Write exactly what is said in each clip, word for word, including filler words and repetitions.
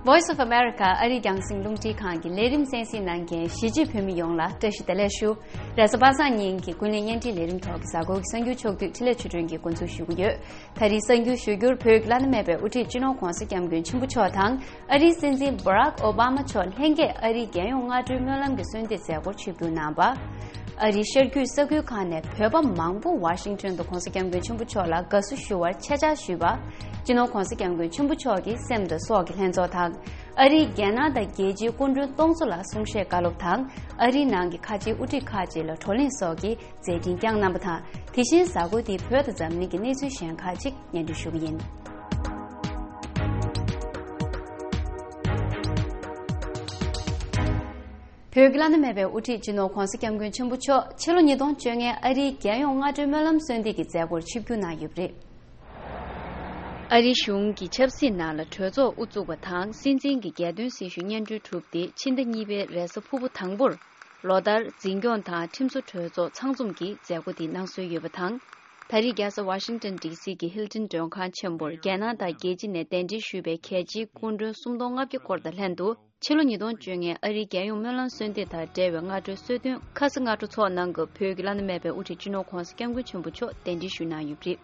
Voice of America ཨ་རིའི་རྒྱང་སྲིང་རླུང་འཕྲིན་ཁང་གི་ལས་རིམ་གསན་གཟིགས་གནང་མཁན་གཞིས་བྱེས་བོད་མི་ཡོངས་ལ་བཀྲ་ཤིས་བདེ་ལེགས་ཞུ། རེས་གཟའ་པ་སངས་ཉིན་གྱི་ཀུན་གླེང་བརྙན་འཕྲིན་ལས་རིམ་ཐོག་གི་གཟའ་འཁོར་གྱི་གསར་འགྱུར་ཕྱོགས་བསྡུས་འཕྲིན་ལས་ཆོས་སྒྲོན་གྱིས་འགོ་འཛུགས་ཞུ་གི་ཡོད། ད་རེས་གསར་འགྱུར་ཞུ་རྒྱུར་བོད་ཀྱི་བླ་ན་མེད་པའི་དབུ་ཁྲིད་སྤྱི་ནོར་༧གོང་ས་༧སྐྱབས་མགོན་ཆེན་པོ་མཆོག་དང་ཨ་རིའི་སྲིད་འཛིན་Barack Obama་མཆོག་ལྷན་རྒྱས་ཨ་རིའི་རྒྱལ་ཡོངས་སྔ་དྲོའི་སྨོན་ལམ་གྱི་གསོལ་འདེབས་མཛད་སྒོར་ཆིབས་བསྒྱུར་གནང་བ། ཨ་རིའི་ཤར་རྒྱུད་ས་ཁུལ་ཁག་ནས་བོད་པ་མང་པོ་ཝ་ཤིང་ཊོན་དུ་༧གོང་ས་༧སྐྱབས་མགོན་ཆེན་པོ་མཆོག་ལ་དགའ་བསུ་ཞུ་བར་ཆེད་བཅར་ཞུས་པ། སྤྱི་ནོར་༧གོང་ས་༧སྐྱབས་མགོན་ཆེན་པོ་མཆོག་གི་སེམས་དང་སྲོག་གི་ལྷན་ཚོགས་དང་། ཨ་རིའི་རྒྱལ་ནང་དང་རྒྱལ་སྤྱིའི་སྐུ་མགྲོན་སྟོང་ཚོ་ལ་གསུང་བཤད་བཀའ་སློབ་དང་། ཨ་རིའི་ནང་གི་ཁ་ཆེའི་དབུ་ཁྲིད་ཁག་ཅིག་ལ་བགྲོ་གླེང་སོགས་ཀྱི་མཛད་འཕྲིན་བསྐྱངས་གནང་བ་དང་། དེ་བཞིན་གཟའ་འཁོར་འདིའི་བོད་དང་འཛམ་གླིང་གི་གནས་ཚུལ་གཞན་ཁག་ཅིག་སྙན་སྒྲོན་ཞུ་གི་ཡིན། བོད་ཀྱི་བླ་ན་མེད་པའི་དབུ་ཁྲིད་སྤྱི་ནོར་༧གོང་ས་༧སྐྱབས་མགོན་ཆེན་པོ་མཆོག་ཕྱི་ལོ་ཉིས་སྟོང་བཅོ་ལྔའི་ཨ་རིའི་རྒྱལ་ཡོངས་སྔ་དྲོའི་སྨོན་ལམ་གསོལ་འདེབས་ཀྱི་མཛད་སྒོར་ཆིབས་བསྒྱུར་གནང་ཡོད་པ་རེད། ཨ་རིའི་གཞུང་གི་ཆབ་སྲིད་ནང་ལ་གྲོས་ཚོགས་དབུ་བཙུགས་པ་དང་སྲིད་འཛིན་གྱི་རྒྱལ་དོན་སྲི་ཞུ་སྙན་སྒྲོན་གྲུབ་སྟེ་ཕྱི་ཟླ་གཉིས་པའི་རེས་གཟའ་ཕུར་བུ་དང་པོར་ལོ་ལྟར་འཛིན་སྐྱོང་དང་ཁྲིམས་བཟོ་གྲོས་ཚོགས་ཚང་འཛོམས་ཀྱི་མཛད་སྒོ་དེ་གནང་སྲོལ་ཡོད་པ་དང་། ད་རེས་རྒྱལ་ས་ཝ་ཤིང་ཊོན་ཌི་སི་གི་ཧིལ་ཊོན་མགྲོན་ཁང་ཆེན་པོར་རྒྱལ་ནང་དང་རྒྱལ་སྤྱི་ནས་གདན་འདྲེན་ཞུས་པའི་གལ་ཆེའི་སྐུ་མགྲོན་སུམ་སྟོང་ལྔ་བརྒྱ་སྐོར་དང་ལྷན་དུ། ཕྱི་ལོ་ཉིས་སྟོང་བཅོ་ལྔའི་ཨ་རིའི་རྒྱལ་ཡོངས་སྨོན་ལམ་གསོལ་འདེབས་དང་འབྲེལ་བའི་སྔ་དྲོའི་གསོལ་སྟོན་ཁ་སང་སྔ་དྲོ་ཚོགས་གནང་སྐབས་བོད་ཀྱི་བླ་ན་མེད་པའི་དབུ་ཁྲིད་སྤྱི་ནོར་༧གོང་ས་༧སྐྱབས་མགོན་ཆེན་པོ་མཆོག་གདན་འདྲེན་ཞུས་གནང་ཡོད་པ་རེད།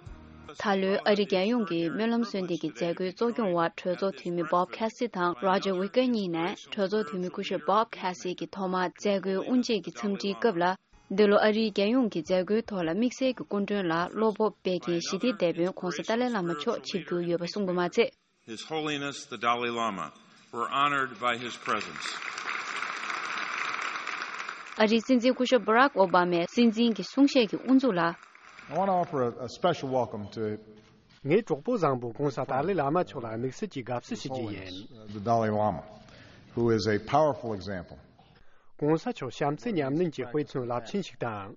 ད་ལོའི་ཨ་རིའི་རྒྱལ་ཡོངས་ཀྱི་སྨོན་ལམ་གསོལ་འདེབས་ཀྱི་མཛད་སྒོའི་གཙོ་སྐྱོང་བར་གྲོས་ཚོགས་འཐུས་མི་Bob Casey་དང་Roger Wicker་གཉིས་ནས་གྲོས་ཚོགས་འཐུས་མི་སྐུ་ཞབས་Bob Casey་གྱིས་ཐོག་མར་མཛད་སྒོའི་དབུ་འབྱེད་ཀྱི་འཚམས་འདྲིའི་སྐབས་ལ། འདི་ལོ་ཨ་རིའི་རྒྱལ་ཡོངས་ཀྱི་མཛད་སྒོའི་ཐོག་ལ་དམིགས་བསལ་གྱི་སྐུ་མགྲོན་ལ་བློ་སྤོབས་སྤེལ་མཁན་ཞི་བདེའི་དེད་དཔོན་༧གོང་ས་ཏཱ་ལའི་བླ་མ་མཆོག་ཆིབས་བསྒྱུར་ཡོད་པ་གསུངས་པ་མ་ཚད། His Holiness the Dalai Lama were honored by his presence. ཨ་རིའི་སྲིད་འཛིན་སྐུ་ཞབས་Barack Obama་མས་སྲིད་འཛིན་གྱི་གསུང་བཤད་ཀྱི་དབུ་འཛུགས་ལ། I want to offer a, a special welcome to ངའི་གྲོགས་པོ་བཟང་པོ་༧གོང་ས་ཏཱ་ལའི་བླ་མ་མཆོག་ལ་དམིགས་བསལ་གྱི་དགའ་བསུ་ཞུ་རྒྱུ་ཡིན། Holiness, uh, the Dalai Lama, who is a powerful example. ༧གོང་ས་མཆོག་བྱམས་བརྩེ་ཉམས་ལེན་གྱི་དཔེ་མཚོན་རླབས་ཆེན་ཞིག་དང་།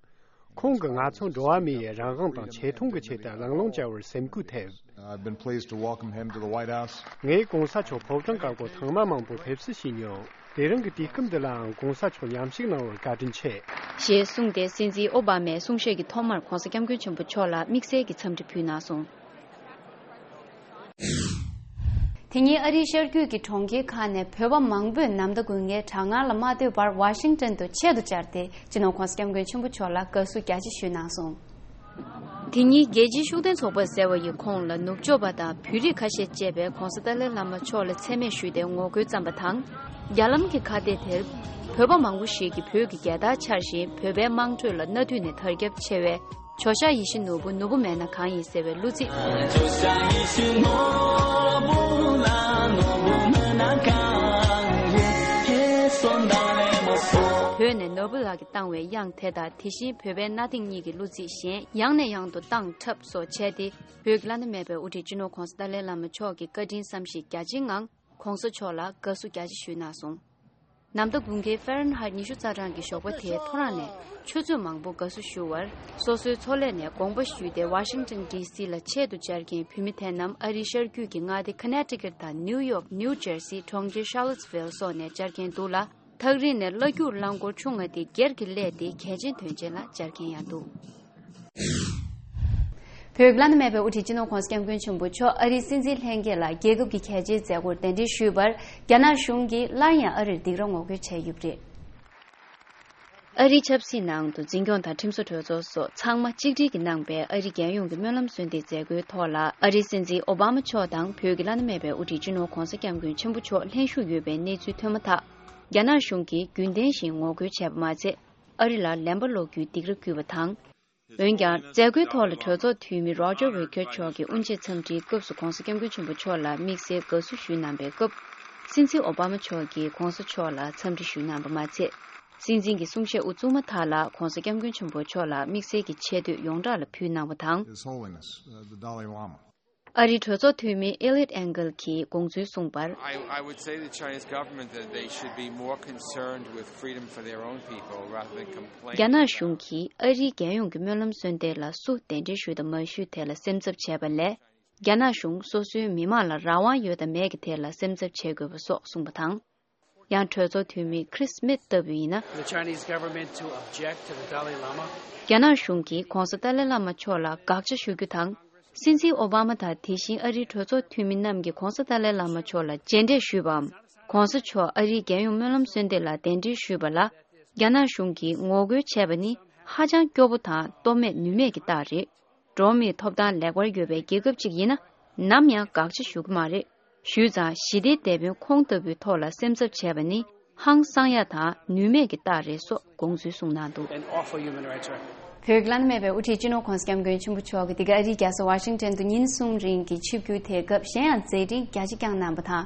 ཁོང་གིས་ང་ཚོ་འགྲོ་བ་མིའི་རང་དབང་དང་ཆེ་མཐོང་གི་ཆེད་དུ་ལང་ལོང་བྱ་བར་སེམས་འགུལ་ཐེབས། I've been pleased to welcome him to the White House. ངས་༧གོང་ས་མཆོག་ཕོ་བྲང་དཀར་པོར་ཐེངས་མ་མང་པོ་ཕེབས་བསུ་ཞུས་མྱོང་། དེ་རིང་གི་དུས་སྐབས་འདི་ལའང་༧གོང་ས་མཆོག་མཉམ་ཞུགས་གནང་བར་བཀའ་དྲིན་ཆེ། ཞེས་གསུངས་ཏེ་སྲིད་འཛིན་ཨོ་བྷ་མས་གསུང་བཤད་ཀྱི་ཐོག་མར་༧གོང་ས་༧སྐྱབས་མགོན་ཆེན་པོ་མཆོག་ལ་དམིགས་བསལ་གྱི་འཚམས་འདྲི་ཕུལ་གནང་སོང་། དེ་ཉིན་ཨ་རིའི་ཤར་རྒྱུད་ཀྱི་གྲོང་ཁྱེར་ཁག་ནས་བོད་པ་མང་པོས་ནམ་ཟླ་དགུན་ཁའི་གྲང་ངར་ལ་མ་ལྟོས་པར་ཝ་ཤིང་ཊོན་དུ་ཆེད་དུ་བཅར་ཏེ་སྤྱི་ནོར་༧གོང་ས་༧སྐྱབས་མགོན་ཆེན་པོ་མཆོག་ལ་དགའ་བསུ་རྒྱ་ཆེ་ཞུས་གནང་སོང་། དེ་ཉིན་རྒྱལ་སྤྱིའི་ཤུགས་ལྡན་ཚོགས་པ་ཟེར་བ་ཡི་ཁོངས་ལ་ནུབ་ཕྱོགས་པ་དང་བོད་རིགས་ཁ་ཤས་བཅས་པས་༧གོང་ས་ཏཱ་ལའི་བླ་མ་མཆོག་ལ་མཚན་སྨད་ཞུས་ཏེ་ངོ་རྒོལ་བརྩམས་པ་དང་། རྒྱ་ལམ་གྱི་ཁ་གཏད་དེར་བོད་པ་མང་པོ་ཞིག་གིས་བོད་ཀྱི་རྒྱལ་དར་འཕྱར་བཞིན་བོད་པའི་དམངས་ཁྲོད་ལ་གནའ་དུས་ནས་དར་ཁྱབ་ཆེ་བའི། ཇོ་ཤཱཀ་ཡིད་བཞིན་ནོར་བུ་ནོར་བུ་མེད་ན་གང་ཡིན་ཟེར་བའི་གླུ་ཚིག་བོད་ནས་ནོར་བུ་ལགས་ཀྱིས་བཏང་བའི་དབྱངས་དེ་དང་དེ་བཞིན་བོད་པའི་གནའ་དེང་གཉིས་ཀྱི་གླུ་ཚིག་གཞན་ཡང་ནས་ཡང་དུ་བཏང་འཁྲབ་སོགས་བྱས་ཏེ་བོད་ཀྱི་བླ་ན་མེད་པའི་དབུ་ཁྲིད་སྤྱི་ནོར་༧གོང་ས་ཏཱ་ལའི་བླ་མ་མཆོག་གི་བཀའ་དྲིན་བསམ་ཤེས་རྒྱ་ཆེའི་ངང་༧གོང་ས་མཆོག་ལ་དགའ་བསུ་རྒྱ་ཆེ་ཞུས་གནང་སོང་། ནམ་ཟླ་དགུན་ཁའི་ཧྥ་རན་ཧའེ་ཊི་ཉི་ཤུ་རྩ་གྲངས་ཀྱི་ཞོགས་པ་དེའི་ཐོ་རངས་ནས་ཆུ་ཚོད་མང་པོ་དགའ་བསུ་ཞུ་བར་སོ་སོའི་མཚོ་ལས་ནས་དགོངས་པ་ཞུས་ཏེ་ཝ་ཤིང་ཊོན་ཌི་སི་ལ་ཆེད་དུ་བཅར་མཁན་བོད་མི་དེ་རྣམས་ཨ་རིའི་ཤར་རྒྱུད་ཀྱི་མངའ་སྡེ་ཁ་ནེ་ཊི་ཀེཊ་དང་ནིའུ་ཡོག་ནིའུ་ཇར་སི་གྲོང་ཁྱེར་ཤར་ལོ་ཊི་སི་ཝིལ་སོགས་ནས་བཅར་མཁན་འདུག་ལ། ཐག་རིང་ནས་གླ་སྒྱུར་རླངས་འཁོར་ཆུང་ང་དེ་སྒེར་གྱི་གླས་ཏེ་གལ་ཆེན་དོན་ཆེན་ལ་བཅར་མཁན་ཡང་འདུག་བོད་ཀྱི་བླ་ན་མེད་པའི་དབུ་ཁྲིད་སྤྱི་ནོར་༧གོང་ས་༧སྐྱབས་མགོན་ཆེན་པོ་མཆོག་ཨ་རིའི་སྲིད་འཛིན་ལྷན་རྒྱས་ལ་རྒྱལ་ཁབ་ཀྱི་གལ་ཆེའི་མཛད་སྒོར་གདན་འདྲེན་ཞུས་པར་རྒྱ་ནག་གཞུང་གིས་སླར་ཡང་ཨ་རིར་སྡིགས་ར་ངོ་རྒོལ་བྱས་ཡོད་པ་རེད། ཨ་རིའི་ཆབ་སྲིད་ནང་དུ་འཛིན་སྐྱོང་དང་ཁྲིམས་བཟོ་གྲོས་ཚོགས་སོགས་ཚང་མ་གཅིག་སྒྲིལ་གྱིས་གནང་པའི་ཨ་རིའི་རྒྱལ་ཡོངས་ཀྱི་སྨོན་ལམ་གསོལ་འདེབས་མཛད་སྒོའི་ཐོག་ལ་ཨ་རིའི་སྲིད་འཛིན་ཨོ་བྷ་མ་མཆོག་དང་བོད་ཀྱི་བླ་ན་མེད་པའི་དབུ་ཁྲིད་སྤྱི་ནོར་༧གོང་ས་༧སྐྱབས་མགོན་ཆེན་པོ་མཆོག་ལྷན་ཞུགས་ཡོད་པའི་གནས་ཚུལ་ཐོན་མ་ཐག་རྒྱ་ནག་གཞུང་གིས་རྒྱུན་ལྡན་བཞིན་ངོ་རྒོལ་བྱས་པ་མ་ཚད། ཨ་རི་ལ་ལན་པ་སློག་རྒྱུའི་སྡིགས་ར་བསྐུལ་བ་དང་། འོན་ཀྱང་མཛད་སྒོའི་ཐོག་ལ་གྲོས་ཚོགས་འཐུས་མི་Roger Wicker་མཆོག་གིས་དབུ་འབྱེད་འཚམས་འདྲིའི་སྐབས་སུ་༧གོང་ས་༧སྐྱབས་མགོན་ཆེན་པོ་མཆོག་ལ་དམིགས་བསལ་དགའ་བསུ་ཞུས་གནང་པའི་སྐབས། སྲིད་འཛིན་ཨོ་བྷ་མ་མཆོག་གིས་༧གོང་ས་མཆོག་ལ་འཚམས་འདྲི་ཞུས་གནང་པ་མ་ཚད། སྲིད་འཛིན་གྱི་གསུང་བཤད་དབུ་བཙུགས་མ་ཐག་ལ་༧གོང་ས་༧སྐྱབས་མགོན་ཆེན་པོ་མཆོག་ལ་དམིགས་བསལ་གྱི་ཆེ་བསྟོད་ཡོངས་གྲགས་ལ་ཕུལ་གནང་བ་དང་། His Holiness, uh, the Dalai Lama. ཨ་རིའི་གྲོས་ཚོགས་འཐུས་མི་Eliot Engel་གྱིས་དགོངས་ཚུལ་གསུངས་པར། I, I would say the Chinese government that they should be more concerned with freedom for their own people rather than complain. རྒྱ་ནག་གཞུང་གིས་ཨ་རིའི་རྒྱལ་ཡོངས་ཀྱི་སྨོན་ལམ་གསོལ་འདེབས་ལ་སུ་གདན་འདྲེན་ཞུས་དང་མ་ཞུས་དེ་ལ་སེམས་འཚབ་བྱས་པ་ལས། རྒྱ་ནག་གཞུང་སོ་སོའི་མི་མང་ལ་རང་དབང་ཡོད་དང་མེད་ཀྱི་ཐད་ལ་སེམས་འཚབ་བྱེད་དགོས་པ་སོགས་གསུངས་པ་དང་། ཡང་གྲོས་ཚོགས་འཐུས་མི་Chris Smith་ལྟ་བུ་ཡིན་ན། The Chinese government to object to the Dalai Lama. རྒྱ་ནག་གཞུང་གིས་༧གོང་ས་ཏཱ་ལའི་བླ་མ་མཆོག་ལ་དགག་བྱ་ཞུ་རྒྱུ་དང་། སྲིད་འཛིན་ཨོ་བྷ་མ་དང་དེ་བཞིན་ཨ་རིའི་གྲོས་ཚོགས་འཐུས་མི་རྣམས་ཀྱིས་༧གོང་ས་ཏཱ་ལའི་བླ་མ་མཆོག་ལ་མཇལ་འཕྲད་ཞུས་པའམ། ༧གོང་ས་མཆོག་ཨ་རིའི་རྒྱལ་ཡོངས་སྨོན་ལམ་གསོལ་འདེབས་ལ་གདན་འདྲེན་ཞུས་པ་ལ། རྒྱ་ནག་གཞུང་གིས་ངོ་རྒོལ་བྱས་པ་ནི་ཧ་ཅང་སྐྱོ་པོ་དང་སྟོབས་མེད་ནུས་མེད་ཀྱི་རྟགས་རེད། འགྲོ་བ་མིའི་ཐོབ་ཐང་ལེགས་པར་ཡོད་པའི་རྒྱལ་ཁབ་ཅིག་ཡིན་ན། ནམ་ཡང་དགག་བྱ་ཞུ་གི་མ་རེད། ཞུས་ཙང་ཞི་བདེའི་དེད་དཔོན་ཁོང་ལྟ་བུའི་ཐོག་ལ་སེམས་འཚབ་བྱས་པ་ནི་ཧང་སང་ཡག་དང་ནུས་མེད་ཀྱི་རྟགས་རེད་སོགས་དགོངས་ཚུལ་གསུངས་གནང་འདུག། An awful human rights record. བོད་ཀྱི་བླ་ན་མེད་པའི་དབུ་ཁྲིད་སྤྱི་ནོར་༧གོང་ས་༧སྐྱབས་མགོན་ཆེན་པོ་མཆོག་གིས་འདི་ག་ཨ་རིའི་རྒྱལ་ས་ཝ་ཤིང་ཊོན་དུ་ཉིན་གསུམ་རིང་གི་ཆིབས་བསྒྱུར་དེའི་སྐབས་གཞན་ཡང་མཛད་འཕྲིན་རྒྱ་ཆེ་བསྐྱངས་གནང་བ་དང་།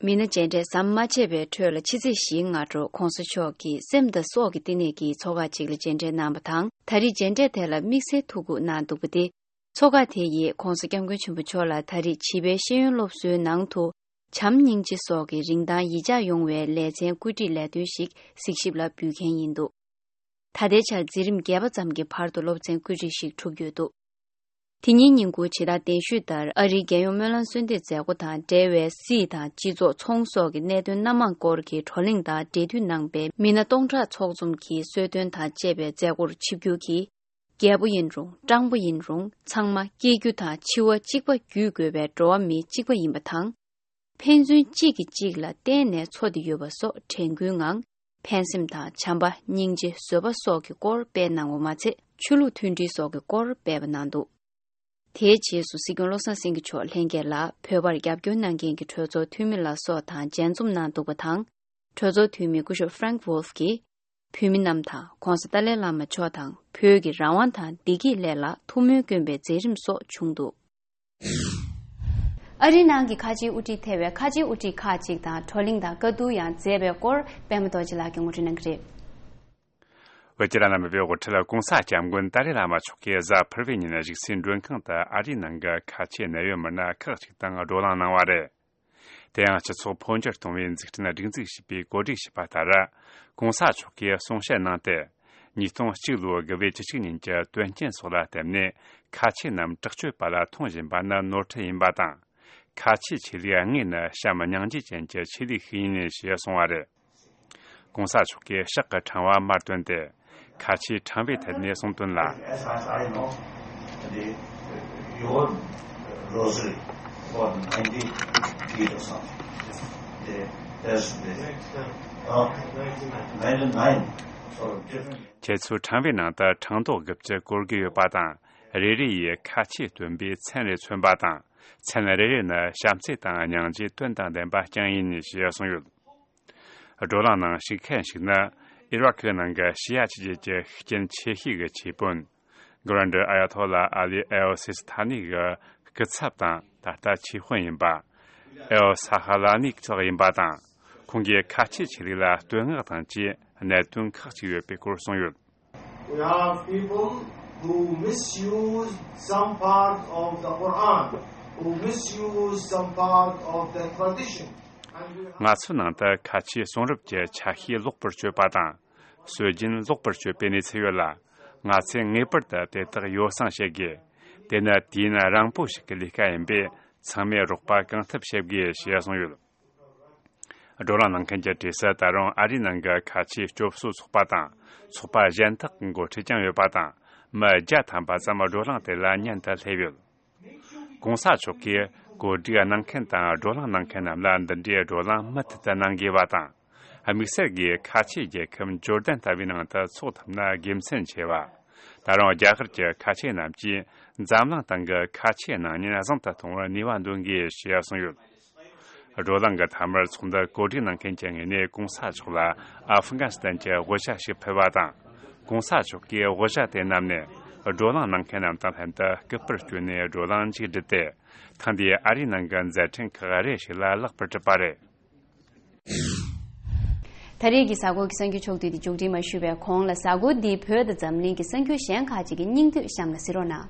མི་སྣ་མཇལ་འཕྲད་ཟམ་མ་ཆད་པའི་ཁྲོད་ལ་ཕྱི་ཚེས་བཞིའི་སྔ་དྲོ་༧གོང་ས་མཆོག་གིས་སེམས་དང་སྲོག་གི་བསྟི་གནས་ཀྱི་ཚོགས་ཁག་ཅིག་ལ་མཇལ་འཕྲད་གནང་བ་དང་། ད་རེས་མཇལ་འཕྲད་དེ་ལ་དམིགས་བསལ་ཐུགས་ཁུར་གནང་འདུག་པ་སྟེ། ཚོགས་ཁག་དེ་ཡིས་༧གོང་ས་༧སྐྱབས་མགོན་ཆེན་པོ་མཆོག་ལ་ད་རེས་བྱིས་པའི་ཤེས་ཡོན་སློབ་གསོའི་ནང་དུ་བྱམས་སྙིང་རྗེ་སོགས་ཀྱི་རིན་ཐང་ཡིད་འཇགས་ཡོང་བའི་ལེ་ཚན་བཀོད་སྒྲིག་ལས་དོན་ཞིག་གཟིགས་ཞིབ་ལ་འབུལ་མཁན་ཡིན་འདུག། ད་ལྟའི་ཆར་འཛིན་རིམ་བརྒྱད་པ་ཙམ་གྱི་བར་དུ་སློབ་ཚན་བཀོད་སྒྲིག་ཞིག་གྲུབ་ཡོད་འདུག། དེ་ཉིན་ཉིན་གུང་ཇི་ལྟར་གདན་ཞུས་ལྟར་ཨ་རིའི་རྒྱལ་ཡོངས་སྨོན་ལམ་གསོལ་འདེབས་མཛད་སྒོ་དང་འབྲེལ་བའི་སྲིད་དང་སྤྱི་ཚོགས་ཚོང་སོགས་ཀྱི་གནད་དོན་སྣ་མང་སྐོར་གྱི་བགྲོ་གླེང་དང་འབྲེལ་མཐུད་གནང་པའི་མི་སྣ་སྟོང་ཕྲག་ཚོགས་འཛོམས་ཀྱིས་གསོལ་སྟོན་དང་བཅས་པའི་མཛད་སྒོར་ཆིབས་བསྒྱུར་གྱིས། རྒྱལ་པོ་ཡིན་རུང་སྤྲང་པོ་ཡིན་རུང་ཚང་མ་སྐྱེ་རྒྱུ་དང་འཆི་བ་གཅིག་པ་བརྒྱུད་དགོས་པའི་འགྲོ་བ་མི་གཅིག་པ་ཡིན་པ་དང་། ཕན་ཚུན་གཅིག་གིས་གཅིག་ལ་བརྟེན་ནས་འཚོ་བསྡད་ཡོད་པ་སོགས་དྲན་སྐུལ་ངང་། ཕན་སེམས་དང་བྱམས་པ། སྙིང་རྗེ། བཟོད་པ་སོགས་ཀྱི་སྐོར་སྤེལ་གནང་བ་མ་ཚད། ཆོས་ལུགས་མཐུན་སྒྲིལ་སོགས་ཀྱི་སྐོར་སྤེལ་བ་གནང་འདུག། དེའི་རྗེས་སུ་སྲིད་སྐྱོང་བློ་བཟང་སེང་གེ་མཆོག་ལྷན་རྒྱས་ལ་བོད་པར་རྒྱབ་སྐྱོར་གནང་མཁན་གྱི་གྲོས་ཚོགས་འཐུས་མི་ལ་སོགས་དང་མཇལ་འཛོམས་གནང་འདུག་པ་དང་། གྲོས་ཚོགས་འཐུས་མི་སྐུ་ཞབས་Frank Wolf གིས། བོད་མི་རྣམས་དང་༧གོང་ས་ཏཱ་ལའི་བླ་མ་མཆོག་དང་བོད་ཀྱི་རང་དབང་དང་བདེ་སྐྱིད་སླད་ལ་ཐུགས་སྨོན་བསྐྱོན་པའི་མཛད་རིམ་སོགས་བྱུང་འདུག། ཨ་རིའི་ནང་གི་ཁ་ཆེའི་དབུ་ཁྲིད་ཐེ་བའི་ཁ་ཆེའི་དབུ་ཁྲིད་ཁག་ཅིག་དང་བགྲོ་གླེང་དང་བཀའ་བསྡུར་ཡང་མཛད་པའི་སྐོར་པད་མ་རྡོ་རྗེ་ལགས་ཀྱིས་ངོ་སྤྲོད་གནང་གི་རེད། བོད་ཀྱི་བླ་ན་མེད་པའི་དབུ་ཁྲིད་༧གོང་ས་༧སྐྱབས་མགོན་ཏཱ་ལའི་བླ་མ་མཆོག་གིས་གཟའ་ཕུར་བུའི་ཉིན་གཞིས་རྩེའི་མགྲོན་ཁང་དུ་ཨ་རིའི་ནང་གི་ཁ་ཆེའི་གནད་ཡོད་མི་སྣ་ཁག་ཅིག་དང་བགྲོ་གླེང་གནང་བ་རེད། དེ་ཡང་སྤྱི་ཚོགས་འཕོ་འགྱུར་གཏོང་བའི་འཛུགས་སྐྲུན་སྒྲིག་འཛུགས་ཞེས་པས་གོ་སྒྲིག་བྱས་པ་ལྟར། ༧གོང་ས་མཆོག་གིས་གསུང་བཤད་གནང་སྟེ། ཉིས་སྟོང་གཅིག་ལོའི་དགུ་པའི་བཅུ་གཅིག་ཉིན་གྱི་དོན་རྐྱེན་སོགས་ལ་བརྟེན་ནས་ཁ་ཆེ་རྣམས་དྲག་སྤྱོད་པ་ལ་མཐོང་བཞིན་པ་ནི་ནོར་འཁྲུལ་ཡིན་པ་དང་། ཁ་ཆེའི་ཆོས་ལུགས་དངོས་ནི་བྱམས་སྙིང་རྗེ་ཅན་གྱི་ཆོས་ལུགས་ཤིག་ཡིན་ཞེས་གསུངས་པ་རེད། ༧གོང་ས་མཆོག་གིས་ཕྱག་གི་ཕྲེང་བ་མར་བཏོན་ཏེ། ཁ་ཆེའི་ཕྲེང་བའི་ཐད་ནས་གསུངས་དོན་ལ། As far as I know, the, your rosary for ninety feet or something. The, that's the, uh, ninety-nine. Sort of different. ཁྱེད་ཚོའི་ཕྲེང་བའི་ནང་དུ་ཕྲེང་རྡོག་དགུ་བཅུ་བཀོད་དགོས་ཡོད་པ་དང་། རེ་རེ་ཡིས་ཁ་ཆེའི་སྟོན་པའི་མཚན་རེ་མཚོན་པ་དང་། མཚན་རེ་རེ་ནི་བྱམས་བརྩེ་དང་སྙིང་རྗེའི་དོན་དང་ལྡན་པ་རྐྱང་ཡིན་ཞེས་གསུངས་ཡོད། བགྲོ་གླེང་ནང་ཞུགས་མཁན་ཞིག་ནི། ཨི་རག་གི་ནང་གི་ཤི་ཡ་ཆོས་བརྒྱུད་ཀྱི་ཤུགས་རྐྱེན་ཆེ་ཤོས་ཀྱི་ཆོས་དཔོན། གྷོ་རན་ཌི་ཨ་ཡ་ཐོ་ལ་ཨ་ལི་ཨེལ་སི་སི་ཐ་ནི་གི་སྐུ་ཚབ་དང་ད་ལྟ་ཆོས་དཔོན་ཡིན་པ། ཨེལ་ས་ཧ་ལ་ནི་སོགས་ཡིན་པ་དང་། ཁོང་གིས་ཁ་ཆེ་ཆོས་ལུགས་ལ་བསྟོད་བསྔགས་དང་བཅས་གནད་དོན་ཁག་ཅིག་ཡོད་པའི་སྐོར་གསུངས་ཡོད། We have people who misuse some part of the Quran, who misuse some part of the tradition. And we have ང་ཚོའི་ནང་དུ་ཁ་ཆེའི་གསུང་རབ་ཀྱི་ཆ་ཤས་ལོག་པར་སྤྱོད་པ་དང་། སྲོལ་རྒྱུན་ལོག་པར་སྤྱོད་པའི་གནས་ཚུལ་ཡོད་ལ། ང་ཚོས་ངེས་པར་དུ་དེ་དག་ཡོ་བསྲང་བྱེད་དགོས། དེ་ནི་དུས་ཡུན་རིང་པོ་ཞིག་གི་ལས་ཀ་ཡིན་པས། ཚང་མས་རོགས་པ་གང་ཐུབ་བྱེད་དགོས་ཞེས་གསུངས་ཡོད། བགྲོ་གླེང་གནང་མཁན་གྱི་གྲས་སུ་ད་རུང་ཨ་རིའི་ནང་གི་ཁ་ཆེའི་སྐྱོབ་གསོ་ཚོགས་པ་དང་། ཚོགས་པ་གཞན་དག་གི་འགོ་ཁྲིད་ཀྱང་ཡོད་པ་དང་། མི་བརྒྱ་ཐམ་པ་ཙམ་བགྲོ་གླེང་དེ་ལ་མཉམ་དུ་སླེབས་ཡོད། ༧གོང་ས་མཆོག་གིས་གོ་སྒྲིག་གནང་མཁན་དང་བགྲོ་གླེང་གནང་མཁན་རྣམས་ལ་འདི་འདྲའི་བགྲོ་གླེང་མུ་མཐུད་དུ་གནང་དགོས་པ་དང་། དམིགས་བསལ་གྱིས་ཁ་ཆེའི་རྒྱལ་ཁབ་ཇོར་ཌན་ལྟ་བུའི་ནང་དུ་འཚོགས་ཐུབ་ན་དགེ་མཚན་ཆེ་བ། ད་རུང་རྒྱ་གར་གྱི་ཁ་ཆེ་རྣམས་ཀྱིས་འཛམ་གླིང་སྟེང་གི་ཁ་ཆེའི་སྣང་བརྙན་བཟང་དུ་གཏོང་བར་ནུས་པ་འདོན་དགོས་ཞེས་གསུངས་ཡོད། བགྲོ་གླེང་གི་མཐའ་མར་ཚོགས་འདུར་གོ་སྒྲིག་གནང་མཁན་གྱི་ངོས་ནས་༧གོང་ས་མཆོག་ལ་ཨ་ཧྥི་གན་སི་ཐན་གྱི་དབུ་ཞྭ་ཞིག་ཕུལ་བ་དང་། ༧གོང་ས་མཆོག་གིས་དབུ་ཞྭ་དེ་བསྣམས་ནས་བགྲོ་གླེང་གནང་མཁན་རྣམས་དང་ལྷན་དུ་སྐུ་པར་བསྐྱོན་ནས་བགྲོ་གླེང་མཇུག་བསྒྲིལ་ཏེ། ཐེངས་འདིའི་ཨ་རིའི་ནང་གི་མཛད་འཕྲིན་ཁག་རེ་ཞིག་ལ་ལེགས་པར་གྲུབ་པ་རེད། ད་རེས་ཀྱི་གཟའ་འཁོར་གྱི་གསར་འགྱུར་ཕྱོགས་བསྡུས་འདི་མཇུག་སྒྲིལ་མ་ཞུས་པའི་གོང་ལ། གཟའ་འཁོར་འདིའི་བོད་དང་འཛམ་གླིང་གི་གསར་འགྱུར་གཞན་ཁག་ཅིག་གི་སྙིང་བསྡུས་གཤམ་ལ་གཟིགས་རོགས་གནང་།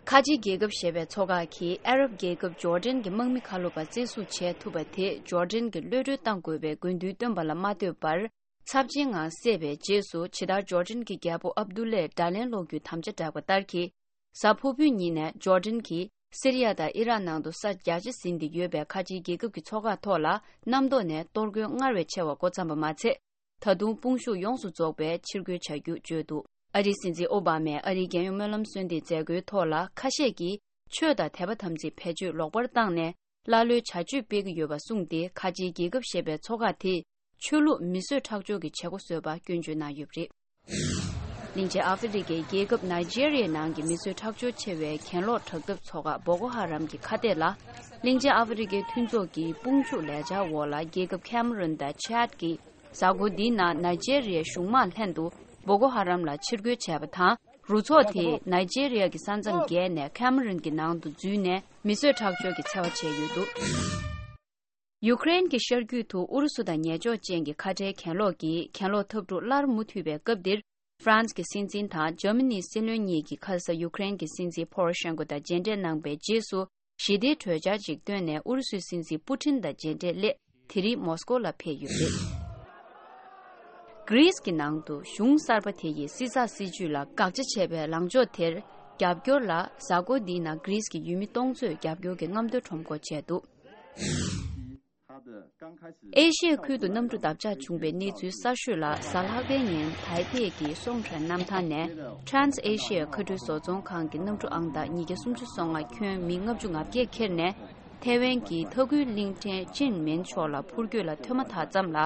ཁ་ཆེའི་རྒྱལ་ཁབ་ཞེས་པའི་ཚོགས་ཁག་གིས་ཨ་རབ་རྒྱལ་ཁབ་ཇོར་ཌན་གྱི་དམག་མི་ཁ་ལོ་པ་བཙན་བཟུང་བྱས་ཐུབ་པ་དེས་ཇོར་ཌན་གྱི་གློད་གྲོལ་གཏང་དགོས་པའི་དགོས་འདུན་བཏོན་པ་ལ་མ་ལྟོས་པར། ཚབས་ཆེན་ངང་བསད་པའི་རྗེས་སུ། ཇི་ལྟར་ཇོར་ཌན་གྱི་རྒྱལ་པོ་ཨབ་དུ་ལས་དགྲ་ལན་སློག་རྒྱུའི་དམ་བཅའ་བསྒྲགས་པ་ལྟར་གྱིས། གཟའ་ཕུར་བུའི་ཉིན་ནས་ཇོར་ཌན་གྱིས་སི་རི་ཡ་དང་ཨི་རག་ནང་དུ་ས་རྒྱ་ཆེ་ཟིན་ཏེ་ཡོད་པའི་ཁ་ཆེའི་རྒྱལ་ཁབ་ཀྱི་ཚོགས་ཁག་ཐོག་ལ་གནམ་ཐོག་ནས་གཏོར་རྒོལ་སྔར་བས་ཆེ་བ་འགོ་བརྩམས་པ་མ་ཚད། ད་དུང་དཔུང་ཤུགས་ཡོངས་སུ་རྫོགས་པའི་ཕྱིར་རྒོལ་བྱ་རྒྱུ་བརྗོད་འདུག། ཨ་རིའི་སྲིད་འཛིན་ཨོ་བྷ་མས་ཨ་རིའི་རྒྱལ་ཡོངས་སྨོན་ལམ་གསོལ་འདེབས་མཛད་སྒོའི་ཐོག་ལ། ཁ་ཤས་ཀྱིས་ ཆོས་དང་དད་པ་དམ་ཚིག་བེད་སྤྱོད་ལོག་པར་བཏང་ནས། ཀླ་ཀློའི་བྱ་སྤྱོད་སྤེལ་གྱི་ཡོད་པ་གསུངས་ཏེ། ཁ་ཆེའི་རྒྱལ་ཁབ་ཞེས་པའི་ཚོགས་ཁག་དེས་ཆོས་ལུགས་མི་གསོད་ཁྲག་སྦྱོར་གྱི་བྱེད་སྒོ་བཟོས་པ་སྐྱོན་བརྗོད་གནང་ཡོད་པ་རེད། གླིང་ཆེན་ཨ་ཧྥེ་རི་ཀའི་རྒྱལ་ཁབ་ནཱི་ཇེ་རི་ཡའི་ནང་གི་མི་གསོད་ཁྲག་སྦྱོར་ཆེ་བའི་གྱེན་ལོག་དྲག་འཐབ་ཚོགས་ཁག་བོ་ཀོ་ཧ་རམ་གྱི་ཁ་གཏད་ལ། གླིང་ཆེན་ཨ་ཧྥེ་རི་ཀའི་མཐུན་ཚོགས་ཀྱི་དཔུང་འཇུག་ལས་འཆར་འོག་ལ། རྒྱལ་ཁབ་ཁེ་མ་རུན་དང་ཆད་ཀྱི་གཟའ་འཁོར་འདིའི་ནང་ནཱི་ཇེ་རི་ཡའི་གཞུང་དམག་ལྷན་དུ་བོ་ཀོ་ཧ་རམ་ལ་ཕྱིར་རྒོལ་བྱས་པ་དང་། རུ་ཚོགས་དེས་ནཱི་ཇེ་རི་ཡ་གི་ས་མཚམས་བརྒལ་ནས་ཁེ་མ་རུན་གྱི་ནང་དུ་འཛུལ་ནས་མི་གསོད་ཁྲག་སྦྱོར་གྱི་འཚེ་བ་བྱས་ཡོད་འདུག་ཡུ་ཀེ་རེན་གྱི་ཤར་རྒྱུད་དུ་ཨུ་རུ་སུ་དང་ཉེ་ཕྱོགས་ཅན་གྱི་ཁ་བྲལ་གྱེན་ལོག་གིས་གྱེན་ལོག་འཐབ་འཁྲུག་སླར་མུ་མཐུད་པའི་སྐབས་འདིར། ཧྥ་རན་སི་གི་སྲིད་འཛིན་དང་འཇར་མ་ནིའི་སྲིད་བློན་གཉིས་ཀྱིས་ཁ་ས་ཡུ་ཀེ་རེན་གྱི་སྲིད་འཛིན་ཕོ་རོ་ཤན་ཀོ་དང་མཇལ་འཕྲད་གནང་པའི་རྗེས་སུ། ཞི་བདེའི་གྲོས་འཆར་ཞིག་བཏོན་ནས། ཨུ་རུ་སུའི་སྲིད་འཛིན་པུ་ཊིན་དང་མཇལ་འཕྲད་སླད་དེ་རིང་མོ་སི་ཀོ་ལ་ཕེབས་ཡོད་པ་རེད། གྷི་རིས་ཀྱི་ནང་དུ་གཞུང་གསར་པ་དེ་ཡིས་སྲིད་ཚགས་སྲིད་ཇུས་ལ་དགག་བྱ་བྱས་པའི་ལངས་ཕྱོགས་དེར་རྒྱབ་སྐྱོར་ལ། གཟའ་འཁོར་འདིའི་ནང་གྷི་རིས་ཀྱི་ཡུལ་མི་སྟོང་ཚོས་རྒྱབ་སྐྱོར་གྱི་རྔམ་སྟོན་ཁྲོམ་སྐོར་བྱས་འདུག་ཨེ་ཤི་ཡའི་ཁུལ་དུ་གནམ་གྲུ་བརྡབ་ཆག་བྱུང་བའི་གནས་ཚུལ་གསར་ཤོས་ལ། གཟའ་ལྷག་པའི་ཉིན་ཐའེ་པེ་གི་སུང་ཁྲོན་གནམ་ཐང་ནས་Trans Asia མཁའ་འགྲུལ་བཟོ་ཚོང་ཁང་གི་གནམ་གྲུ་ཨང་རྟགས་ཉིས་བརྒྱ་སུམ་ཅུ་སོ་ལྔ་ཁྱོན་མི་ལྔ་བཅུ་ང་བརྒྱད་ཁྱེར་ནས། ཐའེ་ཝན་གྱི་མཐོ་འགུལ་གླིང་ཕྲན་ཅིན་མིན་ཕྱོགས་ལ་འཕུར་སྐྱོད་ལ་ཐོན་མ་ཐག་ཙམ་ལ།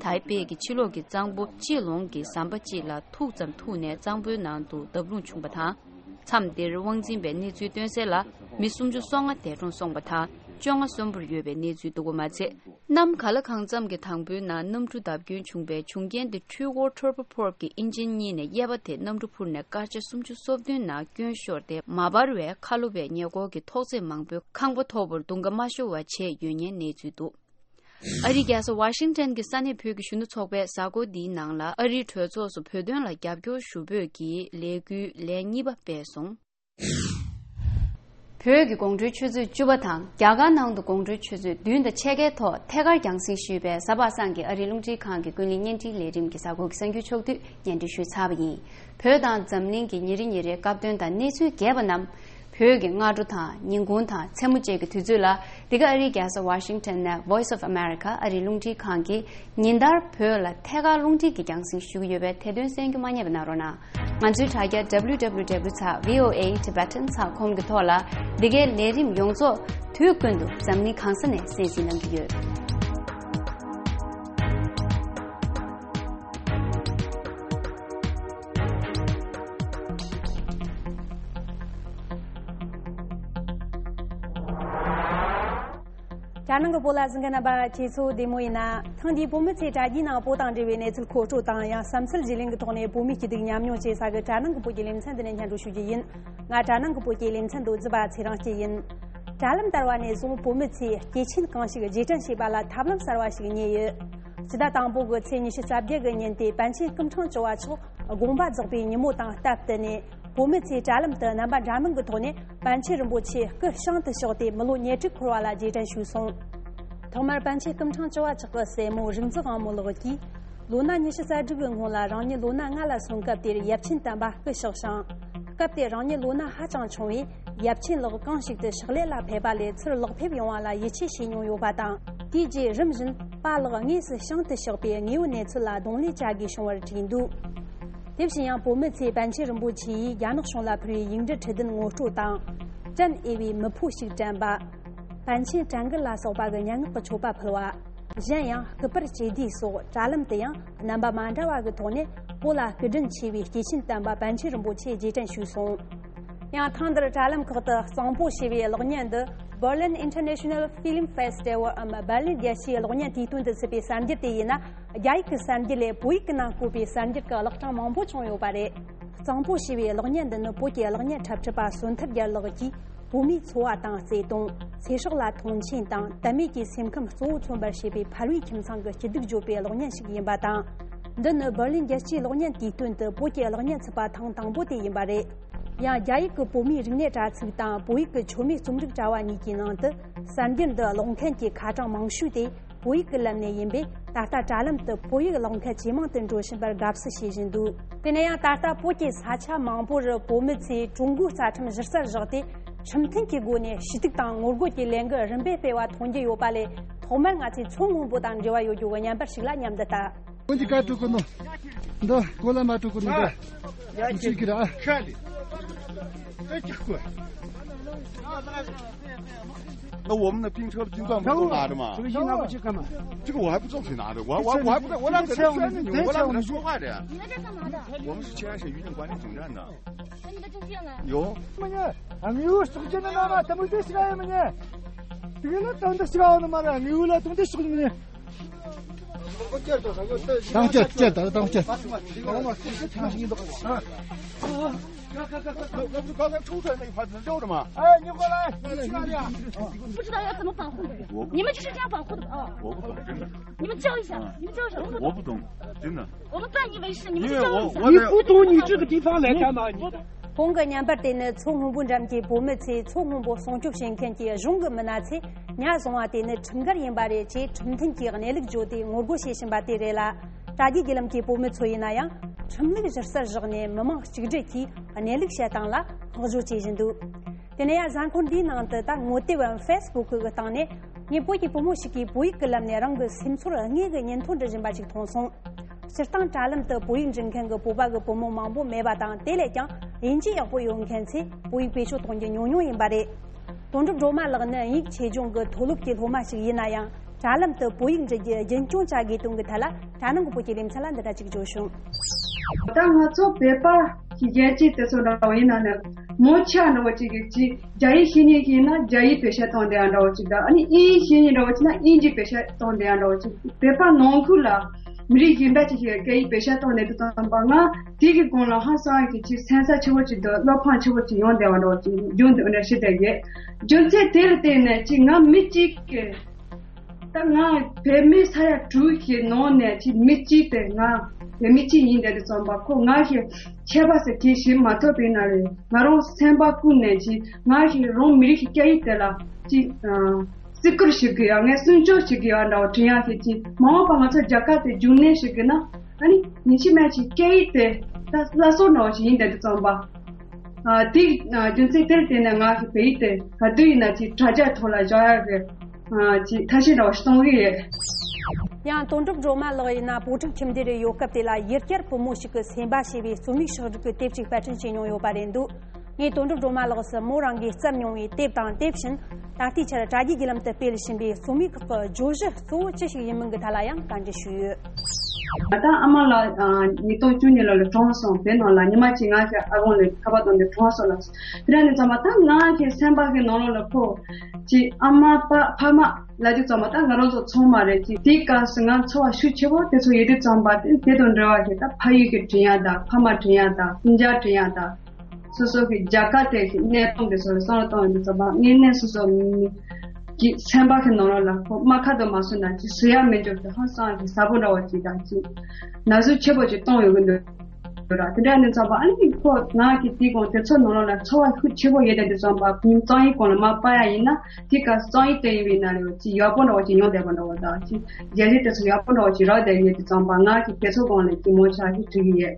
ཐའེ་པེ་གི་ཕྱི་ལོགས་ཀྱི་གཙང་པོ་ཅི་ལོང་གི་ཟམ་པ་གཅིག་ལ་ཐུག་ཙམ་ཐུག་ནས་གཙང་པོའི་ནང་དུ་བརྡབ་ལྷུང་བྱུང་བ་དང་། མཚམས་འདིར་དབང་འཛིན་པའི་གནས་ཚུལ་བཏོན་གསལ་ལ། མི་སུམ་ཅུ་སོ་ལྔ་འདས་གྲོངས་སོང་བ་དང་། བཅོ་ལྔ་གསོན་པོར་ཡོད་པའི་གནས་ཚུལ་འདུག་པ་མ་ཚད། གནམ་ག་ལ་གང་འཚམ་གྱི་དང་པོའི་ནང་གནམ་གྲུ་བརྡབ་སྐྱོན་བྱུང་བའི་བྱུང་རྐྱེན་དེ། འཕྲུལ་འཁོར་ཊར་པོ་ཕོར་གྱི་ཨིན་ཇིན་གཉིས་ནས་གཡས་པ་དེ་གནམ་གྲུ་འཕུར་ནས་སྐར་ཆ་སུམ་ཅུ་སོ་བདུན་ནང་སྐྱོན་ཤོར་ཏེ། མ་འབར་བས་ཁ་ལོ་བའི་ཉེ་འཁོར་གྱི་ཐོག་བརྩེགས་མང་པོའི་ཁང་པ་མཐོ་པོར་རྡུང་ཁ་མ་ཤོར་བ་བྱས་ཡོད་ཉེན་གནས་ཚུལ་འདུག་ཨ་རིའི་རྒྱལ་ས་ཝ་ཤིང་ཊོན་གྱི་ས་གནས་བོད་ཀྱི་གཞོན་ནུ་ཚོགས་པས་གཟའ་འཁོར་འདིའི་ནང་ལ་ཨ་རིའི་གྲོས་ཚོགས་སུ་བོད་དོན་ལ་རྒྱབ་སྐྱོར་ཞུ་འབོད་ཀྱི་ལས་འགུལ་ལས་གཉིས་པ་སྤེལ་སོང་། བོད་ཀྱི་དགོང་དྲོའི་ཆུ་ཚོད་བཅུ་པ་དང་། རྒྱ་གར་ནང་དུ་དགོང་དྲོའི་ཆུ་ཚོད་བདུན་དང་ཕྱེད་ཀའི་ཐོག་ཐད་ཀར་རྒྱང་སྲིང་ཞུས་པའི་གཟའ་པ་སངས་ཀྱི་ཨ་རིའི་རླུང་འཕྲིན་ཁང་གི་ཀུན་གླེང་བརྙན་འཕྲིན་ལས་རིམ་གྱི་གཟའ་འཁོར་གྱི་གསར་འགྱུར་ཕྱོགས་བསྡུས་སྙན་སྒྲོན་ཞུས་ཚར་བ་ཡིན། བོད་དང་འཛམ་གླིང་གི་ཉིན་རེ་ཉིན་རེའི་སྐབས་དོན་དང་གནས་ཚུལ་རྒྱས་པ་རྣམས། བོད་ཀྱི་སྔ་དྲོ་དང་ཉིན་གུང་དང་མཚན་མོ་བཅས་ཀྱི་དུས་ཚོད་ལ། འདི་ག་ཨ་རིའི་རྒྱལ་ས་ཝ་ཤིང་ཊོན་ནས་Voice of America ཨ་རིའི་རླུང་འཕྲིན་ཁང་གིས་ཉིན་ལྟར་བོད་ལ་ཐད་ཀར་རླུང་འཕྲིན་གྱི་རྒྱང་སྲིང་ཞུ་གི་ཡོད་པས། ཐད་གཏོང་གསན་རྒྱུ་མ་བསྙེལ་བ་གནང་རོགས་གནང་། ང་ཚོའི་དྲ་རྒྱ་W W W dot V O A Tibetan dot com གི་ཐོག་ལ། འདི་གའི་ལས་རིམ་ཡོངས་རྫོགས་དུས་ཀུན་ཏུ་འཛམ་གླིང་གང་ས་ནས་གསན་གཟིགས་གནང་གི་ཡོད། རྒྱ་ནང་གི་བོད་ལ་གཟིགས་མཁན་རྣམ་པ་ཁྱེད་ཚོ་བདེ་མོ་ཡིན་ན། ཐེངས་འདིའི་བོད་མི་ཚོས་དྲ་རྒྱའི་ནང་བོད་དང་འབྲེལ་བའི་གནས་ཚུལ་མཁོ་སྤྲོད་དང་། ཡང་བསམ་ཚུལ་བརྗེ་ལེན་གྱི་ཐོག་ནས་བོད་མིའི་སྐྱིད་སྡུག་མཉམ་མྱོང་བྱེད་ས་གི་དྲ་ནང་གི་བོད་ཀྱི་ལེ་ཚན་འདི་ནས་སྙན་སྒྲོན་ཞུ་རྒྱུ་ཡིན། ང་དྲ་ནང་གི་བོད་ཀྱི་ལེ་ཚན་དུ་རྫི་བ་ཚེ་རིང་སྐྱིད་ཡིན། དྲ་ལམ་དར་བ་ནས་བཟུང་བོད་མི་ཚོས་སྐྱེས་ཆེན་གང་ཞིག་རྗེས་དྲན་བྱེད་པ་ལ་ཐབས་ལམ་གསར་བ་ཞིག་རྙེད་ཡོད། སྤྱི་ཟླ་དང་པོ་གི་ཚེས་ཉི་ཤུ་རྩ་བརྒྱད་གི་ཉིན་དེ་པཎ་ཆེན་སྐུ་ཕྲེང་བཅུ་བ་མཆོག་དགོངས་པ་རྫོགས་པའི་ཉིན་མོ་དང་སྟབས་བསྟུན་ནས། བོད་མི་ཚོས་དྲ་ལམ་དུ་རྣམ་པ་འདྲ་མིན་གྱི་ཐོག་ནས་པཎ་ཆེན་རིན་པོ་ཆེ་སྐུ་བྱང་དུ་གཤེགས་ཏེ་མི་ལོ་ཉེར་དྲུག་འཁོར་བ་ལ་རྗེས་དྲན་ཞུས་སོང་། ཐོག་མར་པཎ་ཆེན་སྐུ་ཕྲེང་བཅུ་བ་མཆོག་གི་སྲས་མོ་རིག་འཛིན་དབང་མོ་ལགས་ཀྱིས། ལོ་ན་ཉི་ཤུ་རྩ་དྲུག་གི་སྔོན་ལ་རང་ཉིད་ལོ་ན་ལྔ་ལ་སོན་སྐབས་དེར་ཡབ་ཆེན་དམ་པ་སྐུ་གཤེགས་ཤིང་། སྐབས་དེར་རང་ཉིད་ལོ་ན་ཧ་ཅང་ཆུང་བས། ཡབ་ཆེན་ལགས་གང་ཞིག་ཏུ་ཕྱག་ལས་ལ་ཕེབས་པ་ལས་ཚུར་ལོག་ཕེབས་ཡོང་བ་ལ་ཡིད་ཆེས་བྱེད་མྱོང་ཡོད་པ་དང་། དེའི་རྗེས་རིམ་བཞིན་པཱ་ལགས་དངོས་སུ་བྱང་དུ་གཤེགས་པའི་དངོས་ཡོད་གནས་ཚུལ་ལ་གདོང་ལེན་བྱ་དགོས་བྱུང་བར་བྲིས་འདུག་དེ་བཞིན་ཡང་བོད་མི་ཚོས་པཎ་ཆེན་རིན་པོ་ཆེ་ཡིས་རྒྱ་ནག་གཞུང་ལ་ཕུལ་བའི་ཡིག་འབྲུ་ཁྲི་བདུན་ངོ་སྤྲོད་དང་། དྲན་འོས་པའི་མི་ཕོ་ཞིག་དྲན་པ། པཎ་ཆེན་དྲན་གི་ལ་སོགས་པ་གི་སྙན་ངག་གི་མཆོད་པ་ཕུལ་བ། གཞན་ཡང་སྐུ་པར་བཅད་དེ་སོགས་དྲ་ལམ་དུ་ཡང་རྣམ་པ་མ་འདྲ་བ་གི་ཐོག་ནས་བོད་ལ་སྐུ་དྲིན་ཆེ་བའི་སྐྱེས་ཆེན་དམ་པ་པཎ་ཆེན་རིན་པོ་ཆེ་རྗེས་དྲན་ཞུས་སོང་། ཡང་ཐེངས་འདིར་དྲ་ལམ་ཁག་ཏུ་གཙང་པོ་ཞེས་པའི་གློག་བརྙན་འདི་Berlin International Film Festival འམ་འབར་ལིན་རྒྱལ་སྤྱིའི་གློག་བརྙན་དུས་སྟོན་དུ་ཚུད་པའི་གསར་འགྱུར་དེ་ཡིན་ན། རྒྱ་ཡིག་གི་གསར་འགྱུར་ལས་བོད་ཡིག་གི་ནང་བཀོད་པའི་གསར་འགྱུར་གྱི་ཀློག་གྲངས་མང་པོ་བྱུང་ཡོད་པ་རེད། གཙང་པོ་ཞེས་པའི་གློག་བརྙན་འདི་ནི་བོད་ཀྱི་གློག་བརྙན་འཁྲབ་ཁྲིད་པ་བསོད་ཐར་རྒྱལ་ལགས་ཀྱིས། བོད་མིའི་འཚོ་བ་དང་བརྩེ་དུང་། ཚེ་སྲོག་ལ་མཐོང་ཆེན་དང་དད་མོས་ཀྱི་སེམས་ཁམས་གཙོ་བོ་མཚོན་པར་བྱེད་པའི་ཕ་རོལ་ཁྱིམ་ཚང་གི་སྐྱིད་སྡུག་བརྗོད་པའི་གློག་བརྙན་ཞིག་ཡིན་པ་དང་། འདི་ནི་འབར་ལིན་རྒྱལ་སྤྱིའི་གློག་བརྙན་དུས་སྟོན་དུ་བོད་ཀྱི་གློག་བརྙན་ཚུད་པ་ཐེངས་དང་པོ་དེ་ཡིན་པ་རེད། ཡང་རྒྱ་ཡིག་གི་བོད་མིའི་རིག་གནས་དྲ་ཚིགས་དང་བོད་ཡིག་གི་མཆོད་མེ་རྩོམ་རིག་དྲ་བ་གཉིས་ཀྱི་ནང་དུ་གསར་འགྱུར་འདི་ཀློག་མཁན་གྱི་ཁ་གྲངས་མང་ཤོས་དེ་བོད་ཡིག་གི་ལམ་ནས་ཡིན་པས། ད་ལྟ་དྲ་ལམ་དུ་བོད་ཡིག་ཀློག་མཁན་ཇེ་མང་དུ་འགྲོ་བཞིན་པར་དགའ་བསུ་བྱེད་བཞིན་འདུག་དེ་ནས་ཡང་ད་ལྟ་བོད་ཀྱི་ས་ཆ་མང་པོར་བོད་མི་ཚོས་ཀྲུང་གོའི་རྩ་ཁྲིམས་གཞི་རྩར་བཞག་སྟེ། ཁྲིམས་མཐུན་གྱི་སྒོ་ནས་ཞུ་གཏུག་དང་ངོ་རྒོལ་གྱི་ལས་འགུལ་རིམ་པས་སྤེལ་བ་མཐོང་རྒྱུ་ཡོད་པ་ལས། ཐོག་མར་ང་ཚོས་མཚོ་སྔོན་པོ་དང་འབྲེལ་བ་ཡོད་རྒྱུ་གི་བརྙན་པར་ཞིག་ལ་མཉམ་དུ་ལྟ། འདི་ག་དྲུག་གི་ནོ། འདི་གོ་ལ་མ་དྲུག་གི་ནོ། འདི་ཁ་ལི། ཨ་ཁ་ལི། ཨ་ཅིག་གོ། 那我们的拼车的拼断不都拿着吗？这个一拿过去干嘛？这个我还不知道谁拿着，我我我还不知道，我哪知道谁拿着？我哪知道谁拿着？我们是七安省移动管理总站的。那你的证件呢？有。 ང་ཡོད་སོགས་ཀྱི་ནང་ང་དམིགས་བསལ་ཞིག་ཡོད་མི་ཉན། དེ་ནི་དོན་དུ་ཞིག་ཡོད་ནི་མ་རེད། ང་ཡོད་ལ་དོན་དུ་ཞིག་མི་ཉན། དང་བཅད་བཅད་ད་དང་བཅད། 刚才冲出来那一排人溜着吗？哎，你过来，你去哪里啊？不知道要怎么防护的，你们就是这样防护的啊？我不懂，真的。你们教一下，你们教一下，我们不懂。我不懂，真的。我们半以为是，你们去教一下。因为我我你不懂，你这个地方来干嘛？你 གོང་གི་བརྙན་པར་དེ་ནི་མཚོ་སྔོན་པོ་འགྲམ་གྱི་བོད་མི་ཚོས་མཚོ་སྔོན་པོ་སྲུང་སྐྱོབ་བྱེད་མཁན་གྱི་གཞུང་གི་མི་སྣ་ཚོས་ཉ་བཟུང་བ་དེ་ནི་ཁྲིམས་འགལ་ཡིན་པ་རེད་ཅེས་ཁྲིམས་མཐུན་གྱི་གནས་ལུགས་བརྗོད་དེ་ངོ་རྒོལ་བྱེད་བཞིན་པ་དེ་རེད་ལ། དྲ་རྒྱའི་བརྒྱུད་ལམ་གྱི་བོད་མི་ཚོ་ཡིན་ན་ཡང་ཁྲིམས་ལུགས་གཞི་རྩར་བཞག་ནས་མི་མང་གཅིག་སྒྲིལ་གྱིས་གནས་ལུགས་བཤད་སྟངས་ལ་བསྔགས་བརྗོད་བྱེད་བཞིན་འདུག་དེ་ནས་ཡང་གཟའ་འཁོར་འདིའི་ནང་དུ་ད་ངོ་དེབ་བམ་ཧྥེ་སི་བུག་གི་སྟེང་ནས་ངས་བོད་ཀྱི་བུ་མོ་ཞིག་གིས་བོད་ཡིག་གི་ལམ་ནས་རང་གི་སེམས་ཚོར་དངོས་ཀྱི་སྙན་ཐོ་འབྲི་བཞིན་པ་ཞིག་མཐོང་སོང་། སྤྱིར་བཏང་དྲ་ལམ་དུ་བོད་ཡིག་འབྲི་མཁན་གྱི་བོད་པ་གི་བུ་མོ་མང་པོ་མེད་པ་དང་དེ་ལས་ཀྱང་དབྱིན་ཇི་ཡག་པོ་ཡོད་མཁན་ཚོས་བོད་ཡིག་བེད་སྤྱོད་གཏོང་རྒྱུ་ཉུང་ཉུང་ཡིན་པ་རེད། དོན་གྲུབ་སྒྲོལ་མ་ལགས་ནི་དབྱིན་ཡིག་ཆེད་སྦྱོང་གི་མཐོ་སློབ་ཀྱི་སློབ་མ་ཞིག་ཡིན་ན་ཡང་དྲ་ལམ་དུ་བོད་ཡིག་འབྲི་རྒྱུ་རྒྱུན་སྐྱོང་བྱ་དགོས་དོན་གྱི་ཐད་ལ་དྲ་ནང་གི་བོད་ཀྱི་ལེ་ཚན་ལ་འདི་འདྲ་ཅིག་བརྗོད་བྱུང་། ད་ང་ཚོ་བོད་པ་གི་རྒྱལ་སྤྱི་དེ་ཚོ་འདྲ་བ་ཡིན་ན་ནི་མོ་ཆ་འདྲ་བ་ཅིག་གི་ཅི་རྒྱ་ཡིག་ཤེས་མཁན་ཞིག་ཡིན་ན་རྒྱ་ཡིག་བེད་སྤྱོད་གཏོང་བསྡད་ཡ་འདྲ་བོ་ཅིག་དང་ཨ་ནི་དབྱིན་ཡིག་ཤེས་མཁན་འདྲ་བོ་ཅིག་ན་དབྱིན་ཇི་བེད་སྤྱོད་གཏོང་བསྡད་ཡ་འདྲ་བོ་ཅིག་བོད་པ་ནང་ཁུལ་ལ་མི་རིགས་གཞན་པ་ཅིག་གིས་སྐད་ཡིག་བེད་སྤྱོད་གཏོང་བསྡད་དུས་ཙམ་པ་ང་དེ་གི་སྒང་ལ་ཧང་སང་གི་ཅིག་སེམས་འཚབ་ཆེ་བོ་ཅིག་དང་བློ་ཕམ་ཆེ་བོ་ཅིག་ཡོང་བསྡད་པ་འདྲ་བོ་ཅིག་རྒྱུན་དུ་འདྲ་ཞིག་བསྡད་ཡོད། རྒྱུ་མཚན་དེ་ལ་བརྟེན་ནས་ཅིག་ང་མི་གཅིག་གི་ད་ང་བོད་མི་ས་ཡ་དྲུག་གི་ནང་ནས་ཅིག་མི་གཅིག་དེ་ང་བོད་མི་གཅིག་ཡིན་བསྡད་དུས་ཙམ་པ་ཁོ་ང་གི་ཁྱད་པར་ཟེར་དེ་ཞིག་མ་ཐོབ་པའི་ནང་ལས་ང་རང་སེམས་པ་ཀུན་ནས་ཅིག་ང་གི་རང་མི་རིགས་ཀྱི་སྐད་ཡིག་དེ་ལ་ཅིག་ཨ་བརྩི་བཀུར་ཞིག་དགོས་ཡ་ངས་སྲུང་སྐྱོབ་ཞིག་དགོས་ཡ་འདྲ་བོ་དྲན་ཡ་ཞིག་ཅིག་མ་འོངས་པ་ང་ཚོ་རྒྱལ་ཁབ་དེ་རྒྱུན་གནས་ཞིག་དགོས་ན་ཨ་ནི་ཉིན་ཕྱི་མ་ཅིག་སྐད་ཡིག་དེ་ད་སླར་གསོ་འདྲ་བོ་ཞིག་ཡིན་བསྡད་དུས་ཙམ་པ། ཨ་དེ་ཨ་རྒྱུ་མཚན་དེར་བརྟེན་ནས་ང་གི་བོད་ཡིག་དེ་ག་དུས་ཡིན་ན་ཅིག་དྲ་རྒྱ་ཐོག་ལ་བཞག་ཡ་གི་ཨ་ཅིག་ཐབས་ཤེས་འདྲ་བོ་ཞིག་གཏོང་གི་ཡོད། ཡང་དོན་གྲུབ་སྒྲོལ་མ་ལགས་ཡིན་ན་བོད་ཕྲུག་ཁྱིམ་སྡེ་རུ་ཡོད་སྐབས་དེ་ལ་ཡུལ་གྱར་བུ་མོ་ཞིག་གི་སེམས་པ་ཞེས་པའི་རྩོམ་ཡིག་ཕྱོགས་སྒྲིག་གི་དེབ་ཅིག་པར་སྐྲུན་བྱས་མྱོང་ཡོད་པ་རེད་འདུག་ངས་དོན་གྲུབ་སྒྲོལ་མ་ལགས་སུ་མོ་རང་གིས་བརྩམས་མྱོང་བའི་དེབ་དང་དེ་བཞིན་ད་ལྟའི་ཆར་དྲ་རྒྱའི་བརྒྱུད་ལམ་དུ་སྤེལ་བཞིན་པའི་རྩོམ་ཡིག་ཁག་གི་བརྗོད་གཞི་གཙོ་བོ་ཅི་ཞིག་ཡིན་མིན་གྱི་ཐད་ལ་ཡང་བཀའ་འདྲི་ཞུས་ཡོད། ད་ཨ་མ་ལགས་ཉིས་སྟོང་བཅུ་གཉིས་ལོ་ལ་གྲོངས་སོང་། བོད་ནང་ལ་ཉི་མ་གཅིག་ང་ཞིག་ཨ་དབང་ལ་ཁ་པར་བཏང་ནས་གྲོངས་སོང་ལ། དེ་འདྲ་ནས་ཙམ་པ་ད་ང་གི་སེམས་པ་གི་ནང་ལོགས་ལ་ཁོ་ཅིག་ཨ་མ་པ་ཕ་མ་ལབ་དུས་ཙམ་པ་ད་ང་རང་ཚོ་ཚང་མ་རེད། ཅིག་དེའི་སྐབས་སུ་ང་ཚོར་བ་ཤུགས་ཆེ་བོ་དེ་ཚོ་ཡོད་དུས་ཙམ་པ་དེ་དེ་དང་འབྲེལ་བ་ཞིག་ད་ཕ་ཡུལ་གྱི་དྲན་ཡ་ད་ཕ་མ་དྲན་ཡ་ད་སྤུན་ཀྱག་དྲན་ཡ་ད། སོ་སོ་གི་རྒྱལ་ཁབ་དེ་གི་གནས་སྟངས་དེ་ཚོ་ལ་བསམ་བློ་གཏོང་ཡོང་དུས་ཙམ་པ་དངོས་གནས་སོ་སོ་གི་སེམས་པ་གི་ནང་ལོགས་ལ་ཁོ་རྨ་ཁ་དུ་མ་སོང་ན་ཅིག་བཟོད་ཡ་མི་འཇུག་གི་ཧང་སང་གི་ཟབ་པོ་འདྲ་བོ་ཅིག་དང་ཅིག་ན་ཟུག་ཆེ་བོ་ཅིག་གཏོང་ཡོང་གི་འདུག་ར། དེ་འདྲ་ནི་ཙམ་པ་ཨ་ནི་ཁོ་ང་གི་དེའི་གོང་དེ་ཚོ་ནང་ལོགས་ལ་ཚོར་བ་ཤུགས་ཆེ་བོ་ཡོད་དེ་དུས་ཙམ་པ་ཕུན་གཙང་ཡིན་གོང་ལ་མ་པ་ཡ་ཡིན་ན་དེ་ག་གཙང་ཡིན་དེ་ཡིན་པའི་ན་རེ་བ་ཅིག་ཡག་པོ་འདྲ་བོ་ཅིག་མྱོང་བསྡད་པ་འདྲ་བོ་དང་ཅིག་རྒྱལ་སྤྱི་དེ་ཚོ་ཡག་པོ་འདྲ་བོ་ཅིག་རག་བསྡད་ཡོད་དུས་ཙམ་པ་ང་གི་དེ་ཚོ་གོང་ལ་ཅིག་མོ་ཆ་ཞིག་བྲིས་ཡོད།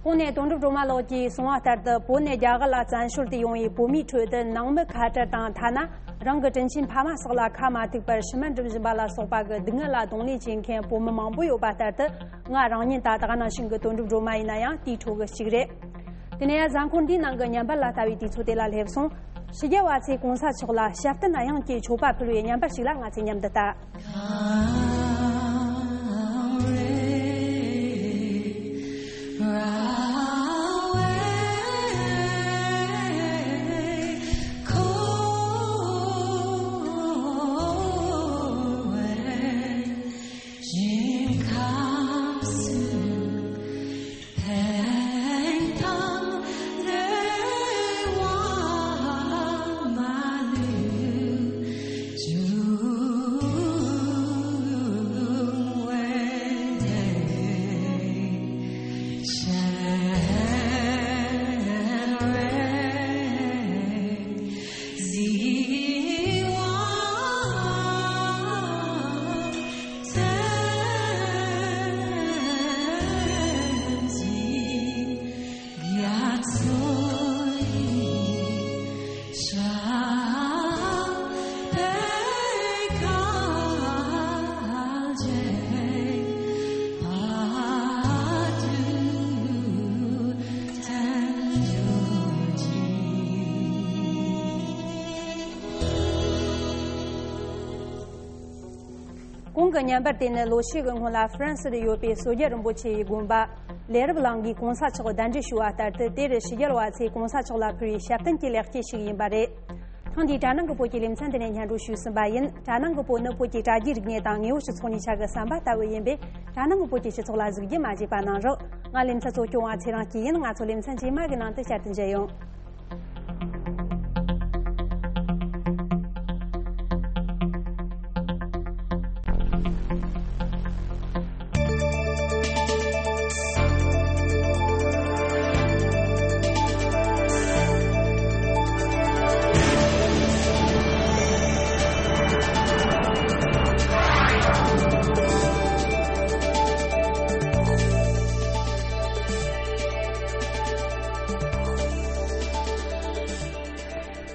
གོང་ནས་དོན་གྲུབ་སྒྲོལ་མ་ལགས་ཀྱིས་གསུངས་པ་ལྟར་དུ་བོད་ནས་རྒྱ་གར་ལ་བཙན་བྱོལ་དུ་ཡོང་བའི་བོད་མིའི་ཁྲོད་དུ་ནང་མི་ཁ་བྲལ་དང་ཐ་ན་རང་གི་དྲིན་ཆེན་ཕ་མ་སོགས་ལ་ཁ་མ་ཐུག་པར་ཕྱི་མ་འགྲིམ་བཞིན་པ་ལ་སོགས་པ་གི་སྡུག་བསྔལ་ལ་གདོང་ལེན་བྱེད་མཁན་བོད་མི་མང་པོ་ཡོད་པ་ལྟར་དུ་ང་རང་ཉིད་དང་ད་ག་ནང་བཞིན་གྱི་དོན་གྲུབ་སྒྲོལ་མ་ཡིན་ན་ཡང་དེའི་ཁྲོད་ཀྱི་གཅིག་རེད། དེ་ནས་ཡང་གཟའ་འཁོར་འདིའི་ནང་གི་བརྙན་པར་ལ་ལྟ་བའི་དུས་ཚོད་དེ་ལ་སླེབས་སོང་། ཕྱི་རྒྱལ་བ་ཚོས་གོང་ས་མཆོག་ལ་ཞབས་བརྟན་དབྱངས་ཀྱི་མཆོད་པ་ཕུལ་བའི་བརྙན་པར་ཞིག་ལ་ང་ཚོས་མཉམ་དུ་ལྟ། བརྙན་པར་དེ་ནི་ལོ་ཤས་ཀྱི་སྔོན་ལ་ཧྥ་རན་སིར་ཡོད་པའི་སོ་རྒྱལ་རིན་པོ་ཆེ་ཡི་དགོན་པ་ལས་རབ་གླིང་གིས་གོང་ས་མཆོག་གདན་འདྲེན་ཞུས་པ་ལྟར་དུ། དེར་ཕྱི་རྒྱལ་བ་ཚོས་གོང་ས་མཆོག་ལ་ཕུལ་བའི་ཞབས་བརྟན་གྱི་ལེགས་སྐྱེས་ཤིག་ཡིན་པ་རེད། ཐེངས་འདིའི་དྲ་ནང་གི་བོད་ཀྱི་ལེ་ཚན་འདི་ནས་སྙན་སྒྲོན་ཞུས་ཟིན་པ་ཡིན། དྲ་ནང་གི་བོད་ནི་བོད་ཀྱི་དྲ་རྒྱའི་རིག་གནས་དང་དངོས་པོའི་སྤྱི་ཚོགས་གཉིས་ཆ་གི་ཟམ་པ་ལྟ་བུ་ཡིན་པས། དྲ་ནང་གི་བོད་ཀྱི་སྤྱི་ཚོགས་ལ་གཟིགས་རྒྱུ་མ་བརྗེད་པ་གནང་རོགས། ང་ལེ་ཚན་གཙོ་སྐྱོང་བ་ཚེ་རིང་སྐྱིད་ཡིན། ང་ཚོ་ལེ་ཚན་རྗེས་མ་གི་ནང་དུ་བསྐྱར་དུ་མཇལ་ཡོང་།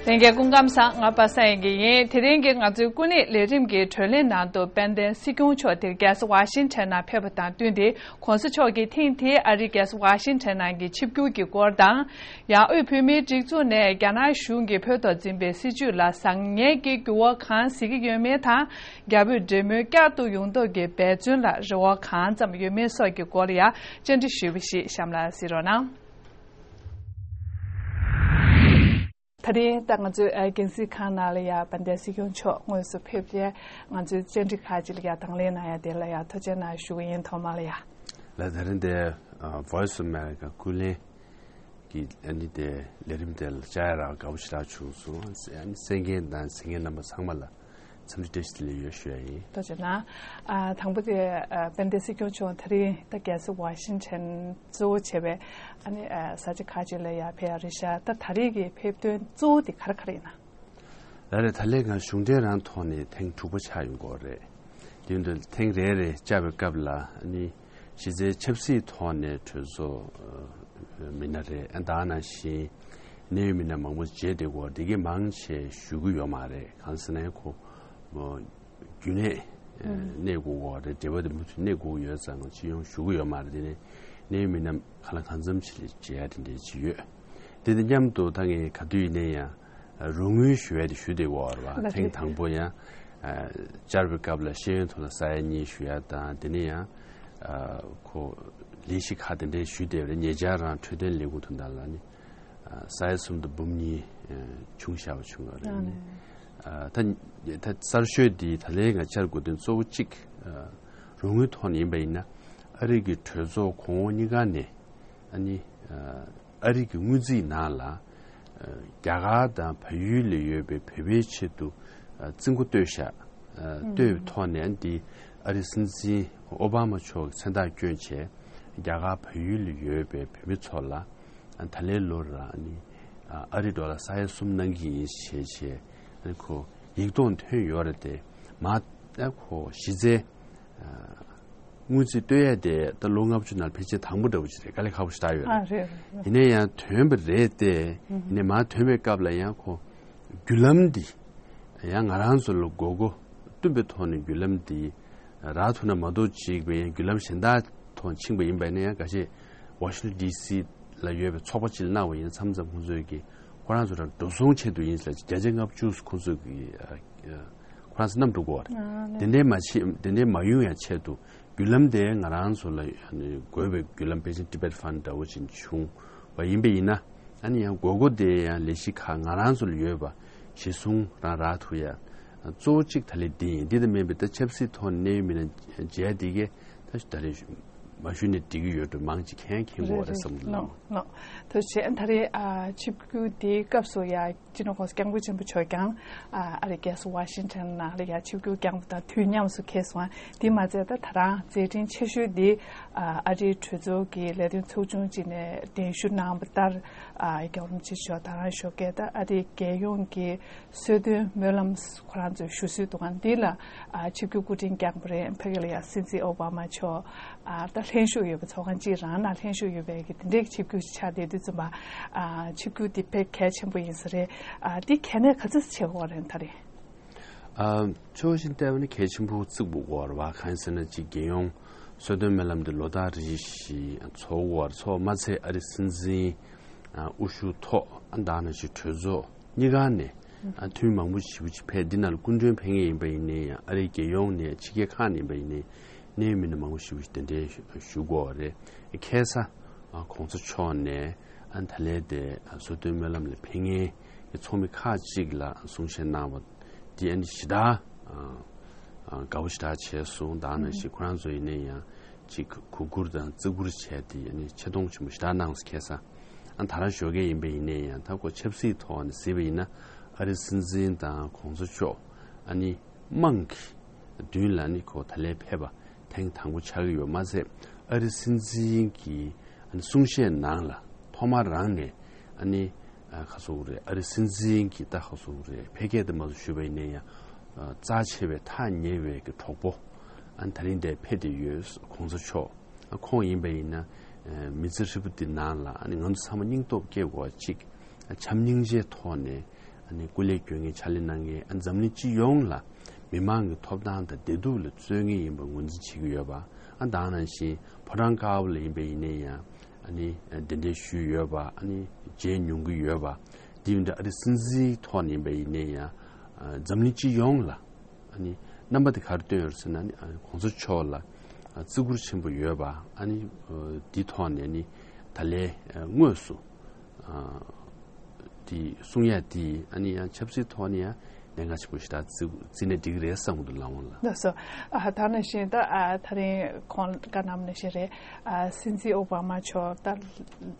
ལྷན་རྒྱས་སྐུ་ཁམས་བཟང་། ང་པ་སངས་ཡིན་གྱི་ཡིན། དེ་རིང་གི་ང་ཚོའི་སྐུ་ཉིད་ལས་རིམ་གྱི་བགྲོ་གླེང་ནང་དུ་དཔལ་ལྡན་སྲིད་སྐྱོང་མཆོག་དེར་རྒྱལ་ས་ཝ་ཤིང་ཊོན་ནང་ཕེབས་པ་དང་བསྟུན་ཏེ། གོང་ས་མཆོག་གིས་ཐེངས་དེའི་ཨ་རིའི་རྒྱལ་ས་ཝ་ཤིང་ཊོན་ནང་གི་ཆིབས་བསྒྱུར་གྱི་སྐོར་དང་། ཡང་དབུས་བོད་མིའི་སྒྲིག་འཛུགས་ནས་རྒྱ་ནག་གཞུང་གིས་བོད་ཐོག་འཛིན་པའི་སྲིད་བྱུས་ལ་བཟང་ངན་གྱི་འགྱུར་བ་གང་གཟིགས་ཀྱི་ཡོད་མེད་དང་། རྒྱ་བོད་འབྲེལ་མོལ་བསྐྱར་དུ་ཡོང་ཐབས་ཀྱི་འབད་བརྩོན་ལ་རེ་བ་གང་ཙམ་ཡོད་མེད་སོགས་ཀྱི་སྐོར་ལ་ཡང་བཅར་འདྲི་ཞུས་པ་ཞིག་གཤམ་ལ་གཟིགས་རོགས་གནང་། དེ་རིང་ད་ང་ཚོའི་ཨ་རྒྱང་སྲིང་ཁང་ནང་ལ་ཡ་དཔལ་ལྡན་སྲིད་སྐྱོང་མཆོག་དངོས་སུ་ཕེབས་ཏེ། ང་ཚོའི་བཅར་འདྲི་ཁག་ཅིག་ལ་ཡ་དང་ལེན་གནང་ཡ་དེ་ལ་ཡ་ཐུགས་རྗེ་གནང་ཞུ་གི་ཡིན། ཐོག་མ་ལ་ཡ། ལགས། དེ་རིང་འདི་ཨ་Voice of America ཀུན་གླེང་གི་ཨ་ནི་དེ་ལས་རིམ་དེ་ལ་བཅར་ཡ་རག་དགའ་པོ་ཞེ་དྲག་བྱུང་སོང་། ཨ་ནི་གསན་མཁན་དང་གཟིགས་མཁན་རྣམ་པ་ཚང་མ་ལ་འཚམས་འདྲི་བཀྲ་ཤིས་བདེ་ལེགས་ཡོད་ཞུ་ཡ་ཡིན། ཐུགས་རྗེ་གནང་། ཨ་དང་པོ་དེ་ཨ་དཔལ་ལྡན་སྲིད་སྐྱོང་མཆོག་དེ་རིང་ད་རྒྱལ་ས་ཝ་ཤིང་ཊོན་གཙོ་བོ་བྱས་པའི་ཨ་ནི་ཨ་ས་ཆ་ཁག་ཅིག་ལ་ཡ་ཕེབས་ཡ་རེད་ཤག་ད་ད་རེས་ཀྱི་ཕེབས་དོན་གཙོ་བོ་དེ་ག་རེ་ག་རེ་ཡིན་ན། ལགས་རེད། ད་ལན་ང་གཞུང་འབྲེལ་རང་ཐོག་ནས་ཐེངས་དྲུག་པ་ཆགས་ཡོང་གི་ཡོད་རེད། དེ་ཡིན་དུས་ཐེངས་རེ་རེ་བཅར་བའི་སྐབས་ལ་ཨ་ནི་གཞི་རྩའི་ཆབ་སྲིད་ཐོག་ནས་གྲོས་ཚོགས་ཨ་མི་སྣ་རེད། ཨ་ད་ག་ནང་བཞིན་གནད་ཡོད་མི་སྣ་མང་པོ་མཇལ་བསྡད་ཀྱི་ཡོད་རེད། དེ་གའི་མང་ཆེ་ཞུ་གི་ཡོད་མ་རེད། གང་ཟེར་ན་ཁོ་རྒྱུན་གནས་ཨ་གནས་དགོས་ཀྱི་ཡོད་རེད། འབྲེལ་བ་དེ་མུ་མཐུད་གནས་དགོས་ཀྱི་ཡོད་ཙང་ང་སྤྱི་ཡོངས་ཞུ་གི་ཡོད་མ་རེད། དེ་ནས་གནད་ཡོད་མི་སྣ་གང་ལ་གང་འཚམ་ཞིག་ལ་མཇལ་ཡ་དེ་འདྲ་ཅིག་ཡོད། དེ་དང་མཉམ་དུ་ད་ངས་ག་དུས་ཡིན་ན་ཡང་རོགས་དངུལ་ཞུ་ཡ་དེ་ཞུ་བསྡད་ཀྱི་ཡོད་རེད་པ། ལགས་ཐེངས་རེད། དང་པོ་ཡང་ཨ་བཅར་བའི་སྐབས་ལ་ཤེས་ཡོན་ཐོག་ལ་ས་ཡ་གཉིས་ཞུ་ཡ་དང་། དེ་ནས་ཡང་ཨ་ཁོ་ལས་གཞི་ཁག་དེ་འདྲའི་ཞུས་བསྡད་པ་རེད། ཉེ་ཆར་རང་འཕྲོད་བསྟེན་ལས་ཁུངས་དོན་དག་ལ་ནི་ཨ་ས་ཡ་གསུམ་དང་འབུམ་གཉིས་ཨ་བྱུང་བཞག་པ་བྱུང་བ་རེད། ཨ་ནི་ཨ་ད་ད་གསར་ཤོས་འདི་ད་ལན་ང་བཅར་དགོས་དོན་གཙོ་བོ་གཅིག་ཨ་རོགས་དངུལ་ཐོག་ནས་ཡིན་པ་ཡིན་ན། ཨ་རི་གི་གྲོས་ཚོགས་གོང་འོག་གཉིས་ཀ་ནས་ཨ་ནི་ཨ་ཨ་རི་གི་སྔོན་རྩིས་ནང་ལ་ཨ་རྒྱ་གར་དང་བལ་ཡུལ་ལ་ཡོད་པའི་བོད་པའི་ཆེད་དུ་ཨ་རྩིས་འགོ་བཏོད་བཞག་ཨ་བཏོད་པའི་ཐོག་ནས་ཨ་འདི་ཨ་རི་སྲིད་འཛིན་ཨོ་བྷ་མ་མཆོག་གི་མཚན་རྟགས་བསྐྱོན་བྱས། རྒྱ་གར་བལ་ཡུལ་ལ་ཡོད་པའི་བོད་མི་ཚོ་ལ་ཨ་ད་ལན་ལོར་ཨ་ནི་ཨ་ཨ་རི་ཌོ་ལར་ས་ཡ་གསུམ་གནང་གི་ཡིན་ཞེས་བྱས། ཨ་ནི་ཁོ་ཡིག་ཐོག་ཐོན་ཡོད་རེད་དེ། མ་ཨ་ཁོ་གཞི་རྩའི་ཨ་སྔོན་རྩིས་བཏོད་ཡས་དེ་ད་ལོ་ལྔ་བཅུ་ནང་ཕལ་ཆེར་དང་པོ་འདྲ་བོ་ཞིག་རེད། དཀའ་ལས་ཁག་པོ་ཞིག་རག་ཡོད་རེད། ཨ་རེད་རེད། ཡིན་ན་ཡང་ཐོན་པ་རེད་དེ། ཨུ་ཧུ། ཡིན་ནའི་མ་ཐོན་པའི་སྐབས་ལ་ཡང་ཁོ་བརྒྱུད་ལམ་འདི་ཡང་ང་རང་ཚོ་ལ་དགོས་མཁོ་བསྟུན་པའི་ཐོག་ནས་བརྒྱུད་ལམ་འདི་རག་ཐུབ་ན་མ་གཏོགས་ཅིག་པའི་ཡང་བརྒྱུད་ལམ་གཞན་དག་ཐོག་ཕྱིན་པ་ཡིན་པ་ཡིན་ན། ཡང་འགའ་ཤས་ཝ་ཤིང་ཊོན་ཌི་སི་ལ་ཡོད་པའི་ཚོགས་པ་ཅིག་ལ་གནང་བ་ཡིན་ན། མཚམས་མཚམས་ཁོང་ཚོས་ཀྱི་ཁོ་རང་ཚོ་རང་འགྲོ་སོང་ཆེད་དུ་ཡིན་ཟེར་བརྒྱ་ཆ་ལྔ་བཅུ་ཁོང་ཚོས་ཀྱི་ཨ་ཨ་ཁོ་རང་ཚོ་བསྣམས་འགྲོ་དགོས་པ་རེད། ཨ་ནི་དེ་འདྲའི་མ་བྱེད། དེ་འདྲའི་མ་ཡོང་ཡ་ཆེད་དུ་བརྒྱུད་ལམ་དེ་ང་རང་ཚོ་ལ་ཨ་ནི་དགོས་པའི་བརྒྱུད་ལམ་ཕལ་ཆེར་Tibet Fund འདྲ་བོ་ཅིག་བྱུང་བ་ཡིན་པ་ཡིན་ན། ཨ་ནི་ཡང་དགོས་མཁོ་དེ་ཡང་ལས་གཞི་ཁག་ང་རང་ཚོ་ལ་ཡོད་པ་གཞི་བཟུང་རང་རག་ཐུབ་ཡ་གཙོ་བོ་གཅིག་ད་ལན་འདི་ཡིན། འདི་ལྟ་མིན་པའི་ད་ཆབ་སྲིད་ཐོག་ནས་གནད་ཡོད་མི་སྣ་མཇལ་འདི་གས་ད་ད་རེས་མ་ཞུས་ནས་འགྲིག་གི་ཡོད་འགྲོ། མང་ཅིག་མཁྱེན་མཁྱེན་གྱི་ཡོད་རེད་བསམ་གྱི་འདུག་ལགས། ལགས། ཐུགས་རྗེ་ཆེ། ད་རེས་ཨ་ཆིབས་བསྒྱུར་འདིའི་སྐབས་སུ་ཡ་སྤྱི་ནོར་༸གོང་ས་༸སྐྱབས་མགོན་ཆེན་པོ་མཆོག་ཀྱང་ཨ་ཨ་རིའི་རྒྱལ་ས་ཝ་ཤིང་ཊོན་ནང་ལ་ཡ་ཆིབས་བསྒྱུར་བསྐྱངས་པ་དང་དུས་མཉམ་དུ་འཁེལ་སོང་། དེ་མ་ཚད་ད་ད་རང་མཛད་འཕྲིན་ཆེ་ཤོས་འདི་ཨ་ཨ་རིའི་གྲོས་ཚོགས་ཀྱི་ལས་དོན་ཚོགས་ཆུང་ཅིག་ནས་གདན་ཞུ་གནང་བ་ལྟར། ཨ་རྒྱལ་བ་རིན་པོ་ཆེ་མཆོག་དང་རང་ཞོགས་ཀས་ད་ཨ་རིའི་རྒྱལ་ཡོངས་ཀྱི་གསོལ་སྟོན་སྨོན་ལམ་ཁོ་རང་ཚོའི་ཞུ་སྲོལ་འདུག་ག་འདི་ལ་ཨ་ཆིབས་བསྒྱུར་སྐུ་ཕྲེང་བསྐྱངས་པ་རེད། ཕ་གི་ལ་ཡང་སྲིད་འཛིན་ཨོ་བྷ་མ་མཆོག་ཨ་ད་ལྷན་ཞུགས་ཡོད་པའི་ཚོགས་ཁང་གཅིག་རང་ནང་ལྷན་ཞུགས་ཡོད་པའི་གི་དེ་འདྲའི་ཆིབས་བསྒྱུར་ཆགས་བསྡད་དུས་ཙམ་པ། ཨ་ཆིབས་བསྒྱུར་འདི་དཔེ་གལ་ཆེན་པོ་ཡིན་ས་རེད། ཨ་འདི་གལ་གནད་ག་ཚོད་ཆེ་བ་རེད་ད་རེད། ཨ་ཕྱོགས་གཞན་བལྟས་པ་ན་གལ་ཆེན་པོ་བརྩི་དགོས་རེད་པ། གང་ཡིན་ཟེར་ན་ཅིག་རྒྱལ་ཡོངས་གསོལ་སྟོན་སྨོན་ལམ་འདི་ལོ་ལྟར་རེ་བཞིན་ཚོགས་ཀྱི་ཡོད་རེད། ཚོགས་མ་ཚད་ཨ་རི་སྲིད་འཛིན་ཨ་དབུ་བཞུགས་ཐོག་ཨ་ད་ག་ནང་བཞིན་གྲོས་ཚོགས་གཉིས་ཀ་ནས་ ཨ་འཐུས་མི་མང་པོ་ཞེ་པོ་ཅིག་ཕེབས། འདི་ནང་ལ་སྐུ་མགྲོན་ཕེབས་མཁན་ཡིན་པ་ཡིན་ནའི་ཡང་། ཨ་རིའི་རྒྱལ་ཡོངས་ནས་ཕྱི་རྒྱལ་ཁག་ནས་ཡིན་པ་ཡིན་ནའི། གནད་ཡོད་མི་སྣ་མང་པོ་ཞེ་པོ་ཅིག་གདན་འདྲེན་ཞུ་དགོས་པ་རེད། ཁ་སང་ཨ་གོང་ས་མཆོག་ནས་ཨ་ད་ལན་དེ་ཨ་སོ་བདུན་སྨོན་ལམ་ལ་ཕེབས་མཁན་གྱི་ཚོགས་མི་ཁག་ཅིག་ལ་གསུང་བཤད་གནང་བ་འདི་ཨ་ནི་ཞེ་དྲག་ཨ་ཨ་དགའ་པོ་ཞེ་དྲག་བྱས་སོང་། ད་ནང་བཞིན་ཁོ་རང་ཚོ་ཡིན་ན་ཡང་ཅིག་གུས་བཀུར་དང་བརྩི་བཀུར་བྱས་ཏེ་ཨ་ནི་ཆེ་མཐོང་ཆེན་པོ་ཞེ་དྲག་གནང་སོང་། ཁ་སང་ཨ་ད་རང་ཞོགས་ཀས་ཡིན་པ་ཡིན་ནའི་ཡང་། ད་ཁོ་ཆབ་སྲིད་ཐོག་ནས་གཟིགས་པ་ཡིན་ན། ཨ་རི་སྲིད་འཛིན་དང་གོང་ས་མཆོག་ཨ་ནི་དམངས་ཀྱི་མདུན་ལ་ཨ་ནི་ཁོ་ད་ལན་ཕེབས་པ་ཐེངས་དང་པོ་ཆགས་ཀྱི་ཡོད་མ་ཟད། ཨ་རི་སྲིད་འཛིན་གྱི་ཨ་ནི་གསུང་བཤད་ནང་ལ་ཐོག་མ་རང་ནས་ཨ་ནི་ཨ་ག་ཟེར་དགོས་རེད། ཨ་རི་སྲིད་འཛིན་གྱི་ད་ག་ཟེར་དགོས་རེད། ཕལ་སྐད་དུ་མ་ཟད་ཞུས་པ་ཡིན་ན་ཡང་། ཨ་རྩ་ཆེ་བའི་ཐག་ཉེ་བའི་གི་གྲོགས་པོ་ཨ་ནི་ད་རིང་འདིར་ཕེབས་བསྡད་ཡོད། གོང་ས་མཆོག་ཨ་ཁོང་ཡིན་པ་ཡིན་ན། ཨ་མི་ཚེ་ཧྲིལ་པོ་འདི་ནང་ལ་ཨ་ནི་ང་ཚོ་ཚང་མ་སྙིང་སྟོབས་སྐྱེ་དགོས་པ་ཅིག་ཨ་བྱམས་སྙིང་རྗེའི་ཐོག་ནས་ཨ་ནི་སྐུ་ལས་སྐྱོན་མཁན། ཕྱག་ལས་གནང་མཁན། ཨ་འཛམ་གླིང་སྤྱི་ཡོངས་ལ་མི་མང་གི་ཐོབ་ཐང་དང་བདེ་སྡུག་ལ་བརྩོན་མཁན་ཡིན་པ་ངོས་འཛིན་བྱེད་ཀྱི་ཡོད་པ། ཨ་ད་ནང་བཞིན་ཕོ་བྲང་དཀར་པོ་ལ་ཡིན་པ་ཡིན་ནའི་ཡང་། ཨ་ནི་གདན་འདྲེན་ཞུས་ཡོད་པ། ཨ་ནི་མཇལ་མྱོང་གི་ཡོད་པ། དེ་ཡིན་དུས་ཨ་རི་སྲིད་འཛིན་ཐོག་ནས་ཡིན་པ་ཡིན་ནའི་ཡང་། ཨ་འཛམ་གླིང་སྤྱི་ཡོངས་ལ་ཨ་ནི་རྣམ་པ་དེ་ག་རེ་སྟོན་ཡོད་ཟེར་ན། ཨ་ནི་ཨ་གོང་ས་མཆོག་ལ་ཨ་བརྩི་བཀུར་ཆེན་པོ་ཡོད་པ། ཨ་ནི་ཨ་འདི་ཐོག་ནས་ནི་ད་ལན་ཨ་དངོས་སུ་ཨ་དེ་གསུང་ཡ་དེ་ཨ་ནི་ཡང་ཆབ་སྲིད་ཐོག་ནས་ཡང་གནད་འགག་ཆེན་པོ་ཞིག་ད་བརྩི་བརྩིས་ན་འགྲིག་གི་རེད་བསམ་གྱི་འདུག་ལགས་འོང་ལགས། ལགས་སོ། ཨ་ད་ནང་བཞིན་ད་ཨ་ད་རིང་ཁོང་བཀའ་གནང་བ་ནང་བཞིན་རེད། ཨ་སྲིད་འཛིན་ཨོ་བྷ་མ་མཆོག་ད་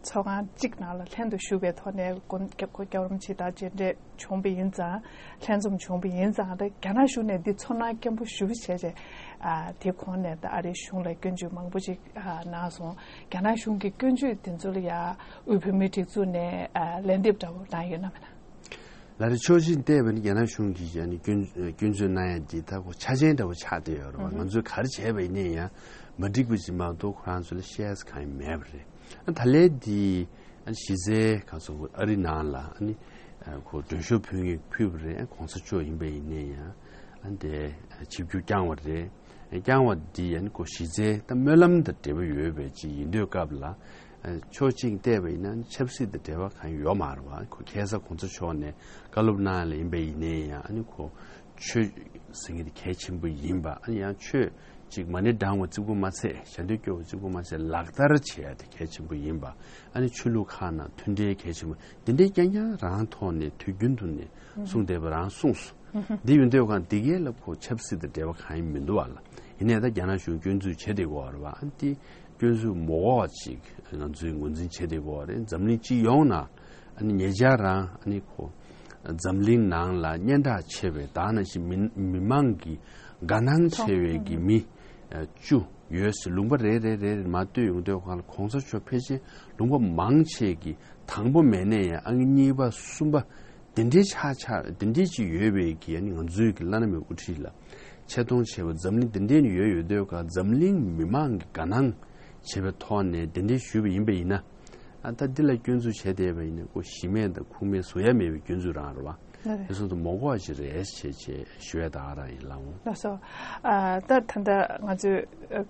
ཚོགས་ཁང་གཅིག་ནང་ལ་ལྷན་དུ་བཞུགས་པའི་ཐོག་ནས་སྐུ་སྐུ་སྐྱབས་རོམ་ཕྱི་དར་མཇལ་འཕྲད་བྱུང་བ་ཡིན་ཙང་། ལྷན་འཛོམས་བྱུང་བ་ཡིན་ཙང་། ད་རྒྱ་ནག་གཞུང་ནས་འདི་ཚོར་སྣང་སྐྱེན་པོ་ཞེ་པོ་བྱས་བྱས། ཨ་དེ་གོང་ནས་ད་ཨ་རིའི་གཞུང་ལ་སྐྱོན་བརྗོད་མང་པོ་ཅིག་ཨ་གནང་སོང་། རྒྱ་ནག་གཞུང་གི་སྐྱོན་བརྗོད་དེ་ཚོ་ལ་ཡ་དབུས་བོད་མིའི་སྒྲིག་འཛུགས་ནས་ཨ་ལན་འདེབས་འདྲ་པོ་གནང་ཡོད་ན་མེད་ན། ལགས་རེད། ཕྱོགས་གཅིག་བལྟས་པ་ཡིན་ན་རྒྱ་ནག་གཞུང་གིས་ཡ་ནི་སྐྱོན་སྐྱོན་བརྗོད་གནང་ཡ་འདི་ད་ཁོ་ཆ་རྐྱེན་འདྲ་པོ་ཆགས་བསྡད་ཡོད་རེད་པ། ང་ཚོས་ག་རེ་བྱས་པ་ཡིན་ནའི་ཡང་མ་འགྲིག་པ་ཅིག་མ་གཏོགས་ཁོ་རང་ཚོ་ལ་བཤད་ས་གང་ཡང་མེད་པ་རེད། ཨ་ད་ལན་འདི་ཨ་གཞི་རྩའི་ག་ཚོད་ཨ་རི་ནང་ལ་ཨ་ནི་ཁོ་མགྲོན་ཤོག་ཕུལ་ངེས་ཕུལ་བ་རེད། ཨ་གོང་ས་མཆོག་ཡིན་པ་ཡིན་ནའི་ཡང་ཨ་འདི་ཆིབས་བསྒྱུར་བསྐྱངས་པ་རེད། བསྐྱངས་པ་འདི་ཨ་ནི་ཁོ་གཞི་རྩའི་ད་སྨོན་ལམ་དང་འབྲེལ་བ་ཡོད་པའི་ཅིག་ཡིན་དུས་སྐབས་ལ། ཕྱོགས་གཅིག་བལྟས་པ་ཡིན་ན་ཆབ་སྲིད་དང་འབྲེལ་བ་གང་ཡང་ཡོད་མ་རེད་པ། ཁོ་ཁ་སང་གོང་ས་མཆོག་ནས་བཀའ་སློབ་གནང་ཡ་ལ་ཡིན་པ་ཡིན་ནའི་ཡང་། ཨ་ནི་ཁོ་ཆོས་ཟེར་མཁན་དེ་གལ་ཆེན་པོ་ཡིན་པ། ཨ་ནི་ཡང་ཆོས་ཅིག་མ་ཎི་བགྲང་བ་གཅིག་པུ་མ་ཚད། ཞལ་འདོན་སྐྱོར་བ་གཅིག་པུ་མ་ཚད། ལག་བསྟར་བྱེད་ཡ་དེ་གལ་ཆེན་པོ་ཡིན་པ། ཨ་ནི་ཆོས་ལུགས་ཁག་ནང་མཐུན་འབྲེལ་གལ་ཆེན་པོ། འདི་འདྲའི་རྐྱང་རྐྱང་རང་ཐོག་ནས་དུས་རྒྱུན་དུ་ནས་གསུངས་བསྡད་པ་རང་གསུངས་སོང་། འདི་ཡིན་དུས་གང་འདི་གས་ལ་ཁོ་ཆབ་སྲིད་དང་འབྲེལ་བ་གང་ཡང་མི་འདུག་པ་ལགས། ཡིན་ནའི་ད་རྒྱ་ནག་གཞུང་སྐྱོན་འཛུགས་བྱེད་བསྡད་ཀྱི་ཡོད་རེད་པ། ཨ་ནི་དེ་སྐྱོན་འཛུགས་མ་དགོས་པ་ཅིག་ང་ཚོས་ངོས་འཛིན་བྱེད་བསྡད་ཀྱི་ཡོད་རེད། འཛམ་གླིང་སྤྱི་ཡོངས་ནང་ཨ་ནི་ཉེ་ཆར་རང་ཨ་ནི་ཁོ་འཛམ་གླིང་ནང་ལ་སྙན་གྲགས་ཆེ་བའི། ད་ནང་བཞིན་མི་མི་མང་གི་དགའ་སྣང་ཆེ་བའི་གི་མི་བཅུ་ཡོད་ཟེར། ལུང་པ་རེ་རེ་རེ་རེ་མར་བསྟོད་ཡོང་དུས་གང་ལ་གོང་ས་མཆོག་ཕལ་ཆེར་ལུང་པ་མང་ཆེ་གི་དང་པོ་མེད་ནའི་ཡང་ཨང་གཉིས་པ་གསུམ་པ་དེ་འདྲའི་ཆགས་ཆགས། དེ་འདྲའི་ཅིག་ཡོད་པའི་གི་ཨ་ནི་ང་ཚོའི་གི་བླ་ན་མེད་པའི་དབུ་ཁྲིད་ལ་ཆེ་མཐོང་ཆེ་བ་འཛམ་གླིང་དེ་འདྲའི་ནས་ཡོད་ཡོད་དུས་གང་འཛམ་གླིང་མི་མང་གི་དགའ་སྣང་བྱེད་པའི་ཐོག་ནས་དེ་འདྲའི་ཞུས་པ་ཡིན་པ་ཡིན་ན། ཨ་ད་འདི་ལ་སྐྱོན་འཛུགས་བྱས་བསྡད་པ་ཡིན་ན་ཁོ་གཞི་མེད་དང་ཁུངས་མེད་བཟོ་ཡ་མེད་པའི་སྐྱོན་འཛུགས་རང་རེད་པ། ལགས་རེད། དེ་ཚོ་དང་མ་གོ་བ་ཞིག་རེད་ཅེས་བྱས་ཞུ་ཡ་ད་ག་རང་ཡིན་ལགས་འོང་། ལགས་སོ། ཨ་ད་ད་ལྟ་ང་ཚོས་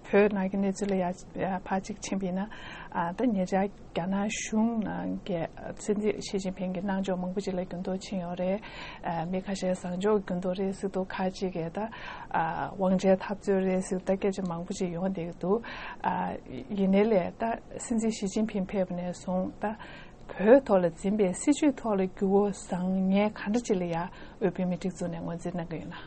བོད་ནང་གི་གནས་ཚུལ་ལ་ཡ་ཕར་ཅིག་ཕྱིན་པ་ཡིན་ན། ཨ་ད་ཉེ་ཆར་རྒྱ་ནག་གཞུང་ནང་གི་སྲིད་འཛིན་ཞི་ཅིན་ཕིང་གི་གནང་ཕྱོགས་མང་པོ་ཅིག་ལ་འགྱུར་ལྡོག་ཕྱིན་ཡོད་རེད། ཨ་མི་ཁ་ཤས་བཟང་ཕྱོགས་འགྱུར་ལྡོག་རེད་ཟེར་འདུག་ཁ་ཅིག་གིས་ད་ཨ་དབང་ཆའི་འཐབ་རྩོད་རེད་ཟེར་ད་སྐད་ཆ་མང་པོ་ཅིག་ཡོང་བསྡད་ཀྱི་འདུག་ཨ་ཡིན་ནའི་ལས་ད་སྲིད་འཛིན་ཞི་ཅིན་ཕིང་ཕེབས་པ་ནས་བཟུང་ད་བོད་ཐོག་ལ་འཛིན་པའི་སྲིད་བྱུས་ཐོག་ལ་འགྱུར་བ་བཟང་ངན་ག་འདྲ་ཅིག་ལ་ཡ་དབུས་བོད་མིའི་སྒྲིག་འཛུགས་ནས་ངོས་འཛིན་གནང་གི་ཡོད་ན།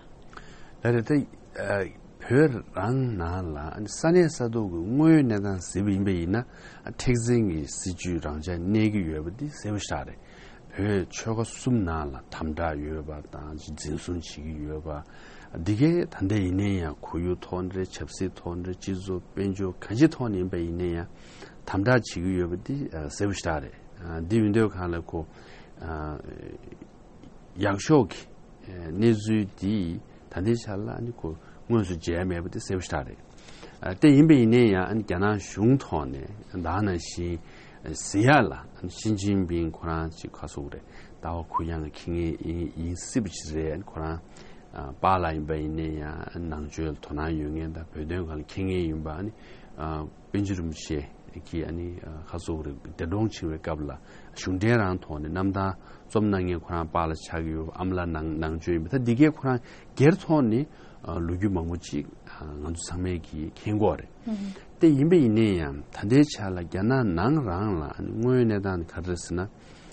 ལགས་རེད། ད་ཨ་བོད་རང་ནང་ལ་ས་གནས་ས་ཐོག་གི་དངོས་ཡོད་གནས་སྟངས་གཟིགས་པ་ཡིན་པ་ཡིན་ན། ཨ་མཁྲེགས་འཛིན་གྱི་སྲིད་བྱུས་རང་འཇགས་གནས་ཀྱི་ཡོད་པ་འདི་གསལ་པོ་ཞེ་དྲག་རེད། བོད་ཆོལ་ཁ་གསུམ་ནང་ལ་དམ་དྲག་ཡོད་པ་དང་འཛིན་བཟུང་བྱེད་ཀྱི་ཡོད་པ། འདི་གས་ད་ལྟ་ཡིན་ནའི་ཡང་ཁོར་ཡུག་ཐོག་ནས་རེད། ཆབ་སྲིད་ཐོག་ནས་རེད། སྤྱི་ཚོགས་དཔལ་འབྱོར་གང་ཅིའི་ཐོག་ནས་ཡིན་པ་ཡིན་ནའི་ཡང་དམ་དྲག་བྱེད་ཀྱི་ཡོད་པ་འདི་ཨ་གསལ་པོ་ཞེ་དྲག་རེད། ཨ་འདི་ཡིན་དུས་གང་ལ་ཁོ་ཨ་ཡག་ཤོས་ཀྱི་གནས་ཚུལ་འདི་ད་ལྟའི་ཆ་ལ་ཨ་ནི་ཁོ་དངོས་སུ་མཇལ་མེད་པ་དེ་གསལ་པོ་ཞེ་དྲག་རེད། ཨ་དེ་ཡིན་པ་ཡིན་ནའི་ཡང་ཨ་ནི་རྒྱ་ནག་གཞུང་ཐོག་ནས་ད་ནང་བཞིན་ཟེར་ཡག་ལ། ཨ་ནི་ཞི་ཅིན་ཕིང་ཁོ་རང་ཅིག་ག་ཟེར་དགོས་རེད། ལྟ་བ་གུ་ཡངས་ཁེངས་མཁན་ཡིན་ཡིན་སྲིད་པ་ཅིག་རེད། ཨ་ནི་ཁོ་རང་ཨ་པཱ་ལགས་ཡིན་པ་ཡིན་ནའི་ཡང་ནང་ཆོས་ལ་དོ་སྣང་ཡོད་མཁན་དང་བོད་དོན་སྒང་ལ་མཁྱེན་མཁན་ཡིན་པ། ཨ་ནི་ཨ་པཎ་ཆེན་རིན་པོ་ཆེ་ གིས་ཨ་ནི་ཁ་སོག་རེ་འདས་གྲོངས་ཕྱིན་པའི་སྐབས་ལ་གཞུང་འབྲེལ་རང་ཐོག་ནས་རྣམ་ཐར་རྩོམ་གནང་མཁན་ཁོ་རང་པཱ་ལགས་ཆགས་ཀྱི་ཡོད། ཨ་མ་ལགས་ནང་ནང་ཆོས་ཡིན་པ། ད་འདི་གས་ཁོ་རང་སྒེར་ཐོག་ནས་ལོ་རྒྱུས་མང་པོ་ཅིག་ང་ཚོ་ཚང་མས་ཀྱིས་མཁྱེན་གྱི་ཡོད་རེད། དེ་ཡིན་པ་ཡིན་ནའི་ཡང་ད་ལྟའི་ཆ་ལ་རྒྱ་ནག་ནང་རང་ལ་ཨ་ནི་དངོས་ཡོད་གནས་སྟངས་དེ་ག་རེ་རེད་ཟེར་ན།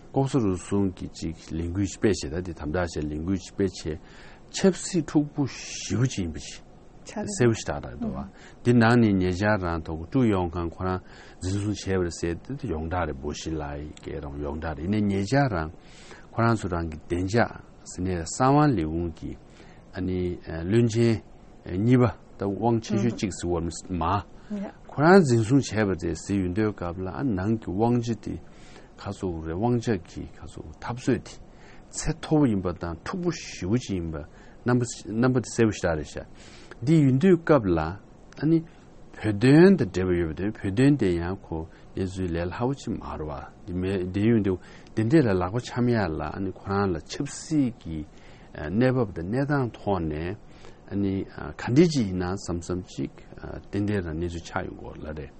ལྐོག་ཟ་རུལ་སུངས་ཀྱི་ཅིག་ལས་འགུལ་ཅིག་སྤེལ་བྱས། ད་དེ་དམ་དྲག་བྱས་ལས་འགུལ་ཅིག་སྤེལ་བྱས། ཆབ་སྲིད་འཁྲུག་པོ་ཞེ་པོ་ཅིག་ཡིན་པ་ཅིག་ཆགས་རེད། གསལ་པོ་ཞེ་དྲག་རེད་འདུག་བ། འདི་ནང་ནས་ཉེ་ཆར་རང་ཐོག་ཀྲུའུ་ཡོང་ཁང་ཁོ་རང་འཛིན་བཟུང་བྱས་པ་རེད་ཟེར་དེ་ཡོངས་གྲགས་རེད། བོ་ཤི་ལའི་སྐད་རང་ཡོངས་གྲགས་རེད། ཡིན་ནའི་ཉེ་ཆར་རང་ཁོ་རང་ཚོ་རང་གི་བདེ་འཇགས་ཟེར་ནས་གསང་བ་ལས་ཁུངས་ཀྱི་ཨ་ནི་བློན་ཆེན་གཉིས་པ་ད་དབང་ཆེ་ཤོས་གཅིག་ཟེར་བ་མ་ཁོ་རང་འཛིན་བཟུང་བྱས་པ་རེད་ཟེར་ཡོང་དུས་སྐབས་ལ། ཨ་ནང་གི་དབང་ཆ་དེ་ཁ་སོག་རེད། དབང་ཆ་གི་ཁ་སོག་འཐབ་རྩོད་དེ་ཚད་མཐོ་པོ་ཡིན་པ་དང་འཁྲུག་པོ་ཞེ་པོ་ཅིག་ཡིན་པ་རྣམ་པ་རྣམ་པ་དེ་གསལ་པོ་ཞེ་དྲག་རེད་ཤག། འདི་ཡིན་དུས་སྐབས་ལ་ཨ་ནི་བོད་དོན་དང་འབྲེལ་བ་ཡོད་པ་དེ། བོད་དོན་དེ་ཡང་ཁོ་གནས་ཚུལ་ལས་སླ་པོ་ཅིག་མ་རེད་བ། འདི་མེད་འདི་ཡོང་དུས་འདི་འདྲས་ལ་ལག་པ་འཆང་ཡ་ལ་ཨ་ནི་ཁོ་རང་ལ་ཆབ་སྲིད་ཀྱི་གནས་བབ་དང་གནས་སྟངས་ཐོག་ནས་ཨ་ནི་ག་འདྲས་ཅིག་ཡིན་ན་བསམ་བསམ་ཅིག་ཏན་ཏན་རང་གནས་ཚུལ་ཆགས་ཡོང་གི་ཡོད་རེད།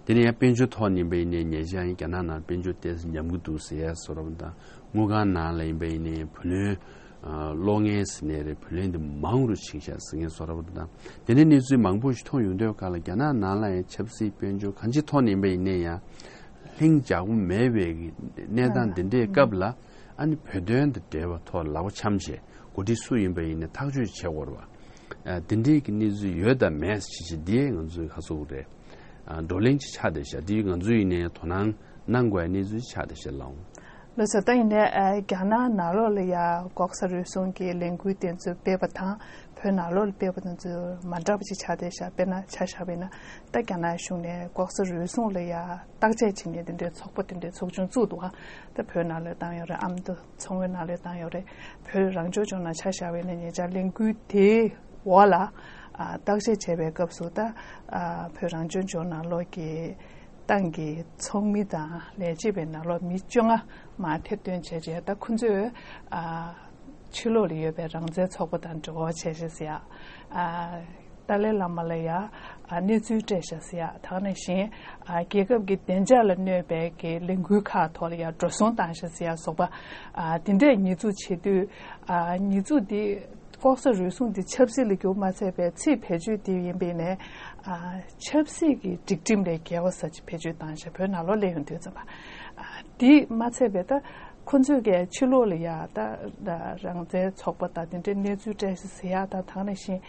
དེ་ནས་ཡང་དཔལ་འབྱོར་ཐོག་ནས་ཡིན་པ་ཡིན་ནའི་ཉེ་ཆར་ཡང་རྒྱ་ནག་ནང་དཔལ་འབྱོར་ཏོག་ཙམ་ཉམས་ཀྱི་འདུག་ཟེར་ཡ་བཟོ་འདྲ་པོ་དང་། དངུལ་ཁང་ནང་ལ་ཡིན་པ་ཡིན་ནའི་བུ་ལོན་གློག་བརྙན་ཟེར་ནའི་རེད། བུ་ལོན་འདི་མང་རུ་ཕྱིན་ཤག་ཟེར་མཁན་བཟོ་འདྲ་པོ་དང་། དེ་འདྲའི་གནས་ཚུལ་མང་པོ་ཞིག་མཐོང་ཡོང་དུས་སྐབས་ལ་རྒྱ་ནག་ནང་ལ་ཡང་ཆབ་སྲིད་དཔལ་འབྱོར་གང་ཅིའི་ཐོག་ནས་ཡིན་པ་ཡིན་ནའི་ཡང་ལྷིང་འཇགས་པོ་མེད་པའི་གནས་སྟངས་འདི་འདྲའི་སྐབས་ལ་ཨ་ནི་བོད་དོན་དང་འབྲེལ་བ་ཐོག་ལག་པ་འཆང་བྱས། འགོ་ཁྲིད་སུ་ཡིན་པ་ཡིན་ནའི་ཐག་གཅོད་བྱེད་དགོས་རེད་བ། འདི་འདྲའི་གི་གནས་ཚུལ་ཡོད་དང་མེད་ཅིག་ཅིག་འདི་ང་ཚོའི་ཁ་སོག་རེད། བགྲོ་གླེང་ཅིག་ཆགས་བསྡད་ཤག། འདི་ང་ཚོ་ཡིན་ནའི་དོ་སྣང་གནང་དགོས་གནས་ཚུལ་ཆགས་བསྡད་ཤག་ལགས། ལགས་སོ། ད་ཡིན་ནའི་རྒྱ་ནག་ནང་ལོགས་ལ་ཡ་ལྐོག་ཟ་རུལ་སུངས་ཀྱི་ལས་འགུལ་དེ་ཚོ་སྤེལ་བ་དང་བོད་ནང་ལོགས་ལ་སྤེལ་བ་དེ་ཚོ་མ་འདྲ་བ་ཅིག་ཆགས་བསྡད་ཤག། དཔེར་ན་ཆ་བཞག་པ་ཡིན་ན་ད་རྒྱ་ནག་གཞུང་ནས་ལྐོག་ཟ་རུལ་སུངས་ལ་ཡ་བརྟག་དཔྱད་བྱེད་མཁན་དེ་འདྲའི་ཚོགས་པ་དེ་འདྲའི་ཚོགས་ཆུང་བཙུགས་འདུག་ཨ། ད་བོད་ནང་ལ་བཏང་ཡོད་རེད། ཨ་མདོ་མཚོ་སྔོན་ནང་ལ་བཏང་ཡོད་རེད། བོད་རང་སྐྱོང་ལྗོངས་ནང་ཆ་བཞག་པ་ཡིན་ན་ཉེ་ཆར་ལས་འགུལ་དེའི་འོག་ལ་བརྟག་དཔྱད་བྱས་པའི་སྐབས་སུ་ད་བོད་རང་སྐྱོང་ལྗོངས་ནང་ལོགས་ཀྱི་ཏང་གི་ཚོགས་མི་དང་ལས་བྱེད་པའི་ནང་ལོགས་མི་བཅོ་ལྔ་མར་ཐེར་འདོན་བྱས་རྗེས་ད་ཁོ་ཚོས་ཕྱི་ལོགས་ལ་ཡོད་པའི་རང་བཙན་ཚོགས་པ་དང་འབྲེལ་བ་བྱས་རྗེས་ཟེར་ཡ། ཏཱ་ལའི་བླ་མ་ལ་ཡ་གནས་ཚུལ་སྤྲད་ཤག་ཟེར་ཡ། དེ་ནང་བཞིན་རྒྱལ་ཁབ་ཀྱི་བདེ་འཇགས་ལ་གནོད་པའི་གི་ལས་འགུལ་ཁག་ཐོག་ལ་ཡ་འགྲོ་སོང་བཏང་ཤག་ཟེར་ཡ་སོགས་པ་དེ་འདྲས་ཉེས་འཛུགས་བྱེད་དུས། ཉེས་འཛུགས་འདི་ལྐོག་ཟ་རུལ་སུངས་འདི་ཆབ་སྲིད་ལ་གྱུར་མ་ཚད་པའི་ཚིག་བེད་སྤྱོད་དེ་ཡིན་པས་ནས་ཆབ་སྲིད་ཀྱི་སྒྲིག་ཁྲིམས་ལས་འགལ་བ་ཟེར་ཅིག་བེད་སྤྱོད་བཏང་ཤག། བོད་ནང་ལོགས་སླེབས་ཡོང་དུས་ཙམ་པ། དེ་མ་ཚད་པའི་ད་ཁོ་ཚོས་ཀྱི་ཕྱི་ལོགས་ལ་ཡ་ད་རང་བཙན་ཚོགས་པ་དང་དེ་འདྲའི་གནས་ཚུལ་སྤྲད་ཤག་ཟེར་ཡ་དང་། དེ་ནང་བཞིན་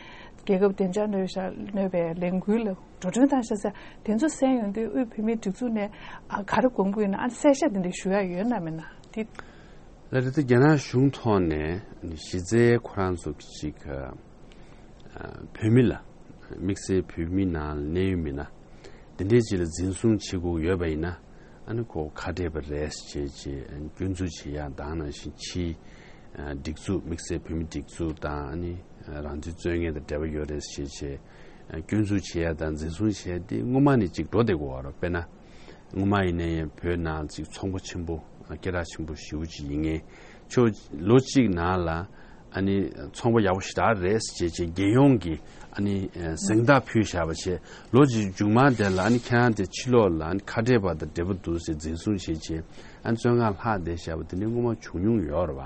རྒྱལ་ཁབ་བདེ་འཇགས་གནོད་ཤག་གནོད་པའི་ལས་འགུལ་ལ་འགྲོ་གྲོན་བཏང་ཤག་ཟེར། དེ་ཚོ་གསན་ཡོང་དུས་དབུས་བོད་མིའི་སྒྲིག་འཛུགས་ནས་ག་རེ་དགོངས་ཀྱི་ཡོད་ན། ཨ་གསལ་བཤད་དེ་འདྲ་ཞུ་ཡ་ཡོད་ན་མེད་ན་དེ། ལགས་རེད། ད་རྒྱ་ནག་གཞུང་ཐོག་ནས་གཞི་རྩའི་ཁོ་རང་ཚོ་གི་ཅིག་བོད་མི་ལ་དམིགས་བསལ་བོད་མི་ནང་ལ་གནས་ཡུལ་མི་སྣ་དེ་འདྲའི་ཅིག་ལ་འཛིན་བཟུང་བྱེད་དགོས་ཡོད་པ་ཡིན་ན། ཨ་ནི་ཁོ་ཁ་བྲལ་བ་རེད་ཅེས་ཅེས་སྐྱོན་འཛུགས་བྱེད་ཡ་དང་། ནང་བཞིན་ཕྱིའི་སྒྲིག་འཛུགས་དམིགས་བསལ་བོད་མི་སྒྲིག་འཛུགས་དང་ཨ་ནི་རང་བཙན་རྩོད་མཁན་དང་འབྲེལ་བ་ཡོད་རེད་ཅེས་ཅེས་སྐྱོན་འཛུགས་བྱེད་ཡ་དང་འཛིན་བཟུང་བྱེད་ཡ་དེ་སྔོན་མ་ནས་ཅིག་འགྲོ་བསྡད་དགོས་པ་རེད། དཔེར་ན། སྔོན་མ་ཡིན་ནའི་བོད་ནང་ཅིག་ཚོང་པ་ཆེན་པོ་སྐད་གྲགས་ཆེན་པོ་ཞེ་པོ་ཅིག་ཡིན་མཁན་ཆོ་ལོ་གཅིག་ནང་ལ་ཨ་ནི་ཚོང་པ་ཡག་པོ་ཞེ་དྲག་རེད་ཅེས་ཅེས་རྒྱལ་ཡོངས་ཀྱི་ཨ་ནི་གཟེངས་རྟགས་ཕུལ་བཞག་པ་བྱས། ལོ་གཅིག་མཇུག་མ་དེ་ལ་ཨ་ནི་ཁྱེད་རང་དེ་ཕྱི་ལོགས་ལ་ཨ་ནི་ཁ་བྲལ་བ་དང་འབྲེལ་བ་འདུག་ཟེར་འཛིན་བཟུང་བྱས་བྱས་ཨ་ནི་བཙོན་ཁང་ལྷག་བསྡད་བཞག་པ་དེ་འདྲ་སྔོན་མ་བྱུང་མྱོང་ཡོད་རེད་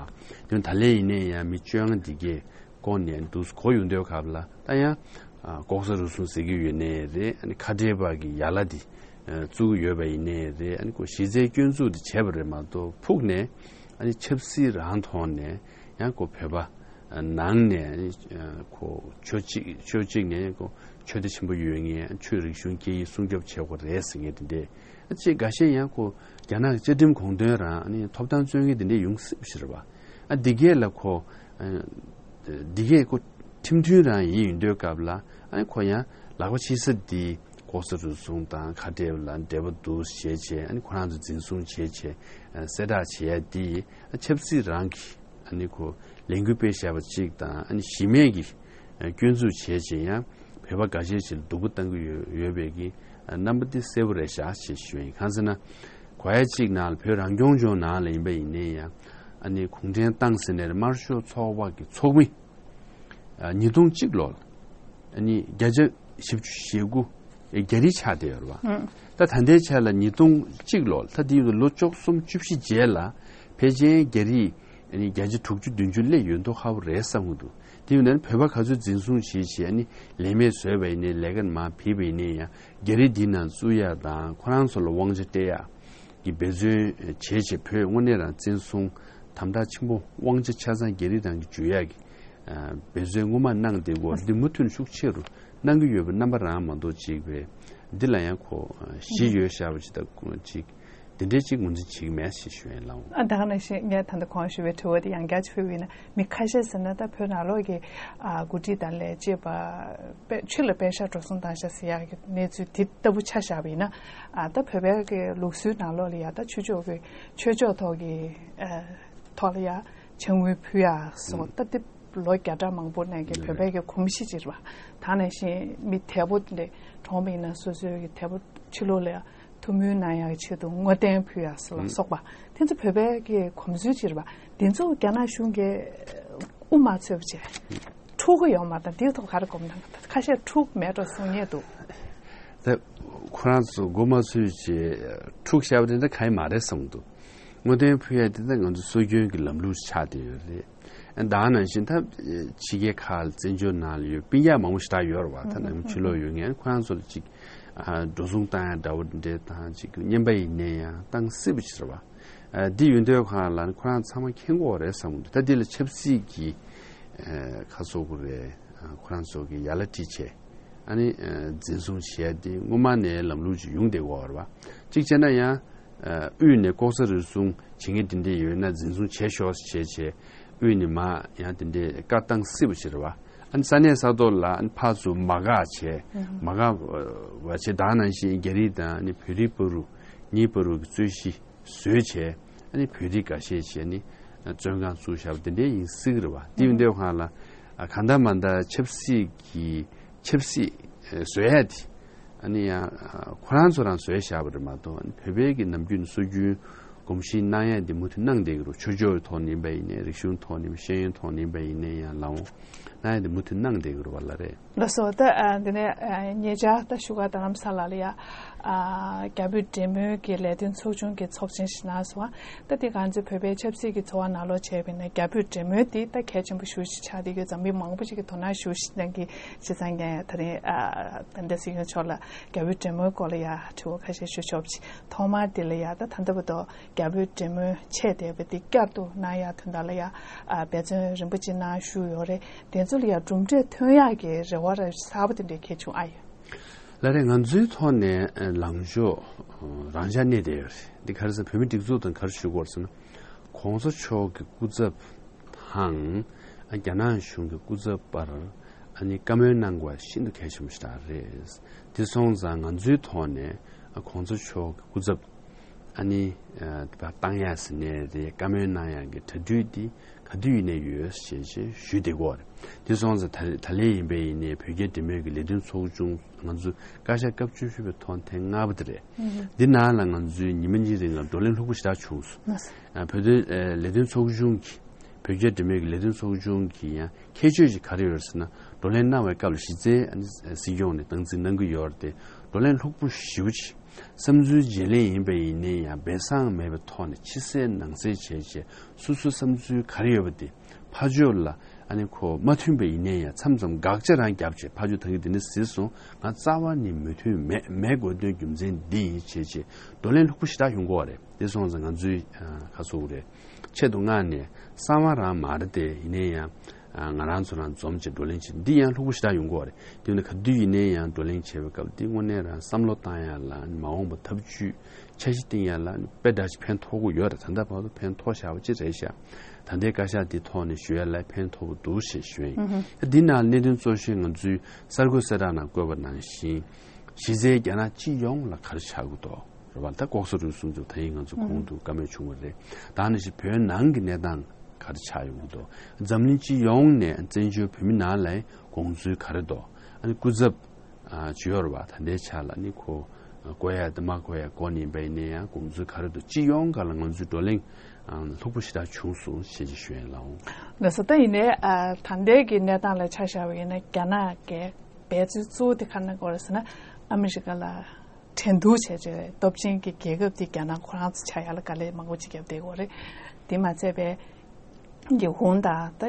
བ། དེ་ད་ལན་ཡིན་ནའི་ཡང་མི་བཅོ་ལྔ་འདི་གས་བསྐོ་ནས་འདུག་གོ་ཡོང་དུས་སྐབས་ལ་ད་ཡང་ལྐོག་ཟ་རུལ་སུངས་ཟེར་གྱི་ཡོད་ནའི་རེད། ཨ་ནི་ཁ་བྲལ་བ་གི་ཡ་ལ་འདི་བཙུགས་ཀྱི་ཡོད་པ་ཡིན་ནའི་རེད། ཨ་ནི་ཁོ་གཞི་རྩའི་སྐྱོན་འཛུགས་འདི་བྱས་པ་རེད་མ་གཏོགས་ཕུགས་ནས་ཨ་ནི་ཆབ་སྲིད་རང་ཐོག་ནས་ཡང་ཁོ་བོད་པ་ནང་ནས་ཨ་ནི་ཁོ་ཆོས་གཅིག་ཆོས་གཅིག་ནས་ཁོ་ཆོས་དད་ཆེན་པོ་ཡོད་མཁན་ཆོས་རིག་གཞུང་སྐད་ཡིག་སྲུང་སྐྱོབ་བྱེད་དགོས་རེད་ཟེར་མཁན་དེ་འདྲས། ཨ་ཅེ་འགའ་ཤས་ཡང་ཁོ་རྒྱ་ནག་གི་བཅའ་ཁྲིམས་དགོངས་དོན་རང་ཨ་ནི་ཐོབ་ཐང་རྩོད་མཁན་དེ་འདྲས་ཡོང་སྲིད་པ་ཞིག་རེད་བ། ཨ་འདི་གས་ལ་ཁོ་འདི་གས་ཁོ་ཁྲིམས་མཐུན་རང་ཡིན་ཡིན་དུས་སྐབས་ལ་ཨ་ནི་ཁོ་ཡང་ལག་པ་ཕྱིས་ས་འདི་ལྐོག་ཟ་རུལ་སུངས་དང་ཁ་བྲལ་ལ་འབྲེལ་བ་འདུག་བྱས་བྱས་ཨ་ནི་ཁོ་རང་ཚོ་འཛིན་བཟུང་བྱས་བྱས་གསལ་བསྒྲགས་བྱས་ཡ་འདི་ཨ་ཆབ་སྲིད་རང་གི་ཨ་ནི་ཁོ་ལས་འགུལ་སྤེལ་བཞག་པ་གཅིག་དང་། ཨ་ནི་གཞི་མེད་ཀྱི་སྐྱོན་འཛུགས་བྱས་བྱས་ཡང་བོད་པ་འགའ་ཤས་ཤིག་ལ་སྡུག་པོ་བཏང་གི་ཡོད་ཡོད་པའི་གི་རྣམ་པ་འདི་གསལ་པོ་རེད་ཤག་ཅེས་ཞུ་ཡིན། གང་ཟེར་ན། གོ་ཡ་གཅིག་ནང་ལ་བོད་རང་སྐྱོང་ལྗོངས་ནང་ལ་ཡིན་པ་ཡིན་ནའི་ཡང་ཨ་ནི་གུང་ཁྲན་ཏང་ཟེར་ནས་དམར་ཤོག་ཚོགས་པ་གི་ཚོགས་མི་ཉིས་སྟོང་གཅིག་ལོར་ཨ་ནི་བརྒྱ་ཆ་བཞི་བཅུ་ཞེ་དགུ་ རྒྱ་རིགས་ཆགས་བསྡད་ཡོད་རེད་བ། ད་ད་ལྟའི་ཆ་ལ་ཉིས་སྟོང་གཅིག་ལོ་ད་དེ་ཡོད་ལོ་བཅུ་གསུམ་བཅུ་བཞི་རྗེས་ལ་ཕལ་ཆེར་རྒྱ་རིགས་ཨ་ནི་བརྒྱ་ཆ་དྲུག་ཅུ་བདུན་ཅུ་སླེབས་ཡོད་མདོག་ཁ་པོ་རེད་བསམ་གྱི་འདུག་དེ་ཡོད་ན་བོད་པ་ག་ཚོད་འཛིན་བཟུང་བྱེད་བྱེད་ཨ་ནི་ལས་མེད་བཟོས་པ་ཡིན་ནའི་ལས་ཀ་མར་ཕུད་པ་ཡིན་ནའི་ཡང་རྒྱ་རིགས་འདི་ནང་བཙུགས་ཡག་དང་ཁོ་རང་ཚོ་ལ་དབང་ཆ་སྤྲད་ཡག་གི་འབད་བརྩོན་བྱེད་བྱེད་བོད་དངོས་གནས་རང་བཙན་བཟུང་དམ་དྲག་ཆེན་པོ་དབང་ཆ་ཆ་ཚང་རྒྱ་རིགས་རང་གི་འཇུ་ཡག་གི་འབད་བརྩོན་སྔོན་མ་གནང་བསྡད་ཀྱི་ཡོད་རེད། འདི་མུ་མཐུད་ནས་ཤུགས་ཆེ་རུ་གནང་གི་ཡོད་པའི་རྣམ་པ་རང་མ་གཏོགས་ཅིག་བས་འདི་ལ་ཡང་ཁོ་གཞི་ཡོད་ཤག་པ་ཅིག་དང་ཅིག་དེ་འདྲའི་ཅིག་ངོས་འཛིན་བྱེད་ཀྱི་མེད་ཞེས་ཞུ་ཡས་ལགས། ཨ་ད་ག་ནང་བཞིན་ངས་ད་ལྟ་གོང་ཞུས་པའི་དྲི་བ་དེ་ཡང་བསྐྱར་ཅིག་ཕུལ་བ་ཡིན་ན། མི་ཁ་ཤས་ཟེར་ན་ད་བོད་ནང་ལོགས་ཀྱི་ཨ་འགོ་ཁྲིད་དང་ལས་བྱེད་པ་དཔེ་ཕྱི་ལ་པད་ཤག་འགྲོ་སོང་བཏང་ཤག་ཟེར་ཡག་གི་གནས་ཚུལ་དེ་ལྟ་བུ་ཆ་བཞག་པ་ཡིན་ན། ཨ་ད་བོད་པའི་གི་ལུགས་སྲོལ་ནང་ལོགས་ལ་ཡ་ད་ཆོས་ཕྱོགས་ཀྱི་ཆོས་ཕྱོགས་ཐོག་གི་ཨ་ཐོག་ལ་ཡ་ཕྱག་དངུལ་ཕུལ་ཡག་སོགས་ད་དེ་ལོ་བརྒྱ་ཕྲག་མང་པོ་ནས་ཀྱི་བོད་པའི་གི་གོམས་གཤིས་ཅིག་རེད་བ། ད་ནང་བཞིན་མི་དལ་པོ་དེ་འདྲ་གྲོངས་པ་ཡིན་ན་སོ་སོའི་གི་དལ་པོ་ཕྱི་ལོགས་ལ་ཡ་ཐུགས་སྨོན་གནང་ཡག་གི་ཆེད་དུ་བསྔོ་རྟེན་ཕུལ་ཡག་སོགས་ལ་སོགས་པ་དེ་ཚོ་བོད་པའི་གི་གོམས་སྲོལ་ཅིག་རེད་བ། དེ་ཚོ་རྒྱ་ནག་གཞུང་གིས་དབུ་མ་ཚུགས་པ་བྱས་འཁྲུག་གི་ཡོད་མ་རེད། དེའི་ཐོག་ག་རེ་དགོངས་དག་ཁ་ཤས་འཁྲུག་མེད་འགྲོ་གསུང་མཁན་འདུག་ད་ཁོ་རང་ཚོ་མགོ་མ་ཚོས་བྱས་འཁྲུག་བཤད་པ་དེ་འདྲ་གང་ཡང་མ་རེད་བསམ་འདུག་བསྔོ་རྟེན་ཕུལ་ཡག་དེ་ད་ང་ཚོ་སྲོལ་རྒྱུན་གྱི་ལམ་ལུགས་ཆགས་བསྡད་ཡོད་རེད། ད་ནང་བཞིན་ད་ཕྱི་རྒྱལ་ཁག་ལ་བཙན་བྱོལ་ནང་ལ་ཡོད་སྤུན་ཀྱག་མང་པོ་ཞེ་དྲག་ཡོད་རེད་བ། ད་ནང་ཕྱི་ལོགས་ཡོད་མཁན་ཁོ་རང་ཚོ་ལ་ཅིག་ཨ་འགྲོ་སོང་བཏང་ཡག་འདྲ་བོ་འདྲ་དང་ཅིག་རྔན་པ་ཡིན་ནའི་ཡང་བཏང་སྲིད་པ་ཞིག་རེད་བ། ཨ་འདི་ཡོད་དུས་ཁོ་རང་ལ་ཁོ་རང་ཚང་མ་མཁྱེན་གྱི་ཡོད་རེད་བསམ་གྱི་འདུག་ད་འདི་ལ་ཆབ་སྲིད་ཀྱི་ཨ་ཁ་སོག་གི་རེད། ཨ་ཁོ་རང་ཚོ་གི་ཡ་ལ་ཁྲིད་བྱས། ཨ་ནི་ཨ་འཛིན་བཟུང་བྱས་ཏེ་སྔོན་མ་ནས་ལམ་ལུགས་ཅིག་ཡོང་བསྡད་ཡོད་རེད་བ། གཅིག་བྱས་ན་ཡང་ཨ་དབུས་ནས་ལྐོག་ཟ་རུལ་སུངས་བྱེད་མཁན་དེ་འདྲས་ཡོད་ན་འཛིན་བཟུང་བྱས་ཤོག་ཟེར་བྱས་བྱས་དབུས་ནས་མར་ཡང་དེ་འདྲས་བཀའ་བཏང་སྲིད་པ་ཞིག་རེད་བ། ཨ་ནི་ས་གནས་ས་ཐོག་ལ་ཨ་ནི་ཕར་ཚུར་མ་དགའ་བྱས་མ་དགའ་བ་བྱས་ད་ནང་བཞིན་རྒྱ་རིགས་དང་ཨ་ནི་བོད་རིགས་བར་དུ་གཉིས་བར་དུ་གི་རྩོད་གཞི་བཟོས་བྱས་ཨ་ནི་བོད་རིགས་འགའ་ཤས་བྱས་ནི་བཙོན་ཁང་བཙུགས་བཞག་པ་དེ་འདྲའི་ཡིན་སྲིད་ཀྱི་རེད་བ། དེ་ཡིན་དུས་ཁོ་རང་ལ་གང་ལྟར་མ་ལྟར་ཆབ་སྲིད་ཀྱི་ཆབ་སྲིད་བཟོ་ཡ་དེ་ཨ་ནི་ཡང་ཁོ་རང་ཚོ་རང་བཟོས་བཞག་པ་རེད་མ་གཏོགས་བོད་པའི་གི་ནམ་རྒྱུན་སྲོལ་རྒྱུན་གོམས་གཤིས་གནང་ཡ་དེ་མུ་མཐུད་གནང་བསྡད་ཀྱི་རེད། ཆོས་ཕྱོགས་ཀྱི་ཐོག་ནས་ཡིན་པ་ཡིན་ནའི་རིག་གཞུང་ཐོག་ནས་ཤེས་ཡོན་ཐོག་ནས་ཡིན་པ་ཡིན་ནའི་ཡང་ལའོ། ན་ཡང་དེ་མུ་མཐུད་གནང་བསྡད་ཀྱི་རེད་བ་ལ་རེད། ལགས་སོ། ད་ཨ་འདི་ནས་ཨ་ཉེ་ཆར་ད་བཞུགས་སྒར་རྡ་རམ་ས་ལ་ལ་ཡ་ཨ་རྒྱ་བོད་འབྲེལ་མོལ་གྱི་ལས་དོན་ཚོགས་ཆུང་གི་ཚོགས་ཆེན་ཞིག་གནང་སོང་བ། ད་འདི་ང་ཚོའི་བོད་པའི་ཆབ་སྲིད་ཀྱི་འཚོ་བ་ནང་ལོགས་བྱས་པ་ཡིན་ན་རྒྱ་བོད་འབྲེལ་མོལ་འདི་ད་གལ་ཆེན་པོ་ཞེ་པོ་ཞིག་ཆགས་བསྡད་ཡོད། འཛམ་གླིང་མང་པོ་ཞིག་གིས་དོ་སྣང་ཞེ་པོ་ཞིག་གནང་གི་བྱས་ཙང་ངས་ད་རིང་ཨ་ད་ལྟ་སྲིད་སྐྱོང་མཆོག་ལ་རྒྱ་བོད་འབྲེལ་མོལ་སྐོར་ལ་ཡ་དྲི་བ་ཁ་ཤས་ཞུ་ཆོག་པ་ཅིག་ཐོག་མར་འདི་ལ་ཡ་ད་ད་ལྟ་བར་དུ་རྒྱ་བོད་འབྲེལ་མོལ་ཆད་བསྡད་པ་འདི་བསྐྱར་དུ་གནང་ཡག་དོན་དག་ལ་ཡ་ཨ་འབད་བརྩོན་རིམ་པ་ཅིག་གནང་བཞུགས་ཡོད་རེད། དེ་ཚོ་ལ་ཡང་གྲུབ་འབྲས་ཐོན་ཡག་གི་རེ་བ་ར་གསར་པ་དེ་འདྲའི་གལ་བྱུང་ཨ་ཡོད། ལགས་རེད། ང་ཚོའི་ཐོག་ནས་ལངས་ཕྱོགས་རང་འཇགས་གནས་བསྡད་ཡོད་རེད། འདི་ག་རེ་ཟེར་བོད་མི་སྒྲིག་འཛུགས་དང་ག་རེ་ཞུ་དགོས་རེད་ཟེར་ན། གོང་ས་མཆོག་གི་སྐུ་ཚབ་དང་རྒྱ་ནག་གཞུང་གི་སྐུ་ཚབ་བར་ཨ་ནི་བཀའ་མོལ་གནང་དགོས་པ་ཤིན་ཏུ་གལ་ཆེན་པོ་ཞིག་རེད། དེ་སོང་ཙང་ང་ཚོའི་ཐོག་ནས་གོང་ས་མཆོག་གི་སྐུ་ཚབ་ཨ་ནི་ཨ་བཏང་ཡ་ཟེར་ནའི་རེད། བཀའ་མོལ་གནང་ཡ་གི་གྲ་སྒྲིག་འདི་ག་དུས་ཡིན་ནའི་ཡོད་ཞེས་ཞེས་ཞུས་བསྡད་ཀྱི་ཡོད་རེད། དེ་སོང་ཙང་ད་ད་ལན་ཡིན་པ་ཡིན་ནའི་བོད་རྒྱ་འབྲེལ་མོལ་གྱི་ལས་དོན་ཚོགས་ཆུང་ང་ཚོ་བཀའ་ཤག་སྐབས་བཅུ་བཞི་པའི་ཐོག་ཐེངས་ལྔ་པ་དེ་རེད། འདི་ནང་ལ་ང་ཚོས་ཉི་མ་གཉིས་རིང་ལ་བགྲོ་གླེང་ལྷུག་པོ་ཞེ་དྲག་བྱུང་སོང་། ཨ་བོད་དོན་ཨ་ལས་དོན་ཚོགས་ཆུང་གི་བོད་རྒྱ་འབྲེལ་མོལ་གྱི་ལས་དོན་ཚོགས་ཆུང་གི་ཡང་ཁྱད་ཆོས་ཤིག་ག་རེ་ཡོད་ཟེར་ན། བགྲོ་གླེང་གནང་བའི་སྐབས་ལ་གཞི་རྩའི་ཨ་ནི་སྲིད་སྐྱོང་ནས་སྟངས་འཛིན་གནང་གི་ཡོད་རེད་དེ། བགྲོ་གླེང་ལྷུག་པོ་ཞེ་པོ་ཅིག་བསམ་ཚུལ་བརྗེ་ལེན་ཡིན་པ་ཡིན་ནའི་ཡང་སྦས་གསང་མེད་པའི་ཐོག་ནས་ཕྱི་གསལ་ནང་གསལ་བྱས་བྱས་སོ་སོའི་བསམ་ཚུལ་ག་རེ་ཡོད་པ་དེ་ཕར་ཕྱོགས་ལ་ཨ་ནི་ཁོ་མ་མཐུན་པ་ཡིན་ནའི་ཡང་མཚམས་མཚམས་དགག་བྱ་རང་བརྒྱབ་བྱས་ཕར་ཕྱོགས་ད་གིན་དེ་འདྲ་ཟེར་སོང་། ང་རྩ་བ་ནས་མོས་མཐུན་མེད་མེད་དགོས་དོན་རྒྱུ་མཚན་འདི་ཡིན་བྱས་བྱས་བགྲོ་གླེང་ལྷུག་པོ་ཞེ་དྲག་ཡོང་གི་ཡོད་རེད། དེ་སོང་ཙང་ང་ཚོས་ཨ་ཁ་སོ་རེད། ཆེད་དུ་མངགས་ནས་གསང་བ་རང་མ་རེད་དེ་ཡིན་ནའི་ཡང་ང་རང་ཚོ་རང་འཛོམས་བྱས་བགྲོ་གླེང་བྱེད་འདི་ཡང་ལྷུག་པོ་ཞེ་དྲག་ཡོང་གི་ཡོད་རེད། དེ་ནི་ག་དུས་ཡིན་ནའི་ཡང་བགྲོ་གླེང་བྱེད་པའི་སྐབས་འདི་དངོས་གནས་རང་བསམ་བློ་བཏང་ཡ་ལ་མ་འོངས་པ་ཐབས་ཇུས་འཆར་གཞི་བཏིང་ཡ་ལ་དཔེ་འདྲ་ཞིག་ཕན་ཐོགས་ཀྱི་ཡོད་རེད། ད་ལྟ་བར་དུ་ཕན་ཐོགས་བཞག་པ་ཅིག་རེད་ཤག་ད་ལྟའི་བཀའ་ཤག་འདི་ཐོག་ནས་ཞུ་ཡ་ལ་ཕན་ཐོགས་པོ་འདུག་ཞེས་ཞུ་ཡ་ཡིན། ད་འདི་ནང་གནད་དོན་གཙོ་ཤོས་ང་ཚོའི་གསར་འགོད་གསལ་བསྒྲགས་ནང་བཀོད་པ་ནང་བཞིན་གཞི་རྩའི་རྒྱ་ནག་སྤྱི་ཡོངས་ལ་ག་རེ་ཆགས་ཀྱི་འདུག་རེད་བ། ད་ལྐོག་ཟ་རུལ་སུངས་ཚོ་ད་ཡིན་ང་ཚོ་གོང་དུ་བཀའ་མོལ་བྱུང་བ་རེད། ད་ནི་ཞིག་བོད་ནང་གི་གནས་སྟངས་ག་རེ་ཆགས་ཡོང་གི་འདུག་འཛམ་གླིང་སྤྱི་ཡོངས་ནས་བཙན་བྱོལ་བོད་མི་ནང་ལ་དགོངས་ཚུལ་ག་རེ་འདུག་ཨ་ནི་སྐུ་ཚབ་ཨ་ཅིག་ཡོད་རེད་བ། ད་ལྟའི་ཆ་ལ་ནི་ཁོ་བསྐོ་ཡ་དང་མ་བསྐོ་ཡ་སྐོར་ནས་ཡིན་པ་ཡིན་ན་ཡང་དགོངས་ཚུལ་ག་རེ་འདུག་སྤྱི་ཡོངས་སྒང་ལ་ང་ཚོའི་བགྲོ་གླེང་ཨ་ལྷུག་པོ་ཞེ་དྲག་བྱུང་སོང་ཞེས་ཅིག་ཞུ་ཡ་ཡིན་ལགས། ལགས་སོ། ད་ཡིན་ནའི་ཨ་ད་ལྟའི་གི་གནས་སྟངས་ལ་ཆ་བཞག་པ་ཡིན་ན་རྒྱ་ནག་གི་འབད་བརྩོན་གཙོ་བོ་དེ་ག་རེ་གནང་གི་ཡོད་རེད་ཟེར་ན། ཨ་མི་རི་ཀ་ལ་འགྲན་བསྡུར་བྱས་བྱས་སྟོབས་ཆེན་གྱི་རྒྱལ་ཁབ་དེ་རྒྱ་ནག་ཁོ་རང་ཚོ་ཆགས་ཡ་ལ་དཀའ་ལས་མང་པོ་ཅིག་བརྒྱབ་བསྡད་ཡོད་རེད། དེ་མ་ཚད་པའི་ཉི་ཧོང་དང་ད་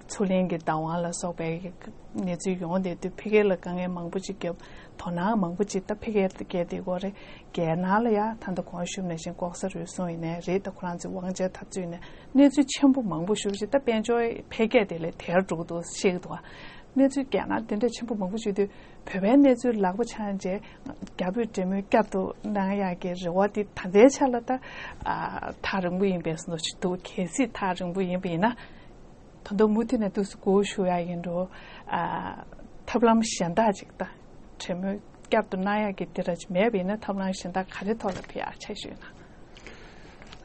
མཚོ་གླིང་གི་བདག་དབང་ལ་སོགས་པའི་གནས་ཚུལ་ཡོང་བསྡད་དུས་ཕ་གི་ལ་དཀའ་ངལ་མང་པོ་ཅིག་བརྒྱབ། དོ་སྣང་མང་པོ་ཅིག་ད་ཕ་གིར་བསྐྱལ་བསྡད་ཡོད་རེད། རྒྱ་ནག་ལ་ཡ་ད་ལྟ་གོང་ཞུས་ནང་བཞིན་ལྐོག་ཟ་རུལ་སུངས་ཡིན་ནའི་རེད། ད་ཁོ་རང་ཚོའི་དབང་ཆའི་འཐབ་རྩོད་ཡིན་ནའི་གནས་ཚུལ་ཆེན་པོ་མང་པོ་ཞེ་པོ་ཅིག་ད་དཔལ་འབྱོར་འཕེལ་རྒྱས་དེ་ལས་དལ་འགྲོ་གི་འདུག་བཤད་ཀྱི་འདུག་བ། གནས་ཚུལ་རྒྱ་ནག་དེ་འདྲ་ཆེན་པོ་མང་པོ་ཞིག་དུས་བོད་པའི་གནས་ཚུལ་ལག་པ་འཆང་རྗེས་རྒྱ་བོད་འབྲེལ་མོལ་བསྐྱར་དུ་གནང་ཡག་གི་རེ་བ་དེ་ད་ལྟའི་ཆ་ལ་ད་ཨ་ཐག་རིང་པོ་ཡིན་པའི་བཟོ་འདྲ་ཞིག་འདུག་གལ་སྲིད་ཐག་རིང་པོ་ཡིན་པ་ཡིན་ན། ད་དུང་མུ་མཐུད་ནས་འདུག་སེ་སྒུག་བཞུགས་ཡག་ཡིན་འགྲོ། ཨ་ཐབས་ལམ་གཞན་དག་ཅིག་ད་འབྲེལ་མོལ་བསྐྱར་དུ་གནང་ཡག་གི་དེ་འདྲ་ཅིག་མེད་པ་ཡིན་ན་ཐབས་ལམ་གཞན་དག་ག་རེ་ཐོག་ལ་ཕེབས་ཡག་འཆར་གཞི་ཡོད་ན།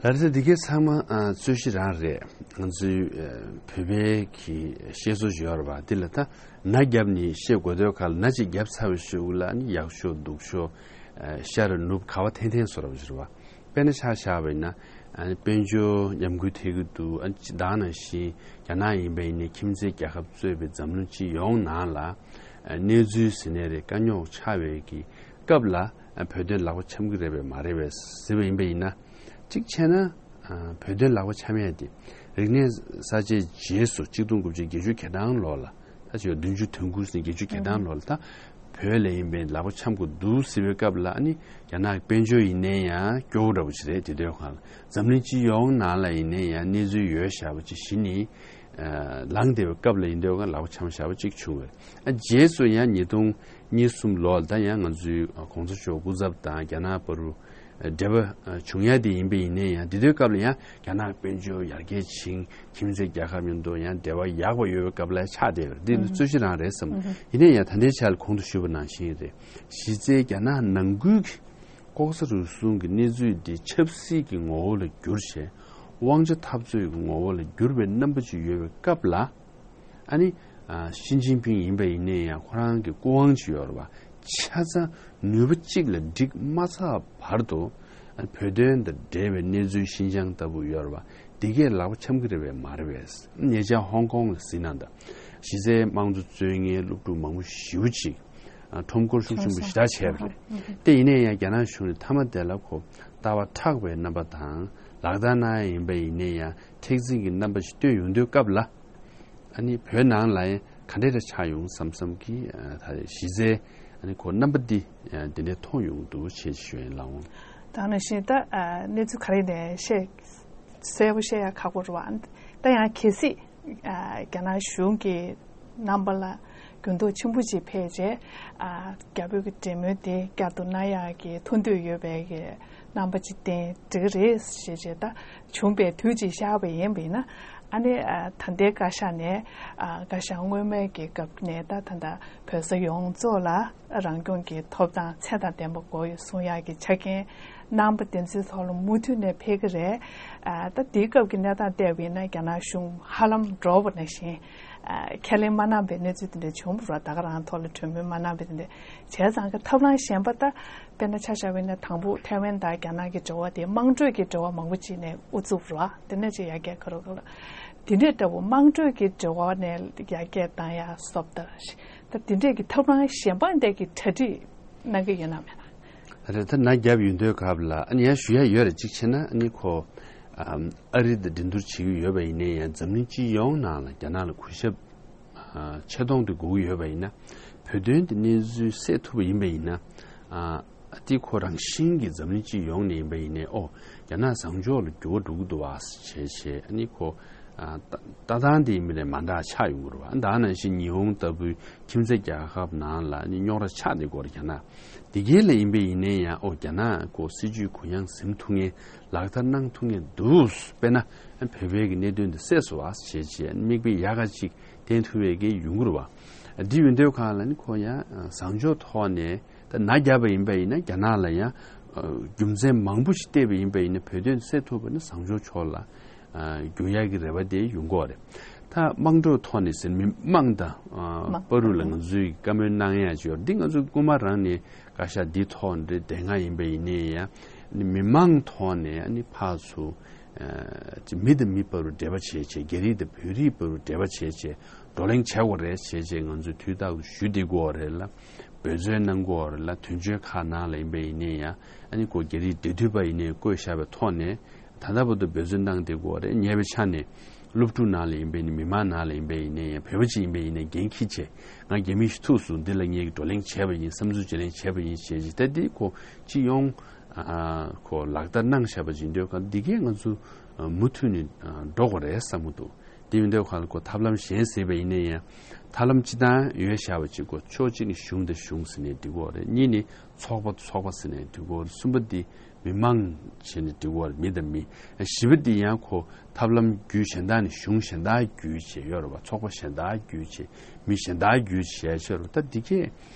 ལགས་སོ། འདི་གའི་ཚང་མ་ཨ་རྩོད་གཞི་རང་རེད། ང་ཚོའི་ཨ་བོད་པའི་གི་བཤད་སྲོལ་ཞིག་ཡོད་རེད་པ། འདི་ལ་ད་ན་རྒྱབ་ནས་བཤད་དགོས་དོན་ག་ལ། ན་ཅིག་རྒྱབ་ཚར་བའི་གཞུག་ལ་ནི་ཡག་ཤོས་སྡུག་ཤོས་ཨ་ཤ་རུ་ནུབ་ག་བ་འཐེན་འཐེན་བཟོ་འདྲ་པོ་ཞིག་རེད་པ། དཔེར་ན་ཆ་བཞག་པ་ཡིན་ན་ཨ་ནི་དཔལ་འབྱོར་ཉམས་རྒུད་ཐེབས་ཀྱི་འདུག་ཨ་ནི་ད་ག་ནང་བཞིན་རྒྱ་ནག་ཡིན་པ་ཡིན་ནའི་ཁྱིམ་མཚེས་རྒྱལ་ཁབ་གཙོས་པའི་འཛམ་གླིང་སྤྱི་ཡོངས་ནང་ལ་ཨ་གནས་ཚུལ་ཟེར་ནའི་རེད། དཀའ་རྙོག་ཆགས་པའི་གི་སྐབས་ལ་ཨ་བོད་དོན་ལག་པ་འཆང་གི་རེད་པས་མ་རེད་པས་ཟེར་བ་ཡིན་པ་ཡིན་ན། གཅིག་བྱས་ན་ཨ་བོད་དོན་ལག་པ་འཆང་ཡས་དེ་རིག་གནས་གསར་བརྗེའི་རྗེས་སུ་གཅིག་སྟོང་དགུ་བརྒྱ་བརྒྱད་ཅུ་གྱ་གྲངས་ལོ་ལ། ད་ཆ་བདུན་ཅུ་དོན་དགུ་ཟིན་བརྒྱད་ཅུ་གྱ་གྲངས་ལོ་ལ་ད་བོད་ལ་ཡིན་པའི་ལག་པ་འཆང་དགོས་འདུག་ཟེར་བའི་སྐབས་ལ་ཨ་ནི་རྒྱ་ནག་གི་དཔལ་འབྱོར་ཡིན་ནའི་ཡང་སྐྱོ་བོ་འདྲ་པོ་ཞིག་རེད། དེ་དུས་སྒང་ལ་འཛམ་གླིང་སྤྱི་ཡོངས་ནང་ལ་ཡིན་ནའི་ཡང་གནས་ཚུལ་ཡོད་བཞག་པ་ཅིག་གཞི་ནས་ཨ་ལངས་བསྡད་པའི་སྐབས་ལ་ཡིན་དུས་སྒང་ལག་པ་འཆང་བཞག་པ་ཅིག་བྱུང་བས། ཨ་རྗེས་སུ་ཡང་ཉིས་སྟོང་གཉིས་གསུམ་ལོ་ལ་ད་ཡང་ང་ཚོའི་ཨ་གོང་ས་མཆོག་སྐུ་ཚབ་དང་རྒྱ་ནག་བར་དུ་འབྲེལ་བ་བྱུང་ཡ་དེ་ཡིན་པ་ཡིན་ནའི་ཡང་དེ་དུས་སྐབས་ལ་ཡང་རྒྱ་ནག་དཔལ་འབྱོར་ཡར་རྒྱས་ཕྱིན། ཁྱིམ་མཚེས་རྒྱལ་ཁབ་མཉམ་དུ་ཡང་འབྲེལ་བ་ཡག་པ་ཡོད་པའི་སྐབས་ལ་ཆགས་བསྡད་པ་རེད། འདི་ནི་རྩོད་གཞི་རང་རེད་བསམ། ཡིན་ནའི་ཡང་ད་ལྟའི་ཆ་ལ་གོང་དུ་ཞུས་པ་ནང་བཞིན་རེད། གཞི་རྩའི་རྒྱ་ནག་ནང་ཁུལ་གྱི་ལྐོག་ཟ་རུལ་སུངས་ཀྱི་གནས་ཚུལ་འདི་ཆབ་སྲིད་ཀྱི་ངོ་བོ་ལ་བསྒྱུར་བྱས་དབང་ཆ་འཐབ་རྩོད་ཀྱི་ངོ་བོ་ལ་བསྒྱུར་བའི་རྣམ་པ་ཅིག་ཡོད་པའི་སྐབས་ལ། ཨ་ནི་ཨ་ཞི་ཅིན་ཕིང་ཡིན་པ་ཡིན་ནའི་ཡང་ཁོ་རང་གི་སྐུ་དབང་ཅིག་ཡོད་རེད་པ། ཆ་ཚང་ནུས་པ་གཅིག་ལ་འགྲིག་མ་ཚར་བར་དུ་ཨ་བོད་དོན་དང་འབྲེལ་བའི་གནས་ཚུལ་ཤིན་ཅང་ལྟ་བུ་ཡོད་རེད་པ། འདི་གས་ལག་པ་འཆང་གི་རེད་པས་མ་རེད་པས། ཉེ་ཆར་ཧོང་ཀོང་ལ་གཟིགས་ན་ད་གཞི་རྩའི་དམངས་གཙོ་རྩོད་མཁན་སློབ་ཕྲུག་མང་པོ་ཞེ་པོ་ཅིག་ཨ་ཁྲོམ་སྐོར་ཤུགས་ཆེན་པོ་ཞེ་དྲག་བྱས་པ་རེད། དེ་ཡིན་ནའི་ཡང་རྒྱ་ནག་གཞུང་ནས་མཐའ་མ་དེ་ལ་ཁོ་ལྟ་བ་མཁྲེགས་པའི་རྣམ་པ་དང་ལག་བསྟར་གནང་ཡ་ཡིན་པ་ཡིན་ནའི་ཡང་མཁྲེགས་འཛིན་གྱི་རྣམ་པ་ཞིག་སྟོན་ཡོང་དུས་སྐབས་ལ། ཨ་ནི་བོད་ནང་ལ་ཡང་ག་འདྲས་འདྲ་ཆགས་ཡོང་བསམ་བསམ་གྱི་ཨ་ད་གཞི་རྩའི་ཨ་ནི་ཁོ་རྣམ་པ་འདི་ཨ་འདི་འདྲས་མཐོང་ཡོང་འདུག་ཅེས་ཞུ་ཡིན་ལགས་འོང་། ད་ནང་བཞིན་ད་ཨ་གནས་ཚུལ་ག་རེ་ནས་བཤད་གསལ་པོ་བཤད་ཡ་ཁག་པོ་རེད་པ། ད་ཡང་གལ་སྲིད་ཨ་རྒྱ་ནག་གཞུང་གི་རྣམ་པ་ལ་འགྱུར་ལྡོག་ཆེན་པོ་ཅིག་ཕེབས་རྗེས་ཨ་རྒྱ་བོད་ཀྱི་འབྲེལ་མོལ་དེ་བསྐྱར་དུ་གནང་ཡག་གི་ཐུགས་འདོད་ཡོད་པའི་གི་རྣམ་པ་ཅིག་བསྟན་འགྲིག་གི་རེད་ཞེས་བྱས་ད། བྱུང་བའི་དུས་ཅིག་བཞག་པ་ཡིན་པ་ཡིན་ན། ཨ་ནི་ཨ་ད་ལྟའི་བཀའ་ཤག་ནས་ཨ་བཀའ་ཤག་སྔོན་མའི་གི་སྐབས་ནས་ད་ད་ལྟ་བོད་ས་ཡོངས་རྫོགས་ལ་རང་སྐྱོང་གི་ཐོབ་ཐང་ཚད་དང་ལྡན་པ་དགོས་ཡོད་གསུང་ཡག་གི་ཆ་རྐྱེན་རྣམ་པ་དེ་ཚོའི་ཐོག་ལ་མུ་མཐུད་ནས་ཕེབས་ཀྱི་རེད། ཨ་ད་དེའི་སྐབས་ཀྱི་གནས་སྟངས་བལྟས་པ་ཡིན་ན་རྒྱ་ནག་གཞུང་ཧ་ལམ་འགྲོ་བ་ནང་བཞིན་ཨ་ཁས་ལེན་མ་གནང་པའི་གནས་ཚུལ་དེ་འདྲ་བྱུང་བ་རེད། ད་ག་རང་ཐོག་ལ་གྲོས་མོལ་མ་གནང་པའི་དེ་འདྲ་བྱས་ཙང་གི་ཐབས་ལམ་གཞན་པ་ད། དཔེར་ན་ཆ་བཞག་པ་ཡིན་ན་དང་པོ་ཐའེ་ཝན་དང་རྒྱ་ནག་གི་འབྲེལ་བ་དེ་དམངས་ཁྲོད་ཀྱི་འབྲེལ་བ་མང་པོ་ཅིག་ནས་དབུ་བཙུགས་རོགས། དེ་ནས་ཅིག་ཡར་རྒྱས་ཁ་རོག་ཁ་རོག་དེ་འདྲའི་འདྲ་བོ་དམངས་ཁྲོད་ཀྱི་འབྲེལ་བ་ནས་ཡར་རྒྱས་བཏང་ཡ་སོབ་ད་ད་དེ་འདྲས་ཀྱི་ཐབས་ལམ་གཞན་པ་འདྲ་གི་གྲ་སྒྲིག་གནང་གི་ཡོད་ན་མེད་ན། རེད། ད་ན་རྒྱབ་ཡོང་དུས་སྐབས་ལ་ཨ་ནི་ཡང་ཞུ་ཡ་ཡོད་རེད། གཅིག་བྱས་ན་ཨ་ནི་ཁོ་ཨ་རི་དང་འགྲན་བསྡུར་བྱེད་ཀྱི་ཡོད་པ་ཡིན་ནའི་ཡང་འཛམ་གླིང་སྤྱི་ཡོངས་ནང་ལ་རྒྱ་ནག་ལ་གུས་ཞབས། ཨ་ཆེ་མཐོང་དེ་དགོས་ཀྱི་ཡོད་པ་ཡིན་ན། བོད་དོན་དེ་གནས་ཚུལ་སེལ་ཐུབ་པ་ཡིན་པ་ཡིན་ན། ཨ་དེ་ཁོ་རང་བཞིན་གྱིས་འཛམ་གླིང་སྤྱི་ཡོངས་ནས་ཡིན་པ་ཡིན་ནའི་ཨོ་རྒྱ་ནག་བཟང་ཕྱོགས་ལ་འགྱུར་བ་འགྲོ་གི་འདུག་བ་བྱས་བྱས་ཨ་ནི་ཁོ་ཨ་ལྟ་ལྟ་སྟངས་དེ་ཡིན་པ་ནས་མ་འདྲ་ཆགས་ཡོང་གི་རེད་བ། ད་ནང་བཞིན་ཉི་ཧོང་ལྟ་བུའི་ཁྱིམ་མཚེས་རྒྱལ་ཁབ་ནང་ལ་ཨ་ནི་རྙོག་དྲ་ཆགས་བསྡད་ཀྱི་ཡོད་རེད་རྒྱ་ནག་དེ་གའི་ལ་ཡིན་པ་ཡིན་ནའི་ཡང་ཨོ་རྒྱ་ནག་ཁོ་སྲིད་ཇུས་གུ་ཡངས་ཟིན་ཐུབ་མཁན་ལག་བསྟར་གནང་ཐུབ་མཁན་འདུག་དཔེར་ན་བོད་པའི་གི་གནད་དོན་འདི་སེལ་སོང་བ་བྱས་བྱས་མིག་དཔེ་ཡག་ག་ཅིག་བསྟན་ཐུབ་པའི་གི་ཡོང་གི་རེད་བ། འདི་ཡོང་དུས་སྒང་ལ་ནི་ཁོ་ཡང་བཟང་ཕྱོགས་ཐོག་ནས་ད་ན་རྒྱབ་པ་ཡིན་པ་ཡིན་ན་རྒྱ་ནག་ལ་ཡང་རྒྱུ་མཚན་མང་པོ་ཞིག་བལྟས་པ་ཡིན་པ་ཡིན་ན་བོད་དོན་སེལ་ཐུབ་པ་ནི་བཟང་ཕྱོགས་ཕྱོགས་ལ་རྒྱུག་ཡག་གི་རེ་བ་དེ་ཡོང་གི་ཡོད་རེད། ད་དམངས་ཁྲོད་ཐོག་ནས་ཟེར་མི་དམངས་དང་བར་དུ་ལ་ང་ཚོས་བཀའ་མོལ་གནང་ཡག་ཅིག་ཡོད་རེད། འདི་ང་ཚོ་སྔོན་མ་རང་ནས་བཀའ་ཤག་འདི་ཐོག་འདི་དེ་སྔ་ཡིན་པ་ཡིན་ནའི་ཡང་མི་མང་ཐོག་ནས་ཨ་ནི་ཕར་ཚུར་ཨ་ཅིག་མི་དང་མི་བར་དུ་འབྲེལ་བ་བྱས་བྱས་རྒྱ་རིགས་དང་བོད་རིགས་བར་དུ་འབྲེལ་བ་བྱས་བྱས་བགྲོ་གླེང་བྱེད་དགོས་རེད་བྱས་བྱས་ང་ཚོས་དུས་རྟག་ཏུ་ཞུ་བསྡད་ཀྱི་ཡོད་རེད་ལ། འབད་བརྩོན་གནང་དགོས་རེད་ལ། དོན་གཅོད་ཁག་ནང་ལ་ཡིན་པ་ཡིན་ནའི་ཡང་ཨ་ནི་ཁོ་རྒྱ་རིགས་འབྲེལ་མཐུད་པ་ཡིན་ནའི་བསྐོས་བཞག་པའི་ཐོག་ནས་ད་ལྟ་བར་དུ་འབད་བརྩོན་གནང་བསྡད་དགོས་རེད། ཉེ་བའི་ཆ་ནས་སློབ་ཕྲུག་ནང་ལ་ཡིན་པ་ཡིན་ནའི་མི་མང་ནང་ལ་ཡིན་པ་ཡིན་ནའི་ཡང་བོད་པ་ཅིག་ཡིན་པ་ཡིན་ནའི་འགན་འཁྱེར་བྱས་ང་རྒྱ་མི་ཞིག་ཐུག་སོང་། འདི་ལ་ངས་བགྲོ་གླེང་བྱས་པ་ཡིན། བསམ་ཚུལ་བརྗེ་ལེན་བྱས་པ་ཡིན་ཞེས་ཅིག་ད་འདི་ཁོ་སྤྱི་ཡོངས་ཨ་ཁོ་ལག་བསྟར་གནང་བཞག་པ་ཅིག་འདོད་ཁ་འདི་གས་ང་ཚོ་མུ་མཐུད་ནས་འགྲོ་དགོས་རེད་བསམ་གྱི་འདུག་དེ་ཡིན་དུས་ཁ་ལ་ཁོ་ཐབས་ལམ་གཞན་ཟེར་བ་ཡིན་ན་ཡང་ཐབས་ལམ་སྤྱི་བཏང་ཡོད་བཞག་པ་ཅིག་ཁོ་ཕྱོགས་གཅིག་ནས་གཞུང་དང་གཞུང་ཟེར་ནས་འགྲིག་གི་རེད། གཉིས་ནས་ཚོགས་པ་ཚོགས་པ་ཟེར་ནས་འགྲིག་གི་རེད། གསུམ་པ་འདི་མི་མང་བྱས་ནས་འགྲིག་གི་རེད། མི་དང་མི། བཞི་པ་འདི་ཡང་ཁོ་ཐབས་ལམ་བརྒྱུད་གཞན་དག་ནས་གཞུང་གཞན་དག་བརྒྱུད་བྱས་ཡོད་རེད་བ། ཚོགས་པ་གཞན་དག་བརྒྱུད་བྱས་མི་གཞན་དག་བརྒྱུད་བྱས་བྱས་རེད། ད་འདི་གས་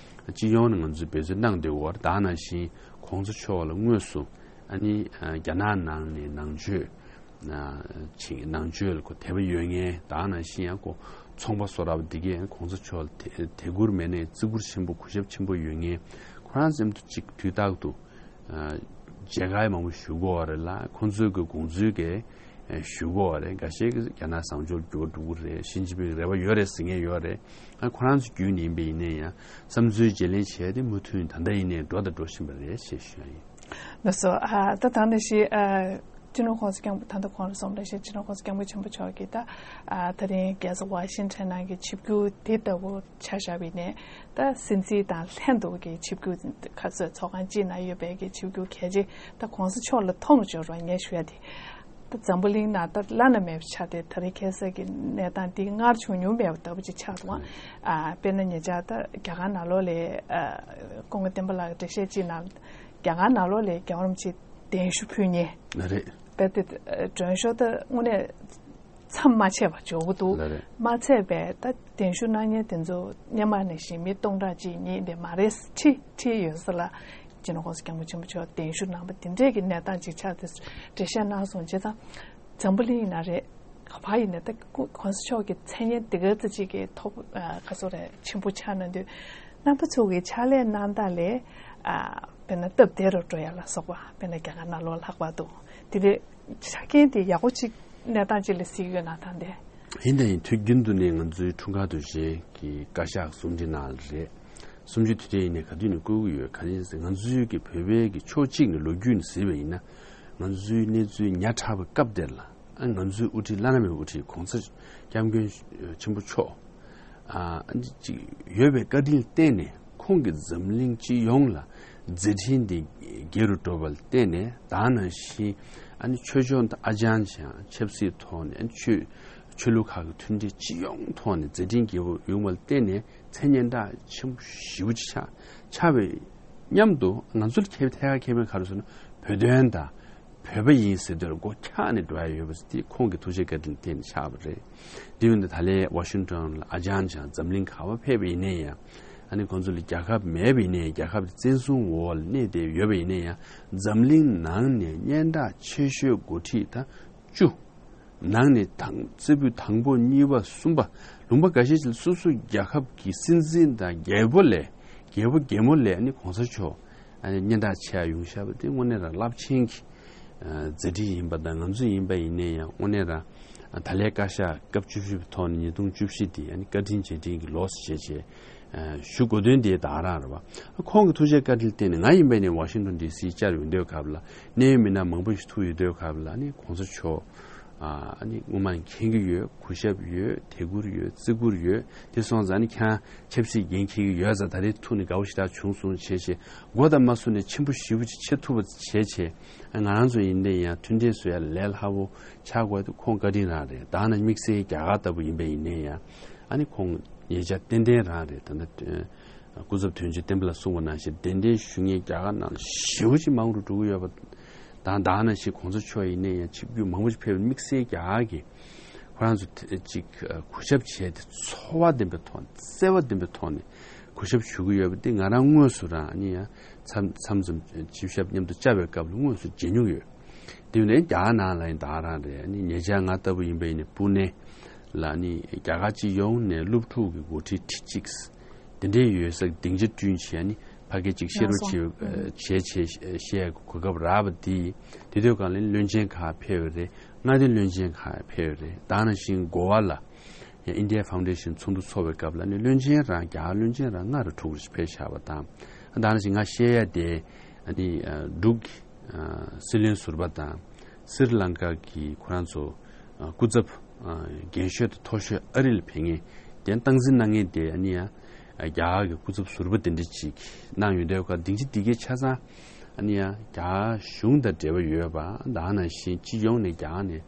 སྤྱི་ཡོངས་ནས་ང་ཚོས་འབད་བརྩོན་གནང་བསྡད་ཡོད་རེད། ད་ནང་བཞིན་གོང་ས་མཆོག་ལ་དངོས་སུ་ཨ་ནི་རྒྱ་ནག་ནང་ནས་ནང་ཆོས་ཅིག་ནང་ཆོས་ལ་ཁོ་དད་པ་ཡོད་མཁན། ད་ནང་བཞིན་ཡང་ཁོ་ཚོང་པ་བཟོ་འདྲ་བ་འདི་གས་གོང་ས་མཆོག་ལ་དད་དད་བཀུར་མེད་ནའི་བརྩི་བཀུར་ཆེན་པོ་གུས་ཞབས་ཆེན་པོ་ཡོད་མཁན། ཁོ་རང་ཚོ་མཉམ་དུ་ཅིག་དུས་རྟག་ཏུ་མཇལ་ཁ་མང་པོ་ཞུ་གི་ཡོད་རེད་ལ། ཁོང་ཚོའི་གི་དགོངས་ཚུལ་གས་ཞུ་གི་ཡོད་རེད། འགའ་ཤས་ཀྱིས་རྒྱ་ནག་བཟང་ཕྱོགས་འགྱུར་བ་འགྲོ་གི་རེད། ཞི་ཅིན་ཕིང་རེ་བ་ཡོད་རེད་ཟེར་མཁན་ཡོད་རེད། ཨ་ཁོ་རང་ཚོ་བརྒྱུད་ནས་ཡིན་པ་ཡིན་ནའི་ཡང་བསམ་ཚུལ་བརྗེ་ལེན་བྱས་ཏེ་མུ་མཐུད་ད་ལྟ་ཡིན་ནའི་འགྲོ་དང་འགྲོ་བཞིན་པ་རེད་ཅེས་ཞུ་ཡ་ཡིན། ལགས་སོ། ཨ་ད་ད་ནང་བཞིན་ཨ་སྤྱི་ནོར་༸གོང་ས་༸སྐྱབས་མགོན་ད་ལྟ་གོང་ལ་སོང་བ་ནང་བཞིན་སྤྱི་ནོར་༸གོང་ས་༸སྐྱབས་མགོན་ཆེན་པོ་མཆོག་གིས་ད་ཨ་ད་རིང་རྒྱལ་ས་ཝ་ཤིང་ཊོན་ནང་གི་ཆིབས་བསྒྱུར་དེ་ལྟ་བུ་ཆ་བཞག་པ་ཡིན་ནའི་ད་སྲིད་འཛིན་དང་ལྷན་དུ་གི་ཆིབས་བསྒྱུར་ཁ་གསོས་ཚོགས་ཁང་གཅིག་ནང་ཡོད་པའི་གི་ཆིབས་བསྒྱུར་གལ་ཆེ་ད་གོང་ས་མཆོག་ལ་མཐོང་འབྱོར་བ་ངས་ཞུ་ཡ་དེ། ད་འཛམ་བུ་གླིང་ནང་ད་བླ་ན་མེད་པ་ཆགས་ཏེ་ད་རེས་ཁ་སང་གི་གནས་སྟངས་འདི་སྔར་བྱུང་མྱོང་མེད་པ་ལྟ་བུ་ཅིག་ཆགས་འདུག་ཨ་དཔེར་ན་ཉེ་ཆར་ད་རྒྱ་གར་ནང་ལོགས་ལ་ཨ་སྐུ་ངོ་བསྟན་པ་ལགས་ཀྱི་འགྲེལ་བཤད་ཅིག་ནང་རྒྱ་གར་ནང་ལོགས་ལ་རྒྱལ་བ་རིན་པོ་ཆེ་གདན་ཞུ་ཕུལ་མཁན་ལ་རེད། ད་དེ་མགྲོན་ཤོག་ད་དངོས་གནས་མཚམས་མ་ཆད་པ་འབྱོར་གྱི་འདུག་ལ་རེད། མ་ཚད་པའི་ད་གདན་ཞུ་གནང་མཁན་དེ་ཚོ་སྔོན་མ་ནང་བཞིན་མི་སྟོང་ཕྲག་གཅིག་གཉིས་དེ་མ་རེད། ཁྲི་ཁྲི་ཡོད་ས་ལ་སྤྱི་ནོར་༸གོང་ས་༸སྐྱབས་མགོན་ཆེན་པོ་མཆོག་གདན་ཞུ་གནང་པ་དེ་འདྲས་ཀྱི་གནས་སྟངས་ཅིག་ཆགས་ཏེ་འགྲེལ་བཤད་གནང་སོང་བྱས་ཙང་། འཛམ་བུ་གླིང་ཡིན་ན་རེད། ག་པར་ཡིན་ན་ད་༸གོང་ས་མཆོག་གི་མཚན་སྙན་དེ་ག་ཙམ་ཅིག་གི་ཐོབ་ཁ་སོ་རེད་ཆེན་པོ་ཆགས་གནང་དུས། རྣམ་པ་ཚོ་གི་ཕྱག་ལས་གནང་སྟངས་ལས་དཔེར་ན་སྟབས་བདེ་རུ་འགྲོ་ཡ་ལ་སོགས་པ་དཔེར་ན་རྒྱ་གར་ནང་ལོགས་ལྷག་པར་དུ་དེ་འདྲའི་ཆ་རྐྱེན་དེ་ཡག་པོ་ཅིག་གནས་སྟངས་ཅིག་ལ་གཟིགས་ཡོད་ན་ད་འདས། ཡིན་དང་ཡིན། དུས་རྒྱུན་དུ་ནས་ང་ཚོའི་འཁྲུངས་སྐར་དུས་ཆེན་གྱི་བཀའ་ཤག་གསུང་འཕྲིན་ནང་ལ་རེད། གསུམ་བཅུའི་དུས་དྲན་ཡིན་ནའི་ག་དུས་ནས་བསྐོ་གི་ཡོད། ག་ནས་ཟེར་ང་ཚོའི་གི་བོད་པའི་གི་ཕྱོགས་གཅིག་ནས་ལོ་རྒྱུས་ནས་གཟིགས་པ་ཡིན་ན། ང་ཚོའི་གནས་ཚུལ་ཉག་ཕྲ་བའི་སྐབས་དེར་ལ་ཨ་ང་ཚོའི་དབུ་ཁྲིད་བླ་ན་མེད་པའི་དབུ་ཁྲིད་གོང་ས་སྐྱབས་མགོན་ཆེན་པོ་མཆོག་ཨ་ཅིག་ཡོད་པའི་བཀའ་དྲིན་བརྟེན་ནས་ཁོང་གིས་འཛམ་གླིང་སྤྱི་ཡོངས་ལ་མཛད་འཕྲིན་འདི་རྒྱས་རུ་འགྲོ་བར་བརྟེན་ནས། ད་ནང་བཞིན་ཨ་ནི་ཆོས་ཕྱོགས་དང་ཨ་ཅང་ཅང་ཆབ་སྲིད་ཐོག་ནས་ཨ་ནི་ཆོས་ཆོས་ལུགས་ཁག་གི་མཐུན་སྒྲིལ་སྤྱི་ཡོངས་ཐོག་ནས་མཛད་འཕྲིན་རྒྱས་པོ་ཡོང་བར་བརྟེན་ནས་མཚན་སྙན་གྲགས་ཆེན་པོ་ཞེ་པོ་ཅིག་ཆགས་ཆགས་པའི་མཉམ་དུ་ང་ཚོར་ཁྱད་ཐད་ཀར་ཁྱད་པར་ག་རེ་ཟེར་ན་བོད་དོན་དང་། བོད་པ་ཡིན་ཟེར་དུས་ལ་སྒོ་འཁྱག་ནས་འགྲོ་ཡ་ཡོད་པ་དེ་ཁོང་གི་ཐུགས་རྗེ་བཀའ་དྲིན་བརྟེན་ནས་ཆགས་པ་རེད། དེ་ཡིན་དུས་ད་ལན་ཝ་ཤིང་ཊོན་ལ་ཨ་ཅང་ཅང་འཛམ་གླིང་ག་པར་ཕེབས་པ་ཡིན་ནའི་ཡང་། ཨ་ནི་ཁོང་ཚོ་ལ་རྒྱལ་ཁབ་མེད་པ་ཡིན་ནའི་རྒྱལ་ཁབ་དེ་བཙན་བཟུང་འོག་ལ་གནས་བསྡད་ཡོད་པ་ཡིན་ནའི་ཡང་འཛམ་གླིང་ནང་ནས་སྙན་གྲགས་ཆེ་ཤོས་འགོ་ཁྲིད་ད་བཅུ། ནང་ནས་དང་རྩེ་ཕུད་དང་པོ་གཉིས་པ་གསུམ་པ། ལུང་པ་འགའ་ཤས་ཤིག་ལ་སོ་སོ་རྒྱལ་ཁབ་ཀྱི་སྲིད་འཛིན་དང་རྒྱལ་པོ་ལས་རྒྱལ་པོ་རྒྱལ་མོ་ལས་ནི་གོང་ས་མཆོག་ཨ་ནི་སྙན་གྲགས་ཆེ་བ་ཡོང་བཞག་པ་དེ་དངོས་གནས་རང་རླབས་ཆེན་གྱི་ཨ་མཛད་འཕྲིན་ཡིན་པ་དང་། ང་ཚོ་ཡིན་པ་ཡིན་ནའི་ཡང་དངོས་གནས་རང་ད་ལན་བཀའ་ཤག་སྐབས་བཅུ་བཞི་པའི་ཐོག་ནས་ཉིས་སྟོང་བཅུ་བཞི་དེ་ཨ་ནི་བཀའ་དྲིན་རྗེས་དྲན་གྱི་ལོ་ཞེས་བྱས། ཞུ་དགོས་དོན་དེ་ད་རང་རེད་བ། ཁོང་གི་ཐུགས་རྗེ་བཀའ་དྲིན་བརྟེན་ནས་ང་ཡིན་པ་ནས་ཝ་ཤིང་ཊོན་ཌི་སི་བཅར་ཡོང་དུས་སྐབས་ལ་གནད་ཡོད་མི་སྣ་མང་པོ་ཞིག་ཐུག་ཡོང་དུས་སྐབས་ལ་ནི་གོང་ས་མཆོག་ཨ་ནི་སྔོན་མ་ནས་མཁྱེན་གྱི་ཡོད། གུས་ཞབས་ཡོད། དད་བཀུར་ཡོད། བརྩི་བཀུར་ཡོད། དེ་སོང་ཙང་ནི་ཁྱེད་རང་ཆབ་སྲིད་འགན་འཁྱེར་གྱི་ཡོད་ཙང་ད་རེས་ཐུག་ནས་དགའ་པོ་ཞེ་དྲག་བྱུང་སོང་བྱས་བྱས་མགོ་དང་མ་ཟུར་ནས་ཆེན་པོ་ཞེ་པོ་ཅིག་བྱེད་ཐུབ་པ་བྱས་བྱས། ང་རང་ཚོ་ཡིན་དེ་ཡང་མཐུན་སྒྲིལ་བཟོ་ཡ་ལས་སླ་པོ་ཆགས་དགོས་དེ་ཁོང་བཀའ་དྲིན་རང་རེད། ད་ནི་དམིགས་བསལ་རྒྱ་གར་ལྟ་བུ་ཡིན་པ་ཡིན་ནའི་ཡང་ཨ་ནི་ཁོང་ཉེ་ཆར་ཏན་ཏན་རང་རེད། ད་ལྟ་སྐུ་ཚབ་དོན་གཅོད་བསྟན་པ་ལགས་གསུངས་པ་ནང་བཞིན་གདན་འདྲེན་ཞུ་མཁན་རྒྱ་གར་ནང་ཞེ་པོ་ཅིག་མང་རུ་འགྲོ་གི་ཡོད་པ་དང་། ད་ནང་བཞིན་གོང་ས་མཆོག་ཡིན་ནའི་ཡང་ཆིབས་བསྒྱུར་མང་པོ་ཞིག་ཕེབས་པ་དམིགས་བསལ་རྒྱ་གར་གྱི་ཁོ་རང་ཚོ་དེ་ཅིག་གུས་ཞབས་བྱས་ཏེ་ཚོར་བ་ལྡན་པའི་ཐོག་ནས་བརྩེ་བ་ལྡན་པའི་ཐོག་ནས་གུས་ཞབས་ཞུ་གི་ཡོད་པ་འདི་ང་རང་དངོས་སུ་རང་ནི་ཡང་མཚམས་མཚམས་མཚམས་ཆིབས་ཞབས་མཉམ་དུ་བཅར་བའི་སྐབས་ལ་དངོས་སུ་མཇལ་མྱོང་ཡོད། དེ་ནས་རྒྱ་གར་ནང་ལ་ཡིན་ད་རང་རེད། ནི་ཉེ་ཆར་ང་ལྟ་བུ་ཡིན་པ་ཡིན་ནི་པུ་ནེ་ལ་ནི་རྒྱ་གར་སྤྱི་ཡོངས་ནས་སློབ་ཕྲུག་གི་འགོ་ཁྲིད་ཁྲི་གཅིག་དེ་འདྲའི་ཡོད་ས་སྡིངས་ཆ་བསྐྲུན་བྱས་ནི་ཕ་གི་གཅིག་བཤད་རོགས་བྱེད་བྱས་བྱས་བཤད་གོ་སྐབས་རག་པ་དེ་དེ་དུས་གང་ལ་བློན་ཆེན་ཁག་ཕེབས་པ་རེད། མངའ་སྡེ་བློན་ཆེན་ཁག་ཕེབས་པ་རེད། ད་ནང་བཞིན་གོ་བ་ལ། ཨིན་ཌི་ཡ་ཕའུན་ཌེ་ཤན་ཚོགས་འདུ་ཚོགས་པའི་སྐབས་ལ་ནི་བློན་ཆེན་རང་རྒྱ་གར་བློན་ཆེན་རང་ལྔ་རུ་དྲུག་རུ་ཕེབས་བཞག་པ་དང་། ད་ནང་བཞིན་ང་བཤད་ཡ་དེ་ཨ་ནི་འབྲུག་གི་སྲིད་བློན་ཟུར་པ་དང་སི་རི་ལང་ཀ་གི་ཁོ་རང་ཚོ་སྐུ་ཚབ་རྒན་ཤོས་དང་མཐོ་ཤོས་ཨ་རི་ལ་ཕེབས་མཁན་དེ་སྟངས་འཛིན་གནང་མཁན་དེ་ཨ་ནི་ཡང་རྒྱ་གར་གི་སྐུ་ཚབ་ཟུར་པ་དེ་འདྲ་ཅིག་གནང་ཡོད་འདུག་ག་སྡིངས་ཆ་འདི་གའི་ཆ་ཚང་ཨ་ནི་ཡང་རྒྱ་གར་གཞུང་དང་འབྲེལ་བ་ཡོད་པ་དང་ནང་བཞིན་སྤྱི་ཡོངས་ནས་རྒྱ་གར་ནས་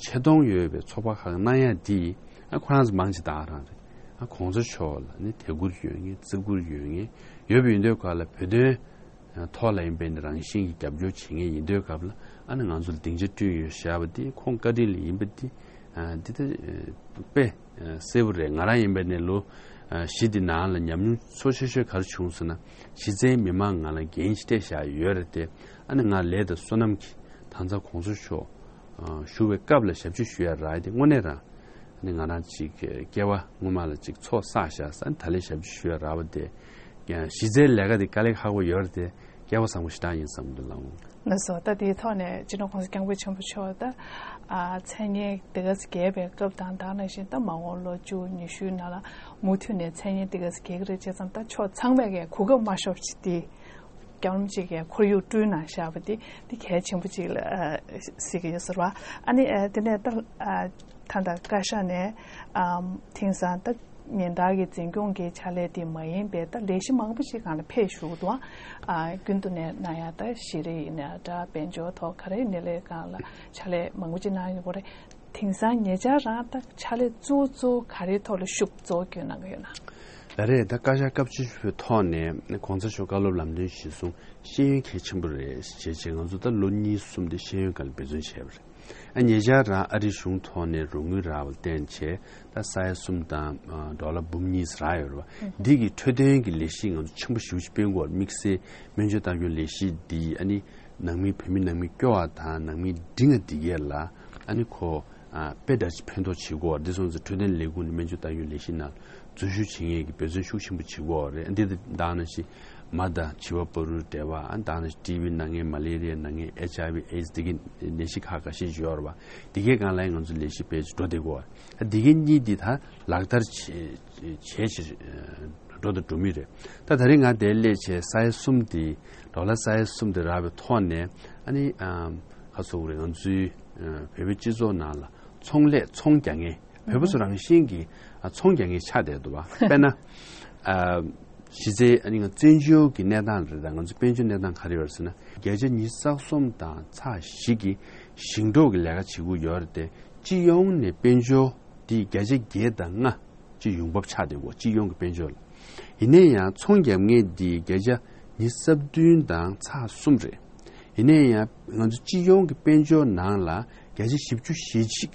ཆེ་མཐོང་ཡོད་པའི་ཚོགས་པ་ཁག་གནང་ཡ་དེ་ཨ་ཁོ་རང་ཚོ་མང་ཆེ་ད་ག་རང་རེད། ཨ་གོང་ས་མཆོག་ལ་ནི་དད་བཀུར་ཡོད་མཁན་བརྩི་བཀུར་ཡོད་མཁན་ཡོད་པ་ཡིན་དུས་ག་ལ་བོད་དོན་ཐོག་ལ་ཡིན་པའི་ནི་རང་བཞིན་གྱི་རྒྱབ་སྐྱོར་བྱེད་མཁན་ཡིན་དུས་སྐབས་ལ་ཨ་ནི་ང་ཚོ་ལ་སྡིངས་ཆ་བསྐྲུན་ཡོད་བཞག་པ་དེ་ཁོང་བཀའ་དྲིན་ལ་ཡིན་པ་དེ་འདི་ལྟ་དཔེ་གསལ་པོ་རེད། ང་རང་ཡིན་པའི་ནི་ལོ་བཞི་འདི་ནང་ལ་ཉམས་མྱོང་ཚོ་ཆེ་ཤོས་ག་རེ་བྱུང་ཟེར་ན་གཞི་རྩའི་མི་མང་ང་ལ་འགན་ཞིག་སྤྲད་བཞག་ཡོད་རེད་དེ། ཨ་ནི་ང་ལས་དང་བསོད་ནམས་ཀྱིས་ད་ལྟ་གོང་ས་མཆོག་བཞུགས་པའི་སྐབས་ལ་ཞབས་ཕྱི་ཞུ་ཡ་རག་དེ་དངོས་གནས་རང་ནི་ང་རང་ཅིག་སྐྱེ་བ་སྔོན་མ་ལ་ཅིག་ཚོགས་བསགས་བཞག་ས་ནི་ད་ལན་ཞབས་ཕྱི་ཞུ་ཡ་རག་པ་དེ་གཞི་རྩའི་ལས་ཀ་དེ་དཀའ་ལས་ཁག་པོ་ཡོད་རེད་དེ་སྐལ་བ་བཟང་པོ་ཞེ་དྲག་ཡིན་བསམ་འདུག་ལགས། ལགས་སོ། ད་དེའི་ཐོག་ནས་སྤྱི་ནོར་༸གོང་ས་༸སྐྱབས་མགོན་ཆེན་པོ་མཆོག་ད་མཚན་སྙན་དེ་ག་ཚོད་རྒྱས་པའི་སྐབས་དང་ད་ནང་བཞིན་ད་མ་འོངས་ལོ་བཅུ་ཉི་ཤུའི་ནང་ལ་མུ་མཐུད་ནས་མཚན་སྙན་དེ་ག་ཚོད་རྒྱས་ཀྱི་རེད་བྱས་ཙང་ད་ཕྱོགས་ཚང་མས་གོ་སྐབས་མ་ཤོར་བ་ཅིག་དེ། སྐྱབས་མགོན་གཅིག་གིས་ཁོར་ཡུག་བསྐྲུན་གནང་བཞག་པ་འདི་འདི་གལ་ཆེན་པོ་གཅིག་ལ་ཨ་གཟིགས་ཀྱི་ཡོད་ཟེར་བ། ཨ་ནི་ཨ་དེ་ནས་ད་ཨ་ད་ལྟ་བཀའ་ཤག་ནས་ཨ་དེང་སང་ད་ཉིན་ལྟར་གྱི་འཛིན་སྐྱོང་གི་ཕྱག་ལས་དེ་མ་ཡིན་པའི་ད་ལས་གཞི་མང་པོ་ཞིག་སྒང་ལ་ཕེབས་བཞུགས་འདུག་ཨ་རྒྱུན་དུ་ནས་གནང་ཡ་ད་ཤེས་རིག་ཡིན་ན་འདྲ་དཔལ་འབྱོར་ཐོག་ག་རེ་ཡིན་ནའི་ལས་སྒང་ལ་ཕྱག་ལས་མང་པོ་ཅིག་གནང་ཡོད་པ་རེད། དེང་སང་ཉེ་ཆར་རང་ད་ཕྱག་ལས་གཙོ་བོ་གཙོ་བོ་ག་རེའི་ཐོག་ལ་ཤུགས་གཙོ་བོ་བསྐྱོན་གནང་གི་ཡོད་ན། ལགས་རེད། ད་བཀའ་ཤག་སྐབས་བཅུ་བཞི་པའི་ཐོག་ནས་གོང་ས་མཆོག་བཀའ་སློབ་ལམ་སྟོན་གཞིར་བཟུང་ཤེས་ཡོན་གལ་ཆེན་པོ་རེད་ཅེས་བྱས་ང་ཚོ་ད་ལོ་གཉིས་གསུམ་དེ་ཤེས་ཡོན་སྒང་ལ་འབད་བརྩོན་བྱས་པ་རེད། ཨ་ཉེ་ཆར་རང་ཨ་རི་གཞུང་ཐོག་ནས་རོགས་དངུལ་རག་པ་བརྟེན་བྱས་ད་ས་ཡ་གསུམ་དང་ཌོ་ལར་འབུམ་གཉིས་རག་ཡོད་རེད་བ། འདི་གི་འཕྲོད་བསྟེན་གྱི་ལས་གཞི་ང་ཚོ་ཆེན་པོ་ཞེ་པོ་ཅིག་སྤེལ་དགོས་པ་དམིགས་བསལ་སྨན་བཅོས་ལྟ་སྐྱོང་ལས་གཞི་འདི་ཨ་ནི་ནང་མི་བོད་མི་ནང་མི་སྐྱོ་བ་དང་ནང་མི་འབྲིང་བ་འདི་གས་ལ་ཨ་ནི་ཁོ། དཔེ་འདྲ་ཅིག་ཕན་ཐོགས་བྱེད་དགོས་པ་འདི་སོང་ཙང་འཕྲོད་བསྟེན་ལས་ཁུངས་ནས་སྨན་བཅོས་ལྟ་སྐྱོང་ལས་གཞི་ནང་འཛུལ་ཞུགས་བྱེད་མཁན་གྱི་འབད་བརྩོན་ཤུགས་ཆེན་པོ་བྱེད་དགོས་པ་རེད། འདི་དང་ནང་བཞིན་མ་དང་བྱིས་པ་བར་དུ་འབྲེལ་བ་ཨ་དང་ནང་བཞིན་ཊི་བི་ན་མཁན་མ་ལེ་རི་ཡ་ན་མཁན་ཨེཆ་ཨའི་ཝི་ཨེ་ཌི་སི་འདི་གའི་ནད་གཞི་ཁག་ཁ་ཤས་ཅིག་ཡོད་རེད་བ། འདི་གའི་སྒང་ལ་ཡང་ང་ཚོ་ལས་གཞི་སྤེལ་ཅིག་འགྲོ་བསྡད་དགོས་པ་རེད། ཨ་འདི་གའི་གཉིས་འདི་ད་ལག་བསྟར་བྱེད་བྱེད་ཕྱིར་འགྲོ་དང་འགྲོ་མུས་རེད། ད་ད་རིང་ང་འདིར་སླེབས་བྱས་ས་ཡ་གསུམ་འདི་ཌོ་ལར་ས་ཡ་གསུམ་འདི་རག་པའི་ཐོག་ནས་ཨ་ནི་ཁ་སོགས་རེད། ང་ཚོའི་བོད་པའི་སྤྱི་ཚོགས་ནང་ལ་ཚོང་ལས་ཚོང་རྒྱག་མཁན་བོད་པ་ཚོ་རང་བཞིན་གྱིས་ཚོང་རྒྱག་མཁན་ཆགས་བསྡད་འདུག་བ། དཔེར་ན་གཞི་རྩའི་ཨ་ནི་ང་བཙན་བྱོལ་གྱི་གནས་སྟངས་རེད། ད་ང་ཚོ་དཔལ་འབྱོར་གནས་སྟངས་ག་རེ་ཡོད་རེད་ཟེར་ན་བརྒྱ་ཆ་ཉི་ཤུ་རྩ་གསུམ་དང་ཚེག་བཞི་གི་ཞིང་འབྲོག་གི་ལས་ཀ་བྱེད་དགོས་ཡོད་རེད་དེ་སྤྱི་ཡོངས་ནས་དཔལ་འབྱོར་འདི་བརྒྱ་ཆ་བརྒྱད་དང་ལྔ། ཅིག་ཡོང་འབབ་ཆགས་བསྡད་ཡོད་སྤྱི་ཡོངས་ཀྱི་དཔལ་འབྱོར་ལ། ཡིན་ནའི་ཡང་ཚོང་རྒྱག་མཁན་འདི་བརྒྱ་ཆ་ཉི་ཤུ་རྩ་བདུན་དང་ཚེག་གསུམ་རེད། ཡིན་ནའི་ཡང་ང་ཚོ་སྤྱི་ཡོངས་ཀྱི་དཔལ་འབྱོར་ནང་ལ་བརྒྱ་ཆ་བཞི་བཅུ་ཞེ་གཅིག་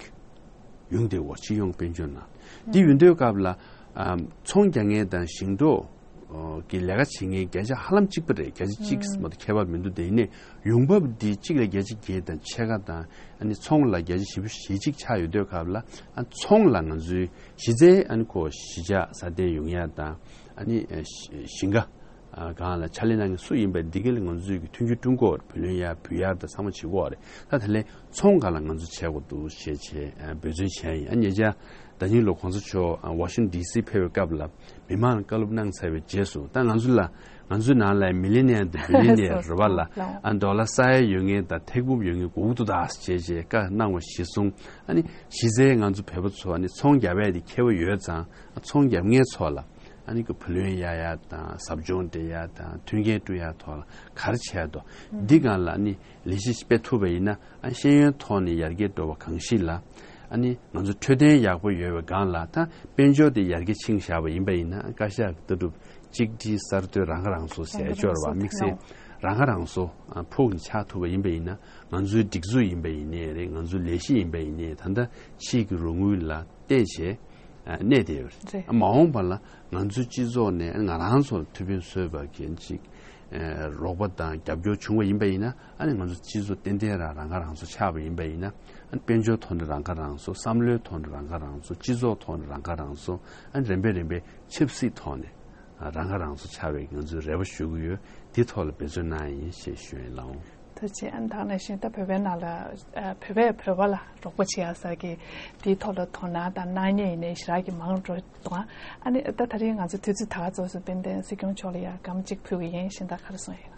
ཡོང་བསྡད་ཡོད་སྤྱི་ཡོངས་དཔལ་འབྱོར་ནང་། འདི་ཡོང་དུས་སྐབས་ལ་ཨམ་ཚོང་རྒྱག་མཁན་དང་ཞིང་འབྲོག་གི་ལས་ཀ་བྱེད་མཁན་བརྒྱ་ཆ་ཧ་ལམ་གཅིག་པ་རེད། བརྒྱ་ཆ་གཅིག་མ་གཏོགས་ཁྱད་པར་མི་འདུག་དེ་ཡིན་ནའི་ཡོང་འབབ་འདི་གཅིག་ལ་བརྒྱ་ཆ་བརྒྱད་དང་ཕྱེད་ཀ་དང་ཨ་ནི་ཚོང་ལ་བརྒྱ་ཆ་བཞི་བཅུ་ཞེ་གཅིག་ཆགས་ཡོད་དུས་སྐབས་ལ་ཨ་ཚོང་ལ་ང་ཚོའི་གཞི་རྩའི་ཨ་ནི་ཁོ་གཞིས་ཆགས་སྲ་བརྟན་ཡོང་ཡ་དང་ཨ་ནི་ཞིང་ཁ་སྒང་ལ་ཕྱག་ལས་གནང་མཁན་སུ་ཡིན་པ་འདི་ག་ལ་ང་ཚོས་ཀྱི་མཐུན་འགྱུར་བསྐྲུན་དགོས་རེད། བུ་ལོན་ཡར་བུ་ཡར་དང་ཚང་མ་བྱེད་དགོས་རེད། ད་དེ་ལས་ཚོང་སྒང་ལ་ང་ཚོ་བྱེད་དགོས་འདུག་ཞེས་བྱས་འབད་བརྩོན་བྱས་ཡིན། ཨ་ཉེ་ཆར་ཟླ་ཉིན་ལོ་གོང་ས་མཆོག་ཝ་ཤིང་ཊོན་ཌི་སི་ཕེབས་པའི་སྐབས་ལ། མི་མང་ལ་བཀའ་སློབ་གནང་ཚར་བའི་རྗེས་སུ་ད་ང་ཚོ་ལ་ང་ཚོའི་ནང་ལ་མི་ལི་ནེ་ཡར་དང་བི་ལི་ནེ་ཡར་རེད་བ་ལ་ཨ་ཌོ་ལར་ས་ཡ་ཡོད་མཁན་དང་ཐེར་འབུམ་ཡོད་མཁན་དགོས་ཀྱི་འདུག་ད་ཞེས་བྱས་བཀའ་གནང་བ་གཞིར་བཟུང་ཨ་ནི་གཞི་རྩའི་ང་ཚོ་བོད་པ་ཚོ་ཨ་ནི་ཚོང་རྒྱབ་ཡས་དེ་ཁྱད་པར་ཡོད་ཙང་ཨ་ཚོང་རྒྱབ་མཁན་ཚོ་ལ་ཨ་ནི་ཀྱི་བུ་ལོན་གཡར་ཡ་དང་ཟབ་སྦྱོང་སྤྲད་ཡ་དང་མཐུན་རྐྱེན་བསྐྲུན་ཡ་ཐོག་ལ་ག་རེ་བྱས་འདུག་འདི་སྒང་ལ་ཨ་ནི་ལས་གཞི་སྤེལ་ཐུབ་པ་ཡིན་ན་ཨ་ཤེས་ཡོན་ཐོག་ནས་ཡར་རྒྱས་འགྲོ་བ་གང་ཞིག་ལ། ཨ་ནི་ང་ཚོ་འཕྲོད་བསྟེན་ཡག་པོ་ཡོད་པའི་སྒང་ལ་ད་དཔལ་འབྱོར་དེ་ཡར་རྒྱས་ཕྱིན་བཞག་པ་ཡིན་པ་ཡིན་ན་བཀའ་ཤག་གི་ལྟ་གྲུབ་གཅིག་སྒྲིལ་གསར་གཏོད་རང་ཁ་རང་གསོ་ཟེར་ཡ་ཅིག་ཡོད་རེད་བ། དམིགས་བསལ་རང་ཁ་རང་གསོ་ཕུགས་ནས་ཆགས་ཐུབ་པ་ཡིན་པ་ཡིན་ན་ང་ཚོའི་སྒྲིག་འཛུགས་ཡིན་པ་ཡིན་ནའི་རེད། ང་ཚོའི་ལས་གཞི་ཡིན་པ་ཡིན་ནའི་ད་ལྟ་ཕྱིའི་གི་རོགས་དངུལ་ལ་བལྟས་བྱས་གནས་བསྡད་ཡོད་རེད། མ་འོངས་པ་ལ་ང་ཚོའི་སྤྱི་ཚོགས་ནས་ང་རང་ཚོར་ཐུགས་ཕན་གསོས་པ་གི་ཅིག་རོགས་པ་དང་རྒྱབ་སྐྱོར་བྱུང་བ་ཡིན་པ་ཡིན་ན་ཨ་ནི་ང་ཚོ་སྤྱི་ཚོགས་ཏན་ཏན་རང་རང་ཁ་རང་གསོ་ཆགས་པ་ཡིན་པ་ཡིན་ན་ཨ་ནི་དཔལ་འབྱོར་ཐོག་ནས་རང་ཁ་རང་གསོ། བསམ་བློའི་ཐོག་ནས་རང་ཁ་རང་གསོ། སྤྱི་ཚོགས་ཐོག་ནས་རང་ཁ་རང་གསོ། ཨ་ནི་རིམ་པས་རིམ་པས་ཆབ་སྲིད་ཐོག་ནས་རང་ཁ་རང་གསོ་ཆགས་པའི་ང་ཚོའི་རེ་བ་ཞུ་གི་ཡོད། འདི་ཐོག་ལ་འབད་བརྩོན་གནང་ཡིན་ཞེས་ཞུ་ཡིན་ལགས། ཐུགས་རྗེ་ཆེ། ཨ་ནི་ད་ག་ནང་བཞིན་ད་བོད་པའི་ནང་ལ་ཨ་བོད་པས་བོད་པ་ལ་རོགས་པ་བྱེད་ཡ་ཟེར་གི་དེའི་ཐོག་ལ་དོ་སྣང་དང་གནང་མཁན་ཡིན་ནའི་ཞེ་དྲག་གི་མང་འགྲོ་འདུག་ཨ་ནི་ད་ད་རིང་ང་ཚོ་དུས་ཚོད་ད་ག་ཚོད་སུ་དཔལ་ལྡན་སྲིད་སྐྱོང་མཆོག་ལ་ཡ་སྒམ་གཅིག་ཕུལ་གི་ཡིན་གཞན་དག་ག་རེ་གསུངས་ཡིན།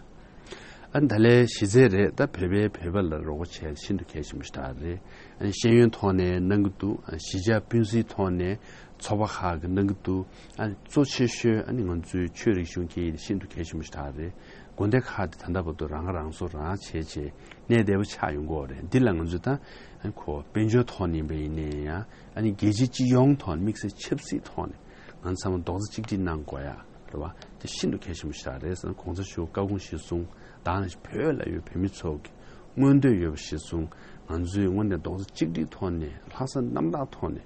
ཨ་ནི་ད་ལན་གཞི་རྩའི་རེད། ད་བོད་པས་བོད་པ་ལ་རོགས་པ་བྱས་ཤིན་ཏུ་གལ་ཆེན་པོ་ཞིག་ད་རེད། ཨ་ནི་ཤེས་ཡོན་ཐོག་ནས་གནང་གི་འདུག་ཨ་གཞིས་ཆགས་སྤུན་སྲིང་ཐོག་ནས་ཚོགས་པ་ཁག་གིས་གནང་གི་འདུག་ཨ་གཙོ་ཆེ་ཤོས་ཨ་ནི་ང་ཚོའི་ཆོས་རིག་གཞུང་སྐད་ཡིག་ཤིན་ཏུ་གལ་ཆེན་པོ་ཞིག་ད་རེད། དགོན་སྡེ་ཁག་དེ་ད་ལྟ་བར་དུ་རང་ཁ་རང་གསོ་རང་བྱས་བྱས་གནས་བདེ་པོ་ཆགས་ཡོང་གི་ཡོད་རེད། འདི་ལ་ང་ཚོས་ད་ཨ་ནི་ཁོ་དཔལ་འབྱོར་ཐོག་ནས་ཡིན་པ་ཡིན་ནའི་ཡང་ཨ་ནི་རྒྱལ་སྤྱི་སྤྱི་ཡོངས་ཐོག་ནས་དམིགས་བསལ་ཆབ་སྲིད་ཐོག་ནས་ང་ཚང་མ་རྡོག་རྩ་གཅིག་སྒྲིལ་གནང་དགོས་ཡ་རེད་བ། དེ་ཤིན་ཏུ་གལ་ཆེན་པོ་ཞིག་རེད་ཟེར་ན་གོང་ས་མཆོག་བཀའ་དགོངས་གཞིར་བཟུང་ད་ནང་བཞིན་བོད་ལ་ཡོད་བོད་མི་ཚོ་གི་མངོན་འདོད་ཡོད་པ་གཞིར་བཟུང་ང་ཚོས་དངོས་གནས་རྡོག་རྩ་གཅིག་སྒྲིལ་ཐོག་ནས་ལྷག་བསམ་རྣམ་དག་ཐོག་ནས་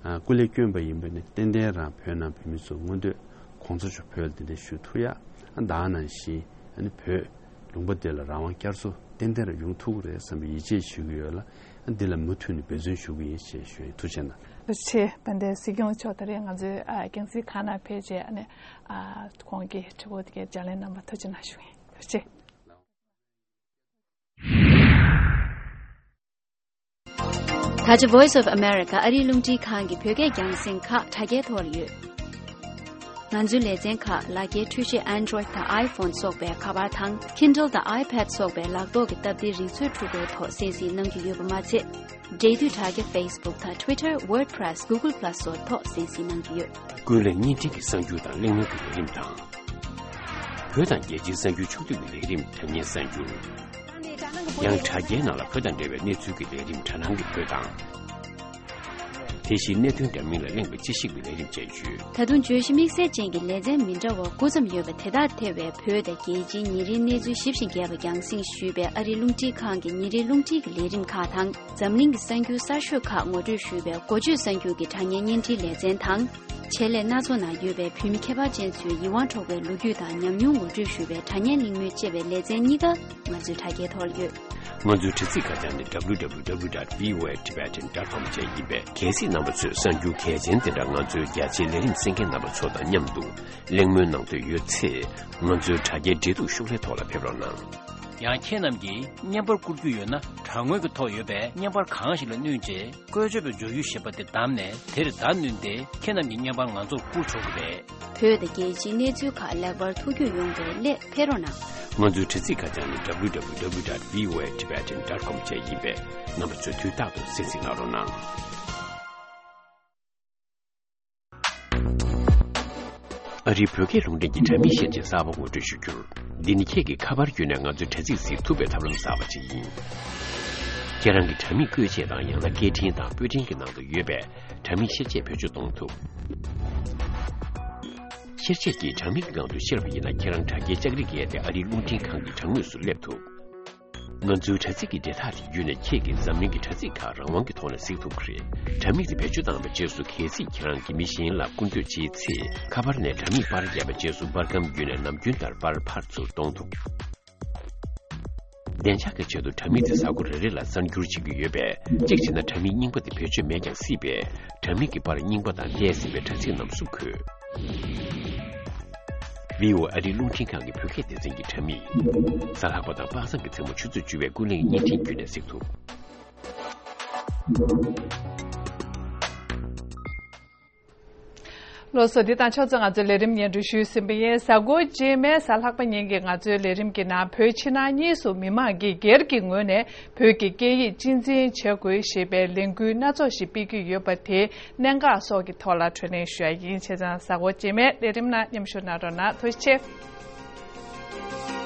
ཨ་སྐུ་ལས་བསྐྱོན་པ་ཡིན་པ་ནི་ཏན་ཏན་རང་བོད་ནང་བོད་མི་ཚོ་མངོན་འདོད་གོང་ས་མཆོག་བོད་ལ་གདན་འདྲེན་ཞུ་ཐུབ་ཡ། ཨ་ད་ནང་བཞིན་ཨ་ནི་བོད་ལུང་པ་དེ་ལ་རང་དབང་བསྐྱར་གསོ་ཏན་ཏན་རང་ཡོང་ཐུབ་ཀྱི་རེད་བསམ་པའི་ཡིད་ཆེས་ཞུ་གི་ཡོད་ལ། ཨ་འདི་ལ་མུ་མཐུད་ནས་འབད་བརྩོན་ཞུ་གི་ཡིན་ཞེས་ཞུ་ཡིན། ཐུགས་རྗེ་གནང་། ཐུགས་རྗེ་ཆེ། དཔལ་ལྡན་སྲིད་སྐྱོང་མཆོག་ད་རེས་ང་ཚོའི་ཨ་རྒྱལ་སྲིད་ཁང་ནང་ཕེབས་རྗེས་ཨ་ནི་ཨ་ཁོང་གི་དྲི་བ་དེ་གའི་ལྗགས་ལན་གནང་བར་ཐུགས་རྗེ་གནང་ཞུ་ཡིན། ཐུགས་རྗེ་ཆེ། ད་ཆ་Voice of America ཨ་རིའི་རླུང་འཕྲིན་ཁང་གི་བོད་སྐད་རྒྱང་སྲིང་ཁག་དྲ་རྒྱའི་ཐོག་ལ་ཡོད། ང་ཚོའི་ལེ་ཚན་ཁག་ལག་འཁྱེར་འཕྲུལ་ཆས་Android་དང་iPhone་སོགས་པའི་ཁ་པར་དང་Kindle་དང་iPad་སོགས་པའི་ལག་ཐོག་གི་སྟབས་བདེའི་རིག་མཛོད་འཕྲུལ་འཁོར་ཐོག་གསན་གཟིགས་གནང་རྒྱུ་ཡོད་པ་མ་ཚད། འབྲེལ་མཐུད་དྲ་རྒྱ་Facebook་དང་Twitter, WordPress, Google Plus་སོགས་ཐོག་གསན་གཟིགས་གནང་རྒྱུ་ཡོད། ཀུན་གླེང་བརྙན་འཕྲིན་གྱི་གསར་འགྱུར་དང་གླེང་མོལ་གྱི་ལས་རིམ་དང་། བོད་དང་རྒྱལ་སྤྱིའི་གསར་འགྱུར་ཕྱོགས་བསྡུས་ཀྱི་ལས་རིམ་དྲ་བརྙན་གསར་འགྱུར། ཡང་དྲ་རྒྱའི་ནང་ལ་བོད་དང་འབྲེལ་བའི་གནས་ཚུལ་གྱི་ལས་རིམ་དྲ་སྣང་གི་བོད་དང་། དེ་བཞིན་གནད་དོན་འདྲ་མིན་ལ་གླེང་བའི་དཔྱད་ཞིབ་ཀྱི་ལས་རིམ་བཅས་ཡོད། ད་དུང་བརྗོད་གཞི་དམིགས་བསལ་ཅན་གྱི་ལེ་ཚན་མི་འདྲ་བ་དགུ་ཙམ་ཡོད་པ་དེ་དག་ཐེ་བའི་བོད་དང་རྒྱལ་སྤྱིའི་ཉིན་རེའི་གནས་ཚུལ་ཞིབ་ཅིང་རྒྱས་པ་རྒྱང་སྲིང་ཞུས་པའི་ཨ་རིའི་རླུང་འཕྲིན་ཁང་གི་ཉིན་རེའི་རླུང་འཕྲིན་གྱི་ལས་རིམ་ཁག་དང་། འཛམ་གླིང་གི་གསར་འགྱུར་གསར་ཤོས་ཁག་ངོ་སྤྲོད་ཞུས་པའི་འགོ་བརྗོད་གསར་འགྱུར་གྱི་དྲ་བརྙན་བརྙན་འཕྲིན་ལེ་ཚན་དང་། ཆེད་ལས་སྣ་ཚོགས་ནང་ཡོད་པའི་བོད་མི་ཁྱད་པར་ཅན་ཚོའི་ཡིད་དབང་འཕྲོག་པའི་ལོ་རྒྱུས་དང་ཉམས་མྱོང་ངོ་སྤྲོད་ཞུས་པའི་དྲ་བརྙན་གླེང་མོལ་ཅེས་པའི་ལེ་ཚན་གཉིས་ཀ་ང་ཚོའི་དྲ་རྒྱའི་ཐོག་ལ་ཡོད། ང་ཚོའི་དྲ་ཚིགས་ཁ་བྱང་ནི་W W W dot V O A Tibetan dot com བཅས་ཡིན་པས། གལ་སྲིད་རྣམ་པ་ཚོས་གསར་འགྱུར་གལ་ཆེན་དེ་འདྲ་ང་ཚོའི་རྒྱ་ཆེའི་ལས་རིམ་གསན་མཁན་རྣམ་པ་ཚོ་དང་མཉམ་དུ་གླེང་མོལ་གནང་འདོད་ཡོད་ཚེ། ང་ཚོའི་དྲ་རྒྱའི་འབྲེལ་གཏུག་ཤོག་ལྷེ་ཐོག་ལ་ཕེབས་རོགས་གནང་། ཡང་ཁྱེད་རྣམས་ཀྱིས་བརྙན་པར་བསྐུར་རྒྱུ་ཡོད་ན། དྲ་ངོས་ཀྱི་ཐོག་ཡོད་པའི་བརྙན་པར་གང་ཞིག་ལ་བསྣུན་རྗེས། བཀོལ་སྤྱོད་པའི་སྦྱོར་ཡུལ་ཞེས་པ་དེ་བདམས་ནས། དེར་བརྡ་བསྣུན་ཏེ། ཁྱེད་རྣམས་ཀྱི་བརྙན་པར་ང་ཚོར་བསྐུར་ཆོག་གི་རེད། བོད་དང་རྒྱལ་སྤྱིའི་གནས་ཚུལ་ཁག་ལེགས་པར་ཐུགས་རྒྱུས་ཡོང་བའི་སླད་ཕེབས་རོགས་གནང་། ང་ཚོའི་དྲ་ཚིགས་ཁ་བྱང་ནི་W W W dot V O A Tibetan dot com བཅས་ཡིན་པས། རྣམ་པ་ཚོས་དུས་རྟག་ཏུ་གསན་གཟིགས་གནང་རོགས་གནང་། ཨ་རིའི་བོད་སྐད་རླུང་འཕྲིན་གྱི་དྲ་མིག་ཤེར་ཆས་གསར་པ་ངོ་སྤྲོད་ཞུ་རྒྱུར། འདི་ནི་ཁྱེད་ཀྱིས་ཁ་པར་བརྒྱུད་ནས་ང་ཚོའི་དྲ་ཚིགས་གཟིགས་ཐུབ་པའི་ཐབས་ལམ་གསར་པ་ཅིག་ཡིན། ཁྱེད་རང་གི་དྲ་མིག་བཀོལ་ཆས་དང་ཡང་ན་སྐད་འཕྲིན་དང་པོད་འཕྲིན་གྱི་ནང་དུ་ཡོད་པའི་དྲ་མིག་ཤེར་ཆས་བེད་སྤྱོད་གཏོང་ཐུབ། ཤེར་ཆས་ཀྱིས་དྲ་མིག་གི་སྒང་དུ་ཤར་བ་ཡིན་ན། ཁྱེད་རང་དྲ་རྒྱའི་ལྕགས་རིགས་བརྒལ་ཏེ་ཨ་རིའི་རླུང་འཕྲིན་ཁང་གི་དྲ་ངོས་སུ་སླེབས་ཐུབ། ང་ཚོའི་དྲ་ཚིགས་ཀྱི་འབྲེལ་ཐག་དེ་བརྒྱུད་ནས་ཁྱེད་ཀྱིས་འཛམ་གླིང་གི་དྲ་ཚིགས་ཁག་རང་དབང་གི་ཐོག་ནས་གཟིགས་ཐུབ་ཀྱི་རེད། དྲ་མིག་དེ་བེད་སྤྱོད་བཏང་བའི་རྗེས་སུ། གལ་སྲིད་ཁྱེད་རང་གིས་མི་གཞན་ལ་སྐུར་འདོད་བྱེད་ཚེ། ཁ་པར་ནས་དྲ་མིག་པར་བརྒྱབ་པའི་རྗེས་སུ། པར་སྒམ་བརྒྱུད་ནས་ནམ་རྒྱུན་ལྟར་པར་ཕར་ཚུར་གཏོང་ཐུབ། བདེ་འཇགས་ཀྱི་ཆེད་དུ་དྲ་མིག་དེ་གཟའ་འཁོར་རེ་རེ་ལ་གསར་འགྱུར་བྱེད་ཀྱི་ཡོད་པས། གཅིག་བྱས་ན་དྲ་མིག་རྙིང་པ་དེ་བེད་སྤྱོད་མེད་ཀྱང་སྲིད་པས། དྲ་མིག་གི་པར་རྙིང་པ་དང་བལྟས་ཟིན་པའི་དྲ་ཚིགས་རྣམས་སུ་འཁོད། བྷི་ཨོ་ཨེ་ཨ་རིའི་རླུང་འཕྲིན་ཁང་གི་བོད་སྐད་སྡེ་ཚན་གྱི་དྲ་མིག་གཟའ་ལྷག་པ་དང་དཔག་བསམ་གྱི་མཚན་མོ་ཆུ་ཚོད་བཅུ་པའི་ཀུན་གླེང་བརྙན་འཕྲིན་བརྒྱུད་ནས་གཟིགས་ཐུབ། ལགས་སོ། འདི་དང་ཕྱོགས་མཚུངས་ང་ཚོའི་ལས་རིམ་སྙན་སྒྲོན་ཞུས་ཟིན་པ་ཡིན། གཟའ་འཁོར་རྗེས་མའི་གཟའ་ལྷག་པ་ཉིན་གྱི་ང་ཚོའི་ལས་རིམ་གྱི་ནང་བོད་ཕྱི་ནང་གཉིས་སུ་མི་མང་གིས་སྒེར་གྱི་ངོས་ནས་བོད་ཀྱི་སྐད་ཡིག་གཅེས་འཛིན་བྱེད་དགོས་ཞེས་པའི་ལས་འགུལ་སྣ་ཚོགས་ཤིག་སྤེལ་གྱི་ཡོད་པ་དེའི་གནད་འགག་སོགས་ཀྱི་ཐོག་ལ་བགྲོ་གླེང་ཞུ་ཡ་ཡིན། བྱས་ཙང་གཟའ་འཁོར་རྗེས་མའི་ལས་རིམ་ནང་མཉམ་ཞུགས་གནང་རོགས་གནང་། ཐུགས་རྗེ་ཆེ།